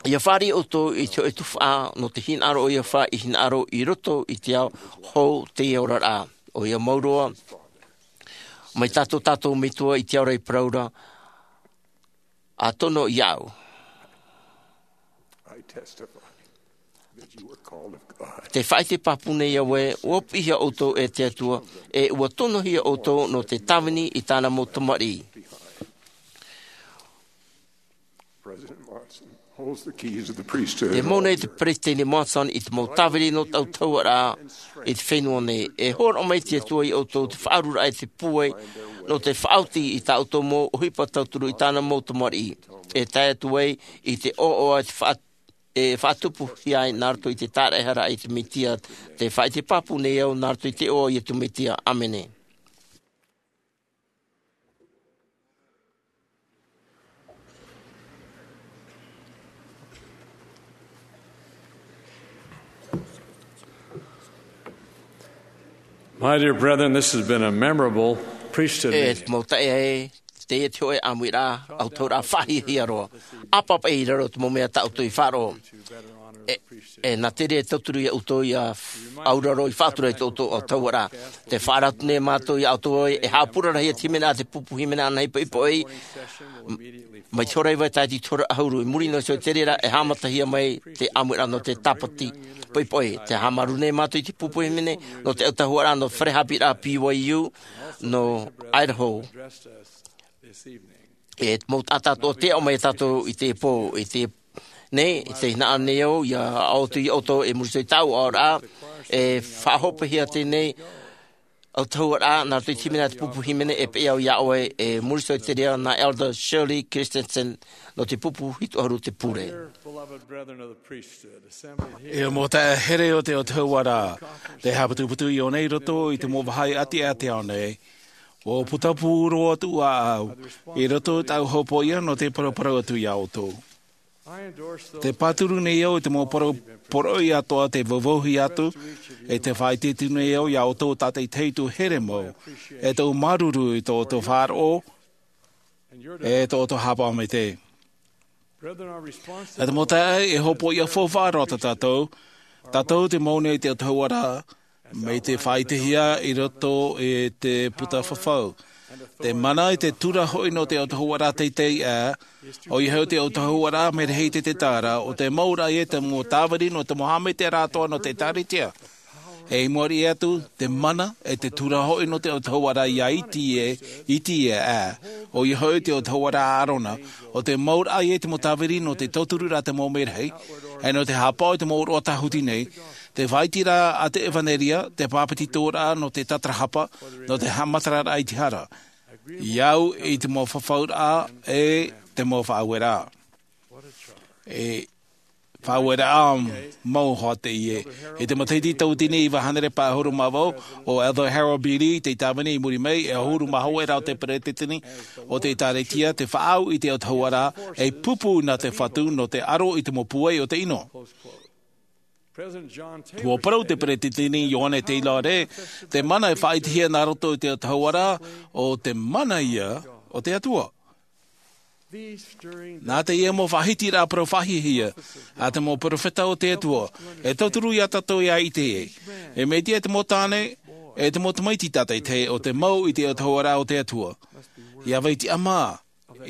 Ia fāriʻi ʻoutou i te hōʻē tuhaʻa nō te hinaʻaro ʻoia fā i hinaʻaro i roto i te ao hou teie oraraʻa. ʻOia mau roa, mai tā tō tātou Metua i te ao ra i parau ra, ʻa tono iāʻu. Te faʻaʻite pāpū nei au ē, ʻua piʻihia ʻoutou e te Atua, e ʻua tonohia ʻoutou nō te tāvini i tāna mau tamariʻi. Te mau nei te Peresideni Monson i te mau tāvini nō te autahuʻaraʻa i te fenua nei. E hōroʻa mai te Atua ia ʻoutou te faʻaururaʻa e te pūai, nō te faʻaoti i tā ʻoutou mau ʻohipa tauturu i tāna mau tamariʻi. E tae atu ai i te ʻoaʻoa e te faʻa-, e faʻatupuhia ai nā roto i te tāraʻehara i te Metia, te faʻaʻite pāpū nei au nā roto i te iʻoa o Iesu Metia. ʻĀmene. My dear brethren, this has been a memorable priesthood E meeting. Te mau taeaʻe, teie te hōʻē ʻāmuiraʻa, autahuʻaraʻa faʻahiahia roa. ʻĀpapa i raro te mau mea tā ʻoutou i faʻaroʻo. E, e nā te reira e tauturu ia ʻoutou ia auraro i faʻatura i tō ʻoutou autahuʻaraʻa. Tē faʻaara atu nei mātou ia ʻoutou ē, e haʻapurarahia te hīmene, te pupu hīmene anahi poʻipoʻi. Mai te hora iva e tae i te hora ʻahuru, i muri noa iho i te reira, e haʻamatahia mai te ʻāmuiraʻa nō te tāpati poʻipoʻi. Tē haʻamāuruuru nei mātou i te pupu hīmene nō te autahuʻaraʻa nō te fare haʻapiʻiraʻa B Y U nō Idaho. E mau taʻata atoʻa tē aʻo mai ia tātou i teie pō, i te, nei, i te hinaʻaro nei au, ia aʻo atu ia ʻoutou i muri iho i tāʻu aʻoraʻa, e faʻahopeʻahia teie nei autahuʻaraʻa, nā roto i te hīmene, te pupu hīmene, e peʻe au ia ʻoe, i muri iho i te reira nā Elder Shirley Christensen, nō te pupu hitu ʻahuru te pure. E mau taeaʻe here o te autahuʻaraʻa, tē haʻaputuputu i ʻō nei i roto i te mau vāhi ʻātiʻa a te ao nei, ʻua putapū roa atu ā au, i roto i tāʻu hopoiʻa nō te paraparau atu ia ʻoutou. Tē pāturu nei au i te mau parau poroʻi atoʻa tē vauvauhia atu, e tē faʻaʻite atu nei au ia ʻoutou tātaʻitahi atu here mau, e tōʻu māuruuru i tō ʻoutou faʻaroʻo, e tō ʻoutou haʻapaʻo maitaʻi. E te mau taeaʻe, e hopoiʻa faufaʻa roa tā tātou, tātou tē mau nei i te autahuʻaraʻa, mai te faʻaʻitehia i roto i te puta fafau. Te mana e te tura hoʻi nō te autahuʻaraʻa teitei ʻā, ʻoia hoʻi te autahuʻaraʻa mea rahi te te tāra, ʻo te mau raʻa ia te mau tāviri nō te mau haʻamaitaʻiraʻa atoʻa nō te ʻĒkālesia. E i mua riʻi atu, te mana e te tura hoʻi nō te autahuʻaraʻa ia iti e, iti e ʻā, ʻoia hoʻi te autahuʻaraʻa a ʻĀrona, ʻo te mau raʻa ia te mau tāviri nō te tautururaʻa te mau mea rahi, e nō te haʻapaʻo i te mau ʻōroʻa tāhuti nei, te faʻaiteraʻa a te ʻevanelia, te pāpetitoraʻa nō te tatarahapa, nō te haʻamataraʻa i te hara. I au i te mau fafauraʻa e te mau faʻaueraʻa. E faʻaueraʻa mau hoʻi teie. I te matahiti tauatini iva hānere pae ʻahuru mā vaʻu, ʻo Elder Harold B. Lee tei tāvini i muri mai, e ʻahuru mā hoʻi rā o te peretiteni o te ʻĒkālesia, te faʻaau i te autahuʻaraʻa, e pupu nā te Fatu nō te aro i te mau pūai o te ʻino. Ua parau te peretiteni Ioane Teilare, te mana e faʻaitehia nā roto i te autahuʻaraʻa, ʻo te mana ia o te Atua. Nā teie mau faʻahitiraʻa parau faʻahiahia a te mau perofeta o te Atua, e tauturu ia tātou ia ʻite ai. E mea tiʻa te mau tāne, e te mau tamaiti tātaitahi ʻo te mau i te autahuʻaraʻa o te Atua. Ia vai tiʻamā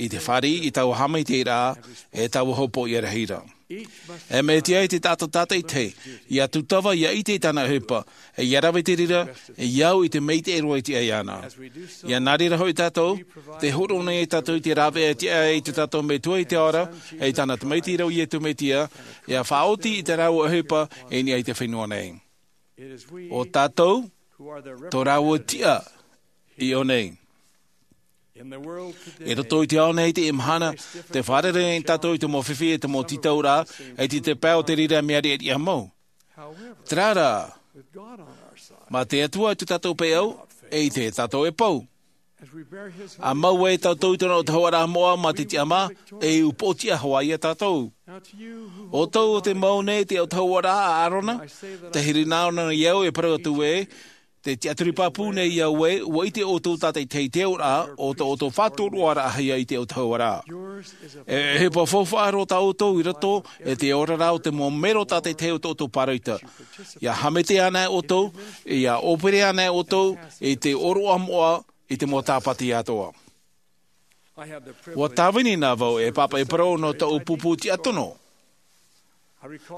i te fāriʻi i taua haʻamaitaʻiraʻa, e taua hopoiʻa rahi ra. E mea tiʻa te taʻata tātaitahi, ia tūtava, ia ʻite i tāna ʻohipa, e ia rave i te reira, e ia au i te maitaʻi roa i te ʻai ana. Ia nā reira hoʻi tātou, te hōroʻa nei tātou i te rāveʻa e tiʻa ai i tō tātou Metua i te ao ra, e i tāna Tamaiti ra ʻo Iesu Mesia, ia faʻaoti i te rāua ʻohipa, i niʻa i te fenua nei. ʻO tātou, tō rāua tiʻa i ʻō nei. I roto i te ao nei i teie mahana, te fārerei nei tātou i te mau fifi e te mau tītauraʻa, e te, te pae o te reira mea riʻariʻa mau. Terā rā, mā te Atua i tō tātou peʻau, e ʻite tātou e pau. ʻA mau ai tātou i tōna autahuʻaraʻa moʻa mā te tiʻamā, e upoʻotiʻa hoʻi ia tātou. ʻO tātou te mau nei te autahuʻaraʻa a ʻĀrona, te hirinā ʻōna i au e parau atu ē, te tiʻaturi pāpū nei i au ē, ua ʻite ʻoutou tātaitahi i te auraʻa, ʻo tō ʻoutou faʻatoroʻaraʻahia i te autahuʻaraʻa. E, e ʻohipa faufaʻa roa tā ʻoutou i roto, e te oraraʻa o te mau mero tātaitahi o tō ʻoutou pāroita. Ia haʻamaitaʻi ana ʻoutou, ia ʻōpere ana ʻoutou, i te ʻōroʻa moʻa, i te mau tāpati atoʻa. Ua tāvini na vau e pāpaʻi parau nō tōʻu pupu tiʻa tono.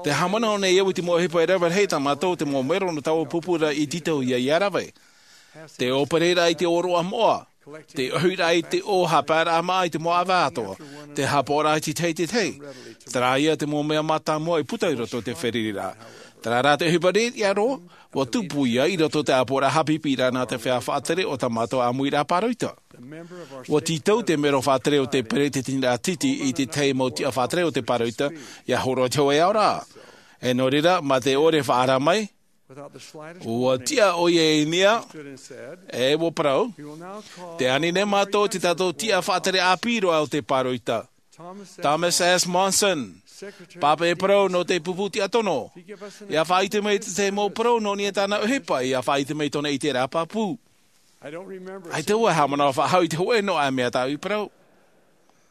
Te haʻamanaʻo nei au i te mau ʻohipa e rave rahi tā mātou te mau mero nō taua pupu ra i tītau ia, ia rave. Te ʻōpereraʻa i te ʻōroʻa moʻa, te ʻohiraʻa i te ʻō haʻapaeraʻa māʻa i te mau ʻāvae atoʻa, te haʻapaʻoraʻa i te tahi i te tahi. Terā ia te mau mea mātāmua i puta i roto i te fārereiraʻa. Terā rā te ʻohipa riʻariʻa roa, ua tupu ia i roto i te ʻāpoʻoraʻa haʻapiʻiraʻa nā te feiā faʻatere o tā mātou ʻāmuiraʻa pāroita. Ua tītau te mero faʻatere o te peretiteniraʻa tītī i te tahi mau tiʻa faʻatere o te pāroita, ia hōroʻa i te hōʻē aoraʻa. E nō reira, mā te ʻore faʻaara mai, ua tiʻa ʻoia i niʻa, e ua parau, tē ani nei mātou i tā tātou tiʻa faʻatere ʻāpī roa o te pāroita. Thomas S. Monson, pāpaʻi parau nō te pupu tiʻa tono. Ia faʻaʻite mai te tahi mau parau nō niʻa i tāna ʻohipa, ia faʻaʻite mai tōna ʻiteraʻa pāpū. ʻAita vau e haʻamanaʻo faʻahou i te hōʻē noa mea tāʻu i parau.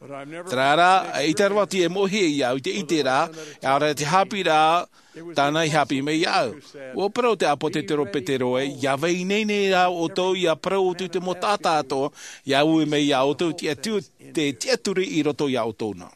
Terā rā, eʻita roa atu e moʻehia iāʻu i te ʻiteraʻa, e ʻaore rā te haʻapiʻiraʻa tāna i haʻapiʻi mai iāʻu. Ua parau te ʻāpōsetolo Petero ē, ia vai ineine rā ʻoutou, ia parau atu i te mau taʻata atoʻa, ia ui mai iā ʻoutou te tiʻa-, te tiʻaturi i roto iā ʻoutou na.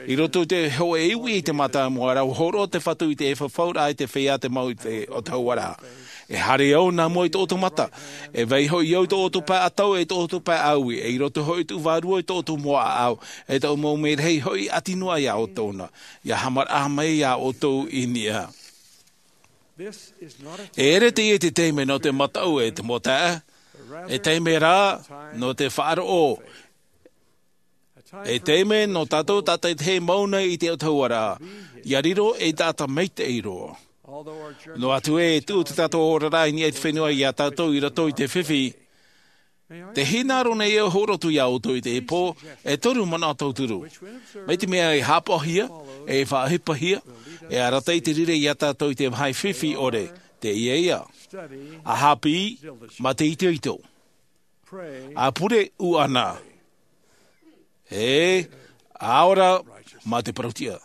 I roto i te hōʻē iʻuiʻa i te mātāmua ra, ua hōroʻa te Fatu i te fafauraʻa i te feiā tei mau i te autahuʻaraʻa. E haere au nā mua i tō ʻoutou mata. E vai hoʻi au i tō ʻoutou pae ʻatau, e tō ʻoutou pae ʻāuī. E i roto hoʻi tōʻu vārua i tō ʻoutou mau ʻāʻau. E tōʻu mau merahi hoʻi ʻati noa iā ʻoutou na. Ia haʻamaraʻa mai iā ʻoutou i niʻa. E ʻere teie te taime nō te mataʻu e te mau taeaʻe. E taime rā nō te faʻaroʻo. E taime nō tātou tātaitahi mau nei i te autahuʻaraʻa, ia riro ei taʻata maitaʻi roa. Noa atu ē, e tuʻu tō tātou oraraʻa i niʻa i te fenua iā tātou i roto i te fifi. Tē hinaʻaro nei au e hōroʻa atu iā ʻoutou i teie pō, e toru manaʻo tauturu. Mai te mea e haʻapaʻohia, e faʻaʻohipahia, e arataʻi te reira iā tātou i te vāhi fifi ʻore, teie ïa. ʻA haʻapiʻi, mā te itoito. ʻA pure ʻuʻana. E, ʻa ora mā te parautiʻa.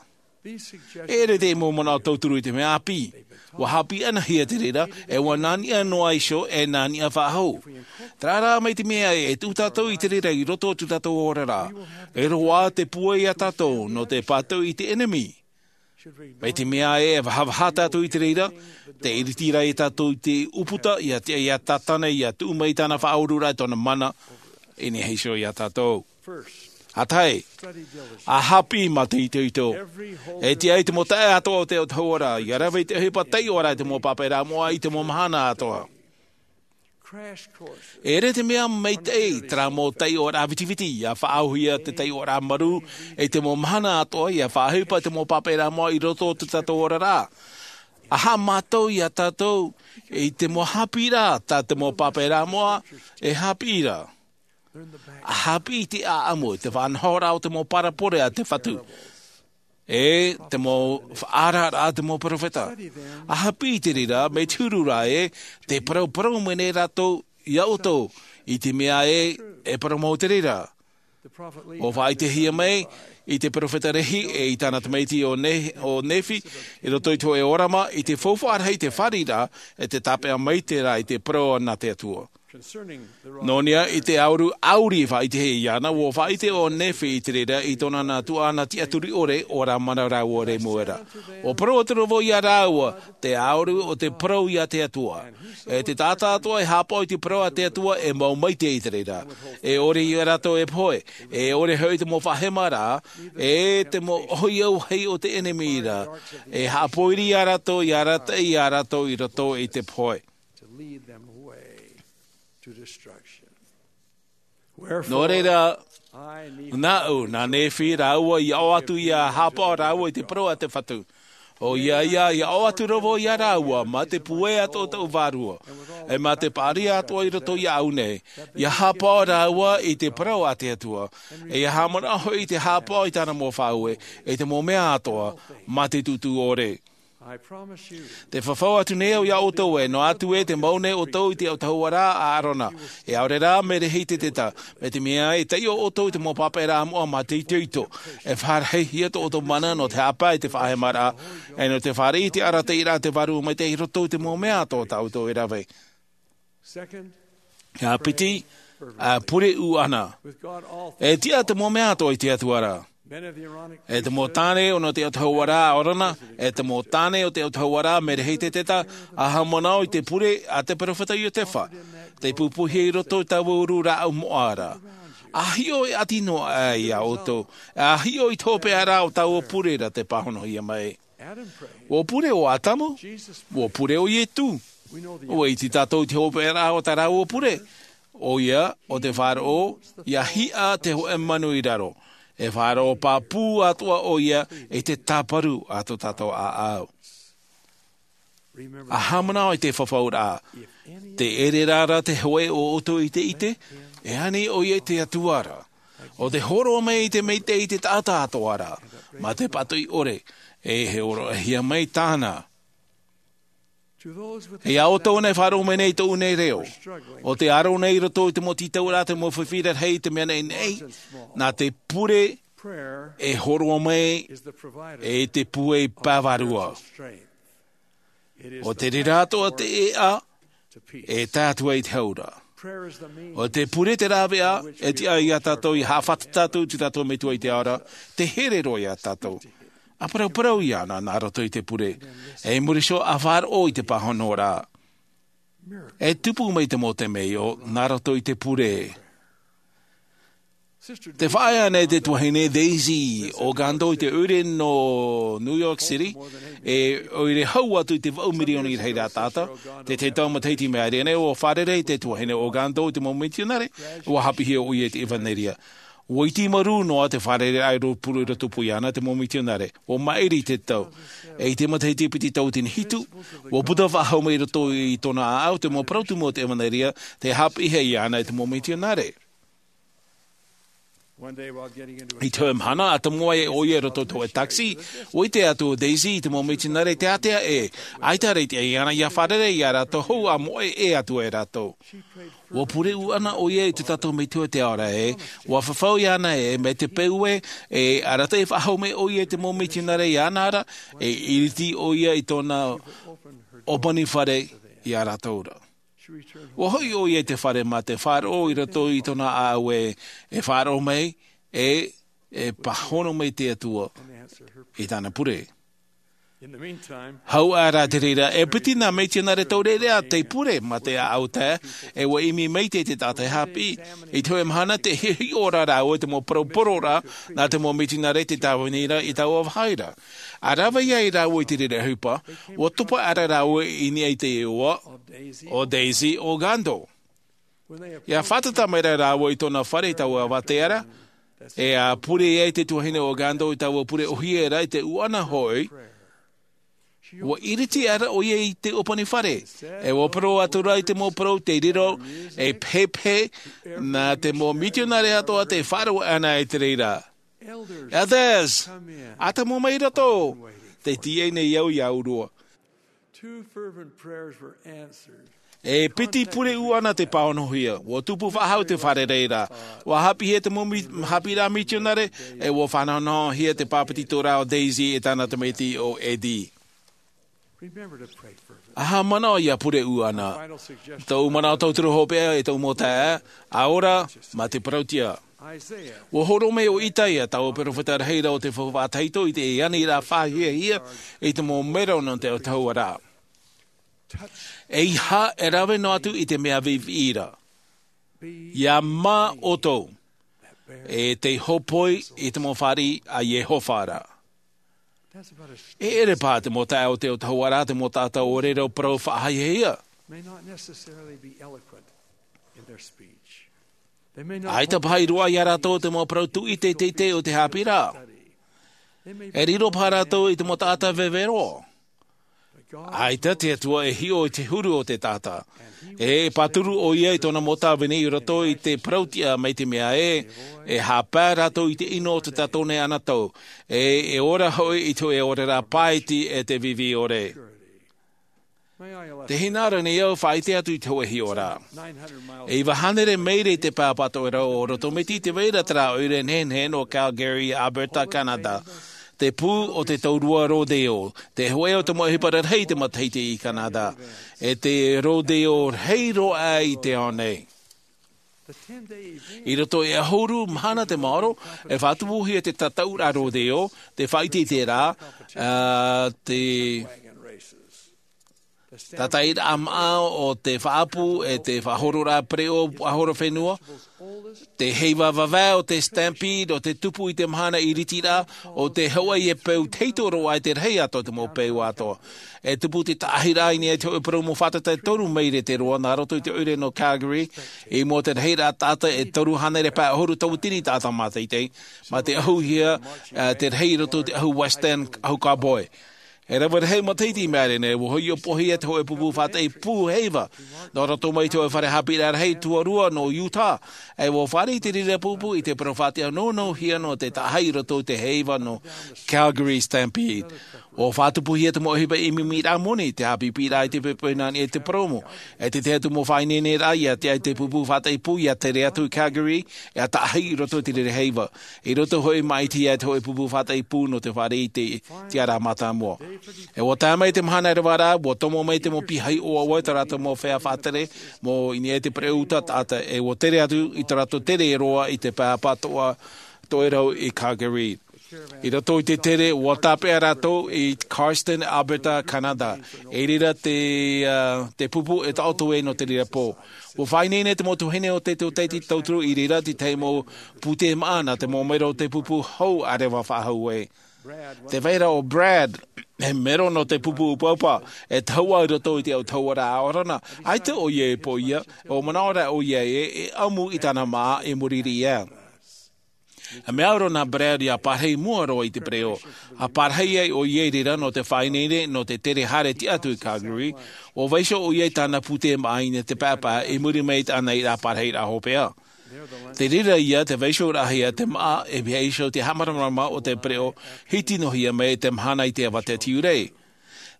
E ʻere te mau manaʻo tauturu i te mea ʻāpī. Ua hāpī ʻanahia te reira, e ua nā niʻa noa iho e nā niʻa faʻahou. Terā rā, mai te mea e tuʻu tātou i te reira i roto o tō tātou oraraʻa, e roaʻa te puai iā tātou nō te pātoʻi i te ʻenemi. Mai te mea e vahavaha tātou i te reira, te ʻiriti rā iā tātou i te ʻūputa, iā te, iā Tātana, iā tuʻu mai tāna faʻaoraraʻa i tōna mana, i niʻa iho iā tātou. ʻA tahi, ʻa hāpī mā te itoito. E tiʻa i te mau taʻata atoʻa o te autahuʻaraʻa, ʻia rave i te ʻohipa taiʻoraʻa i te mau pāpaʻiraʻa moʻa i te mau mahana atoʻa. E ʻere te mea maitaʻi terā mau taiʻoraʻa vitiviti, ʻia faʻaauhia te taiʻoraʻa marū i te mau mahana atoʻa, ʻia faʻaʻohipa i te mau pāpaʻiraʻa moʻa i roto o tō tātou oraraʻa. ʻA haʻamātau iā tātou i te mau hāpīraʻa tā te mau pāpaʻiraʻa moʻa e hāpī ra. ʻA hāpī i te ʻāʻamu, i te faʻanahoraʻa o te mau parabole a te Fatu, e te mau faʻaararaʻa a te mau peropheta. ʻA hāpī i te reira, mai te huru ra ē, tē parauparau mai nei rātou iā ʻoutou, i te mea ē, e parau mau te reira. ʻUa faʻaʻitehia mai i te peropheta Lehi, e i tāna tamaiti ʻo Ne-, ʻo Nephi, i roto i te hōʻē ʻōrama, i te faufaʻa rahi i te fāriʻiraʻa, e te tāpeʻa maitaʻi ra i te parau nā te Atua. Nō niʻa i te ʻauru ʻauri e faʻaʻitehia iāna, ʻua faʻaʻite ʻo Nephi i te reira i tōna nā tuaʻana tiʻaturi ʻore, ʻua rāmana rāua i reira. ʻUa parau atu ra vau iā rāua, te ʻauru o te parau iā te Atua. E te taʻata atoʻa e haʻapaʻo i te parau a te Atua e mau maitaʻi i te reira. E ʻore iā rātou e pohe, e ʻore hoʻi te mau faʻahemaraʻa, e te mau ʻohipa auahi o te ʻenemi ra. E haʻapōiri iā rātou, ʻia arataʻi iā rātou i roto i te pohe. Nō reira, nāʻu, nā Nephi rāua, ʻia ʻoatu ʻia haʻapaʻo rāua i te parau a te Fatu. ʻOia, ʻia, ʻia ʻoatu ra vau iā rāua, mā te pūai atoʻa o tāʻu vārua, e mā te paʻari atoʻa i roto iāʻu nei, ʻia haʻapaʻo rāua i te parau a te Atua, e ʻia haʻamanaʻo hoʻi i te haʻapaʻo i tāna mau faʻaue, i te mau mea atoʻa, mā te tūtū ʻore. Te fafau atu nei au iā ʻoutou ē, noa atu ē, tē mau nei ʻoutou i te autahuʻaraʻa a ʻĀrona, e ʻaore rā, mai Lehi Teteta, mai te mea e taiʻo ʻoutou i te mau pāpaʻiraʻa moʻa mā te itoito, e faʻarahihia tō ʻoutou mana nō te haʻapaʻo i te faʻahemaraʻa, e nō te fāriʻi i te arataʻiraʻa a te Vārua Maitaʻi i roto i te mau mea atoʻa tā ʻoutou e rave. ʻIa piti, ʻa pure ʻuʻana. E tiʻa te mau mea atoʻa i te Atua ra. E te mau tāne o nō te autahuʻaraʻa a ʻĀrona, e te mau tāne o te autahuʻaraʻa mai Lehi Teteta, ʻa haʻamanaʻo i te pure a te peropheta Iotefa, tei pupuhia i roto i taua uru rāʻau moʻa ra. ʻA hiʻo e ʻati noa aʻe iā ʻoutou, ʻa hiʻo i te hopeʻaraʻa o taua pure ra tē pāhonohia mai. ʻUa pure ʻo Atamu, ʻua pure ʻo Ietu. ʻUa ʻite tātou i te hopeʻaraʻa o tā rāua pure. ʻOia, ʻo te faʻaroʻo, ʻia hiʻa te hōʻē manu i raro. E faʻaroʻo pāpū atoʻa ʻoia i te tāparu a tō tātou ʻāʻau. ʻA haʻamanaʻo i te fafauraʻa, tē ʻere ra ra te hōʻē o ʻoutou i te ʻite, e ani ʻoia i te Atua ra. ʻO tē hōroʻa mai i te maitaʻi i te taʻata atoʻa ra, mā te pātoʻi ʻore, e hōroʻahia mai tāna. E iā ʻoutou anaʻe e faʻaroʻo mai nei i tōʻu nei reo, ʻo tē aro nei i roto i te mau tītauraʻa, te mau fifi rarahi, te mea naʻinaʻi, nā te pure e hōroʻa mai e te pūai pae vārua. ʻO te reira atoʻa te ʻēʻa e tae atu ai i te aura. ʻO te pure te rāveʻa e tiʻa iā tātou ʻia haʻafātata atu i tō tātou Metua i te ao ra, tē here roa iā tātou. ʻA parauparau iāna nā roto i te pure, e i muri iho ʻa faʻaroʻo i te pāhonoraʻa. E tupu mai te mau temeio nā roto i te pure. Tē faʻaea nei te tuahine Daisy Ogando i te ʻoire nō New York City, e ʻoire hau atu i te vaʻu mirioni i rahiraʻa taʻata. Te tahi matahiti i maʻiri aʻe nei, ʻua fārerei te tuahine Ogando i te mau mitionare, ʻua haʻapiʻihia ʻoia i te ʻevanelia. ʻUa iti marū noa te fārereiraʻa i rotopū, i rotopū iāna te mau mitionare. ʻUa maʻiri te tau. E i te matahiti piti tauatini hitu, ʻua puta faʻahou mai i roto i tōna ʻāʻau te mau parau tumu o te ʻevanelia, tē haʻapiʻihia iāna e te mau mitionare. I te hōʻē mahana, ʻa tomo ai ʻoia i roto i te hōʻē taxi, ʻua ʻite atu ʻo Daisy i te mau mitionare teatea ē, ʻaita rā te ʻai ana ia fārerei ia rātou hou ʻa moʻe ʻē atu e rātou. ʻUa pure ʻū ana ʻoia i tō tātou Metua i te ao ra ē, ʻua fafau iāna ē, mai te peu ē, e arataʻi faʻahou mai ʻoia i te mau mitionare iāna ra, e ʻiriti ʻoia i tōna ʻōpani fare ia rātou ra. ʻUa hoʻi ʻoia i te fare mā te faʻaroʻo i roto i tōna ʻāʻau ē, e faʻaroʻo mai, e, e pāhono mai te Atua i tāna pure. Hau ā rā te reira, e piti nā mitionare taureʻareʻa tei pure mā te ʻāʻau tae, e ʻua ʻimi maitaʻi te taʻata e haʻapiʻi. I te hōʻē mahana tē hiʻohiʻo ra rāua i te mau parau poro ra, nā te mau mitionare tei tāvini ra i taua vāhi ra. ʻA rave ai rāua i te reira ʻohipa, ʻua topa aʻera rāua i niʻa i te iʻoa, ʻo Daisy Ogando. ʻIa fātata mai ra rāua i tōna fare i taua avatea ra, e ʻa pure ai te tuahine Ogando i taua pure ʻōhie ra i te ʻū ana hoʻi, ʻua ʻiriti aʻera ʻoia i te ʻōpani fare, e ʻua parau atu ra i te mau parau tei riro, e pehepehe, nā te mau mitionare atoʻa tei faʻaroʻo ana i te reira. Elders, ʻa tomo mai i roto, tē tīaʻi nei au ia ʻōrua. Two fervent prayers were answered. E piti pure ʻū ana tei pāhonohia, ʻua tupu faʻahou te fārerei ra, ʻua haʻapiʻihia te mau mi-, haʻapiʻiraʻa mitionare, e ʻua fānahonahohia te pāpetitoraʻa ʻo Daisy e tāna tamaiti ʻo Eddie. Remember to pray fervently. ʻA haʻamanaʻo ʻia pure ʻū ana. Tōʻu manaʻo tauturu hopeʻa e tōʻu mau taeaʻe, ʻa ora mā te parauʻtiʻa. ʻUa hōroʻa mai ʻo Isaia, taua perofeta rahi ra o te faufaʻa tahito, i te aniraʻa fāhiahia i te mau mero nō te autahuʻaraʻa. ʻEiaha e rave noa atu i te mea viʻiviʻi ra. ʻIa mā ʻoutou, e tei hōpoi i te mau fāriʻi a Iehova ra. E ʻere paha te mau taeaʻe o te autahuʻaraʻa, te mau taʻata ʻōrero parau faʻahiahia. May not necessarily be eloquent in their speech. ʻAita paha i roaʻa ia rātou te mau parau tuʻi teitei o te haʻapiʻiraʻa. E riro paha rātou i te mau taʻata vevero. ʻAita te Atua e hiʻo i te huru o te taʻata. E pāturu ʻoia i tōna mau tāvini i roto i te parauʻtiʻa mai te mea ē, e haʻapae rātou i te ʻino o te tātou nei anotau. E, e ora hoʻi i te hōʻē oraraʻa pāʻiti e te viʻiviʻi ʻore. Tē hinaʻaro nei au e faʻaʻite atu i te hōʻē hiʻoraʻa. E iva hānere maira i te pae ʻāpapa toʻerau o Rotomiti i te vai ra terā ʻoire nehenehe nō Calgary, Alberta, Canada. Te pū o te Taurua Rodeo, te hōʻē o te mau ʻohipa rarahi i te matahiti i Canada. E te rodeo rahi roa i te ao nei. I roto i te ʻahuru mahana tē maoro, e faʻatupuhia te tataʻuraʻa rodeo, te faʻaʻiteʻiteraʻa, ā, te tātaʻiraʻa māʻa o te faʻaʻapu, e te faʻahororaʻa pereʻoʻo, faʻahoro fenua, te heiva vavae o te stampede, ʻo te tupu i te mahana ʻiritiraʻa, ʻo te Hawaii e peu tahito roa i te rahi atoʻa o te mau peu atoʻa. E tupu te taʻahiraʻa i niʻa i te hōʻē parau mau fātata e toru maire te roa nā roto i te ʻoire nō Calgary, i mua i te rahiraʻa taʻata e toru hānere pae ʻahuru tauatini taʻata māteitei, mā te ʻahuhia, ā, te rahi i roto i te ʻahu Western, ʻahu Cowboy. E rave rahi matahiti i maʻiri nei, ʻua hoʻi ʻopoʻohia te hōʻē pupu faʻataʻi pū heiva. Nō roto mai i te hōʻē fare haʻapiʻiraʻa rahi tuarua nō Utah. E ʻua fāriʻi te reira pupu i te parau faʻatiʻa nounou hia nō te taʻahi i roto i te heiva nō Calgary Stampede. ʻUa faʻatupuhia te mau ʻohipa ʻimiraʻa moni, te haʻapiʻiraʻa i te pepe nā niʻa i te purōmu. E te tahi atu mau faʻaineineraʻa ʻia tiʻa i te pupu faʻataʻi pū ʻia tere atu i Calgary, ʻia taʻahi i roto i te reira heiva. I roto hoʻi maʻiti ia te hōʻē pupu faʻataʻi pū nō te fāriʻi i te tiʻaraʻa mātāmua. E ʻua tae mai te mahana e rave ra, ʻua tomo mai te mau piahi ʻoaʻoa i tā rātou mau feiā faʻatere, mau i niʻa i te pereʻoʻo taʻata, e ʻua tere atu i tā rātou tere roa i te pae ʻāpapa toʻa, toʻerau i Calgary. I roto i te tere, ʻua tāpeʻa rātou i Cardston, Alberta, Canada. I reira te, ā, te pupu e taʻoto ai nō te reira pō. ʻUa faʻaineine te mau tuahine o te tōtaiete tauturu i reira te tahi mau pūtē māʻa nā te mau mero o te pupu hou ʻa reva faʻahou ai. Te vai ra ʻo Brad, e mero nō te pupu ʻupaʻupa, e tahuʻa i roto i te autahuʻaraʻa ʻaorana, ʻaita ʻoia e poʻia, ʻua manaʻo ra ʻoia ē, e ʻamu i tāna māʻa i muri iho. E mea au roa nā Brad ʻia parahi mua roa i te pereʻoʻo. ʻA parahi ai ʻoia i reira nō te faʻaineine nō te tere haere tiʻa atu i Calgary, ʻua vaiiho ʻoia i tāna pūtē māʻa i niʻa i te paepae i muri mai i te ʻanaʻanaraʻa parahiraʻa hopeʻa. Te reira ia te vaiiho rahi a te maʻa e vaiiho te haʻamaramarama o te pereʻo hiti noa hia mai te mahana i te avate tiurei.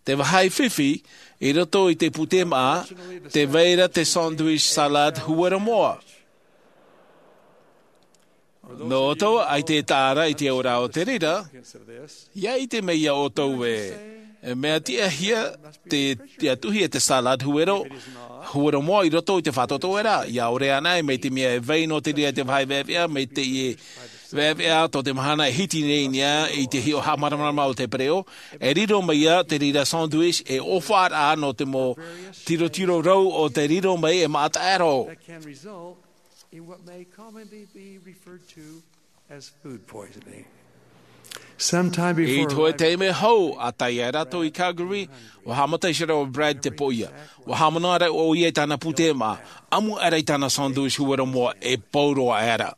Te vāhi fifi i roto i te pūtē maʻa, te vai ra te sandwich salad huero moa. Nō ʻoutou ʻaita e taʻa ra i te ora o te reira, ia ʻite mai ia ʻoutou ē, e mea tiʻahia te tiʻatuhi e te salad huero, huero moa i roto i te faʻatoto era, ia ʻore ana e mai te mea e vai nō te reira te vāhi veʻaveʻa mai te ie veʻaveʻa tō te mahana e hiti nei nei i te hiʻo haʻamaramarama o te pereʻo, e riro mai ia te reira sandwich e ʻofa raʻa nō te mau tirotiro rau o te riro mai e maʻa taʻero. In what may commonly be referred to as food poisoning. Sometime I before te hōʻē taime hou, a tae ai rātou i Calgary, ua haʻamata iho ra ʻo Brad te pōʻia. Ua haʻamanaʻo ra ʻoia i tāna pūtē maʻa, ʻamu aʻera i tāna sandwich huero moa e pauroa aʻera.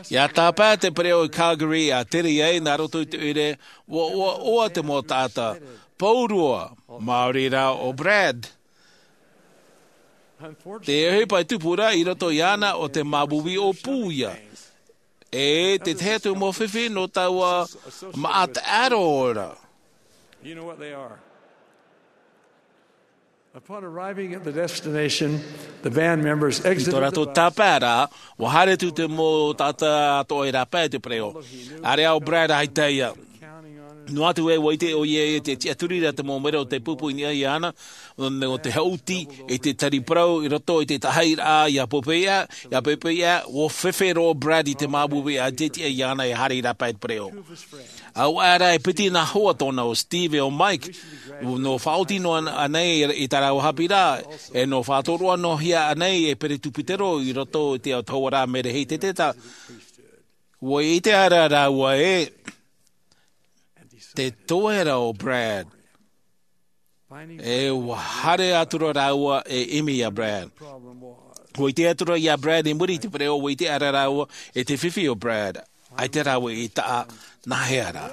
Ia tāpae te pereʻo i Calgary a tere ai nā roto i te ʻoire, ua ʻoaʻoa te mau taʻata, pauroa, maori rā ʻo Brad. Te ʻohipa e tupu ra i roto iāna ʻo te māuiui ʻōpū ia. E te tahi atu mau fifi nō taua maʻa taʻero ra. You know what they are. Upon arriving at the destination, the band members I exit tō rātou tāpae ra, ua haere atu te mau taʻata atoʻa i rāpae te pereʻo. ʻAreʻa ʻo Brad ʻaita ia. Noa atu ē ua ʻite ʻoia i te tiʻaturi ra te mau mero o te pupu i niʻa iāna, nō te haʻuti i te tari parau i roto i te tahairaʻa ia popeia, ia popeia, ua fefe roa ʻo Brad i te māuiui a te tiʻa iāna e haere i rāpae te pereʻo. Auaʻe ra e piti nā hoa tōna ʻo Steve ʻe ʻo Mike, nō faʻaoti noa anei i tā rāua haʻapiʻiraʻa, e nō faʻatoroʻa noa hia anei e peretupitero i roto i te autahuʻaraʻa Merehei Teteta. Ua ʻite aʻera rāua ē, te toe ra ʻo Brad. E ua haere atu ra rāua e ʻimi iā Brad. Ua ʻite atu ra iā Brad i muri i te pereʻo, ua ʻite aʻera rāua i te fifi o Brad. ʻAita rāua i taʻa, nā hea ra?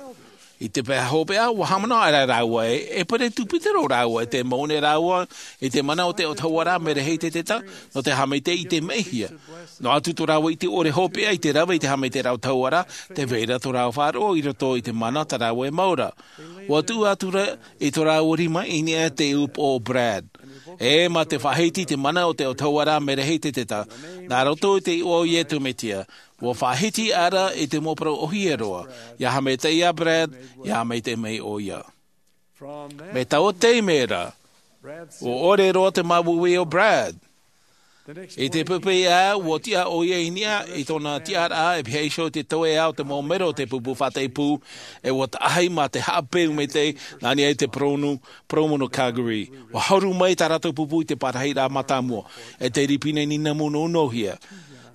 I te pae hopeʻa, ua haʻamanaʻo aʻera rāua ē, e peretupitero rāua, e te mau nei rāua i te mana o te autahuʻaraʻa Merehei Teteta, nō te haʻamaitaʻi i te mehia. Noa atu tō rāua ʻite ʻore hopeʻa i te rave i te haʻamaitaʻiraʻa autahuʻaraʻa, tē vai ra tō rāua faʻaroʻo i roto i te mana tā rāua e mau ra. Ua tuʻu atu ra i tō rāua rima i niʻa i te upoʻo o Brad. E mā te faʻahiti i te mana o te autahuʻaraʻa Merehei Teteta, nā roto i te iʻoa o Iesu Mesia, ua faʻahiti aʻera i te mau parau ʻōhie roa, ia haʻamaitaʻi iā Brad, ia haʻamaitaʻi mai ʻoia. Mai taua taime ra, ua ʻore roa te māuiui o Brad. I te popeia, ua tiʻa ʻoia i niʻa i tōna tiʻaraʻa e pihaʻi iho i te tauihaʻa o te mau mero o te pupu faʻataʻi pū, e ua taʻahi mā te haʻapeu maitaʻi nā niʻa i te parau nō, parau nō Calgary. Ua haru mai tā rātou pupu i te parahiraʻa mātāmua, e te ripine nīnamu nō nōhia.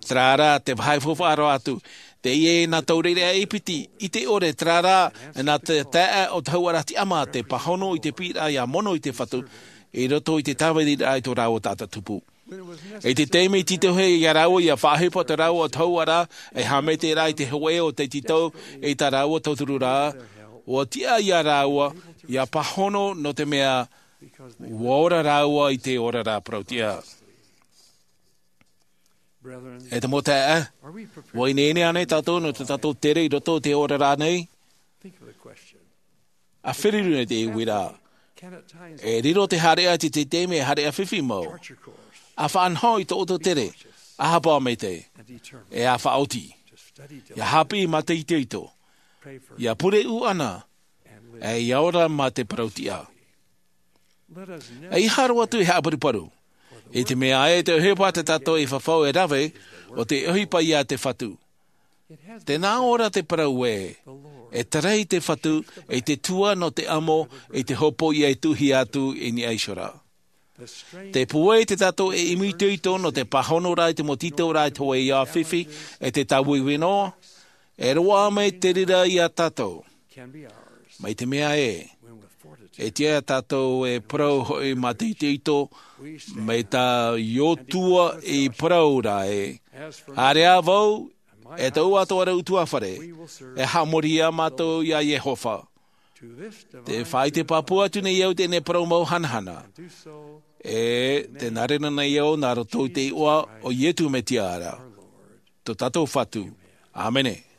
Terā rā, te vāhi faufaʻa roa atu, teie nā taureʻareʻa e piti, ʻite ʻore, terā rā, nā te taeaʻe o te autahuʻaraʻa Tiʻamā te pāhono i te piʻiraʻa ia mono i te Fatu, i roto i te tāviriraʻa i tō rāua taʻata tupu. I te taime i tītauhia iā rāua ia faʻaʻohipa tō rāua autahuʻaraʻa, e haʻamaitaʻiraʻa i te hōʻē o te tītau i tā rāua tautururaʻa, ua tiʻa iā rāua, ia pāhono nō te mea, ua ora rāua i te oraraʻa parauʻtiʻa. E te mau taeaʻe, ua ineine ānei tātou nō tō tātou tere i roto i te oraraʻa nei? ʻA feruri nei te uiraʻa. E riro te haereʻa i te taime e haereʻa fifi mau. ʻA faʻanaho i tō ʻoutou tere, ʻa hapa maitaʻi, e ʻa faʻaoti. Ia haʻapiʻi mā te itoito. Ia pure ʻuʻana, e ia ora mā te parauʻtiʻa. ʻEiaha roa atu e haʻaparuparu. I te mea ē te ʻohipa tā tātou i fafau e rave, ʻo te ʻohipa ia te Fatu. Tē nā ʻō ra te parau ē, e tarai te Fatu, i te tua nō te amo, i te hopoiʻa e tuʻuhia atu i niʻa iho ra. Te pūai tā tātou e ʻimi itoito nō te pāhonoraʻa i te mau tītauraʻa i te hōʻē iʻoa fifi, e te tāuiui noa, e roaʻa mai te reira iā tātou. Mai te mea ē, e tiʻa tātou e parau hoʻi mā te itoito, mai tā Iosua i parau ra ē, haere ā vau, e tōʻu atoʻa ra ʻutuāfare, e haʻamori ā mātou iā Iehova. Tē faʻaʻite pāpū atu nei au i teie nei parau mau hanahana. E tē nā reira nei au nā roto i te iʻoa o Iesu Mesia ra. tō tātou Fatu. ʻĀmene.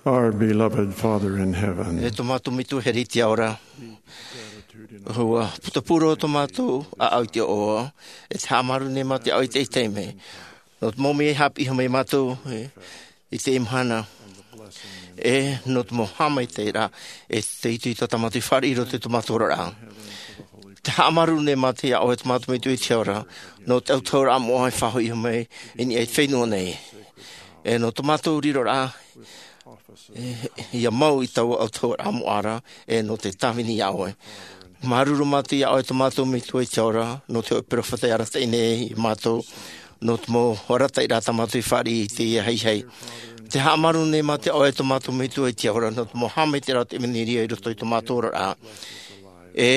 Our beloved Father in heaven, e tō mātou Metua here i te ao ra, ua putapū roa tō mātou ʻāʻau i te ʻoaʻoa, e te haʻamāuruuru nei mātou iā ʻoe i teie taime, nō te mau mea i haʻapiʻi mai iā mātou, e, i teie mahana, e nō te mau haʻamaitaʻiraʻa, e te itoito tā mātou i fāriʻi i roto i tō mātou oraraʻa. Te haʻamāuruuru nei mātou iā ʻoe tō mātou Metua i te ao ra, nō te autahuʻaraʻa moʻa e faʻahoʻi mai i niʻa i te fenua nei. E nō tō mātou riroraʻa, e, ʻia mau i taua autahuʻaraʻa moʻa ra, e nō te tāvini iā ʻoe. Māuruuru mātou iā ʻoe tō mātou Metua i te ao ra, nō te hōʻē perofeta i arataʻi nei iā mātou, nō te mau arataʻiraʻa tā mātou i fāriʻi i teie haihai. Te haʻamāuruuru nei mātou iā ʻoe tō mātou Metua i te ao ra, nō te mau haʻamaitaʻiraʻa o te ʻevanelia i roto i tō mātou oraraʻa. E,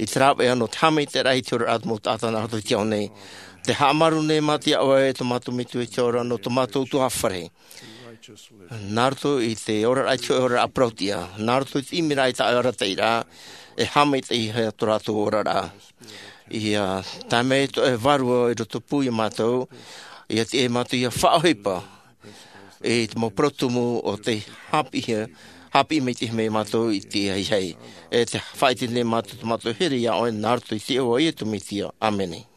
i te rāveʻa nō te haʻamaitaʻiraʻa i te oraraʻa o te mau taʻata nā roto i te ao nei. Te haʻamāuruuru nei mātou iā ʻoe tō mātou Metua i te ao ra, nō tō mātou ʻutuāfare. Nā roto i te oraraʻa i te hōʻē oraraʻa parauʻtiʻa, nā roto i te ʻimiraʻa i tā ʻoe arataʻiraʻa, e haʻamaitaʻihia tō rātou oraraʻa. ʻIa tae mai tō ʻoe Vārua i rotopū iā mātou, ʻia tiʻa mātou ʻia faʻaʻohipa i te mau parau tumu o tei haʻapiʻihia, haʻapiʻi maitaʻi mai iā mātou i teie haihai. E te faʻaʻite nei mātou tō mātou here iā ʻoe nā roto i te iʻoa o Iesu Mesia. ʻĀmene.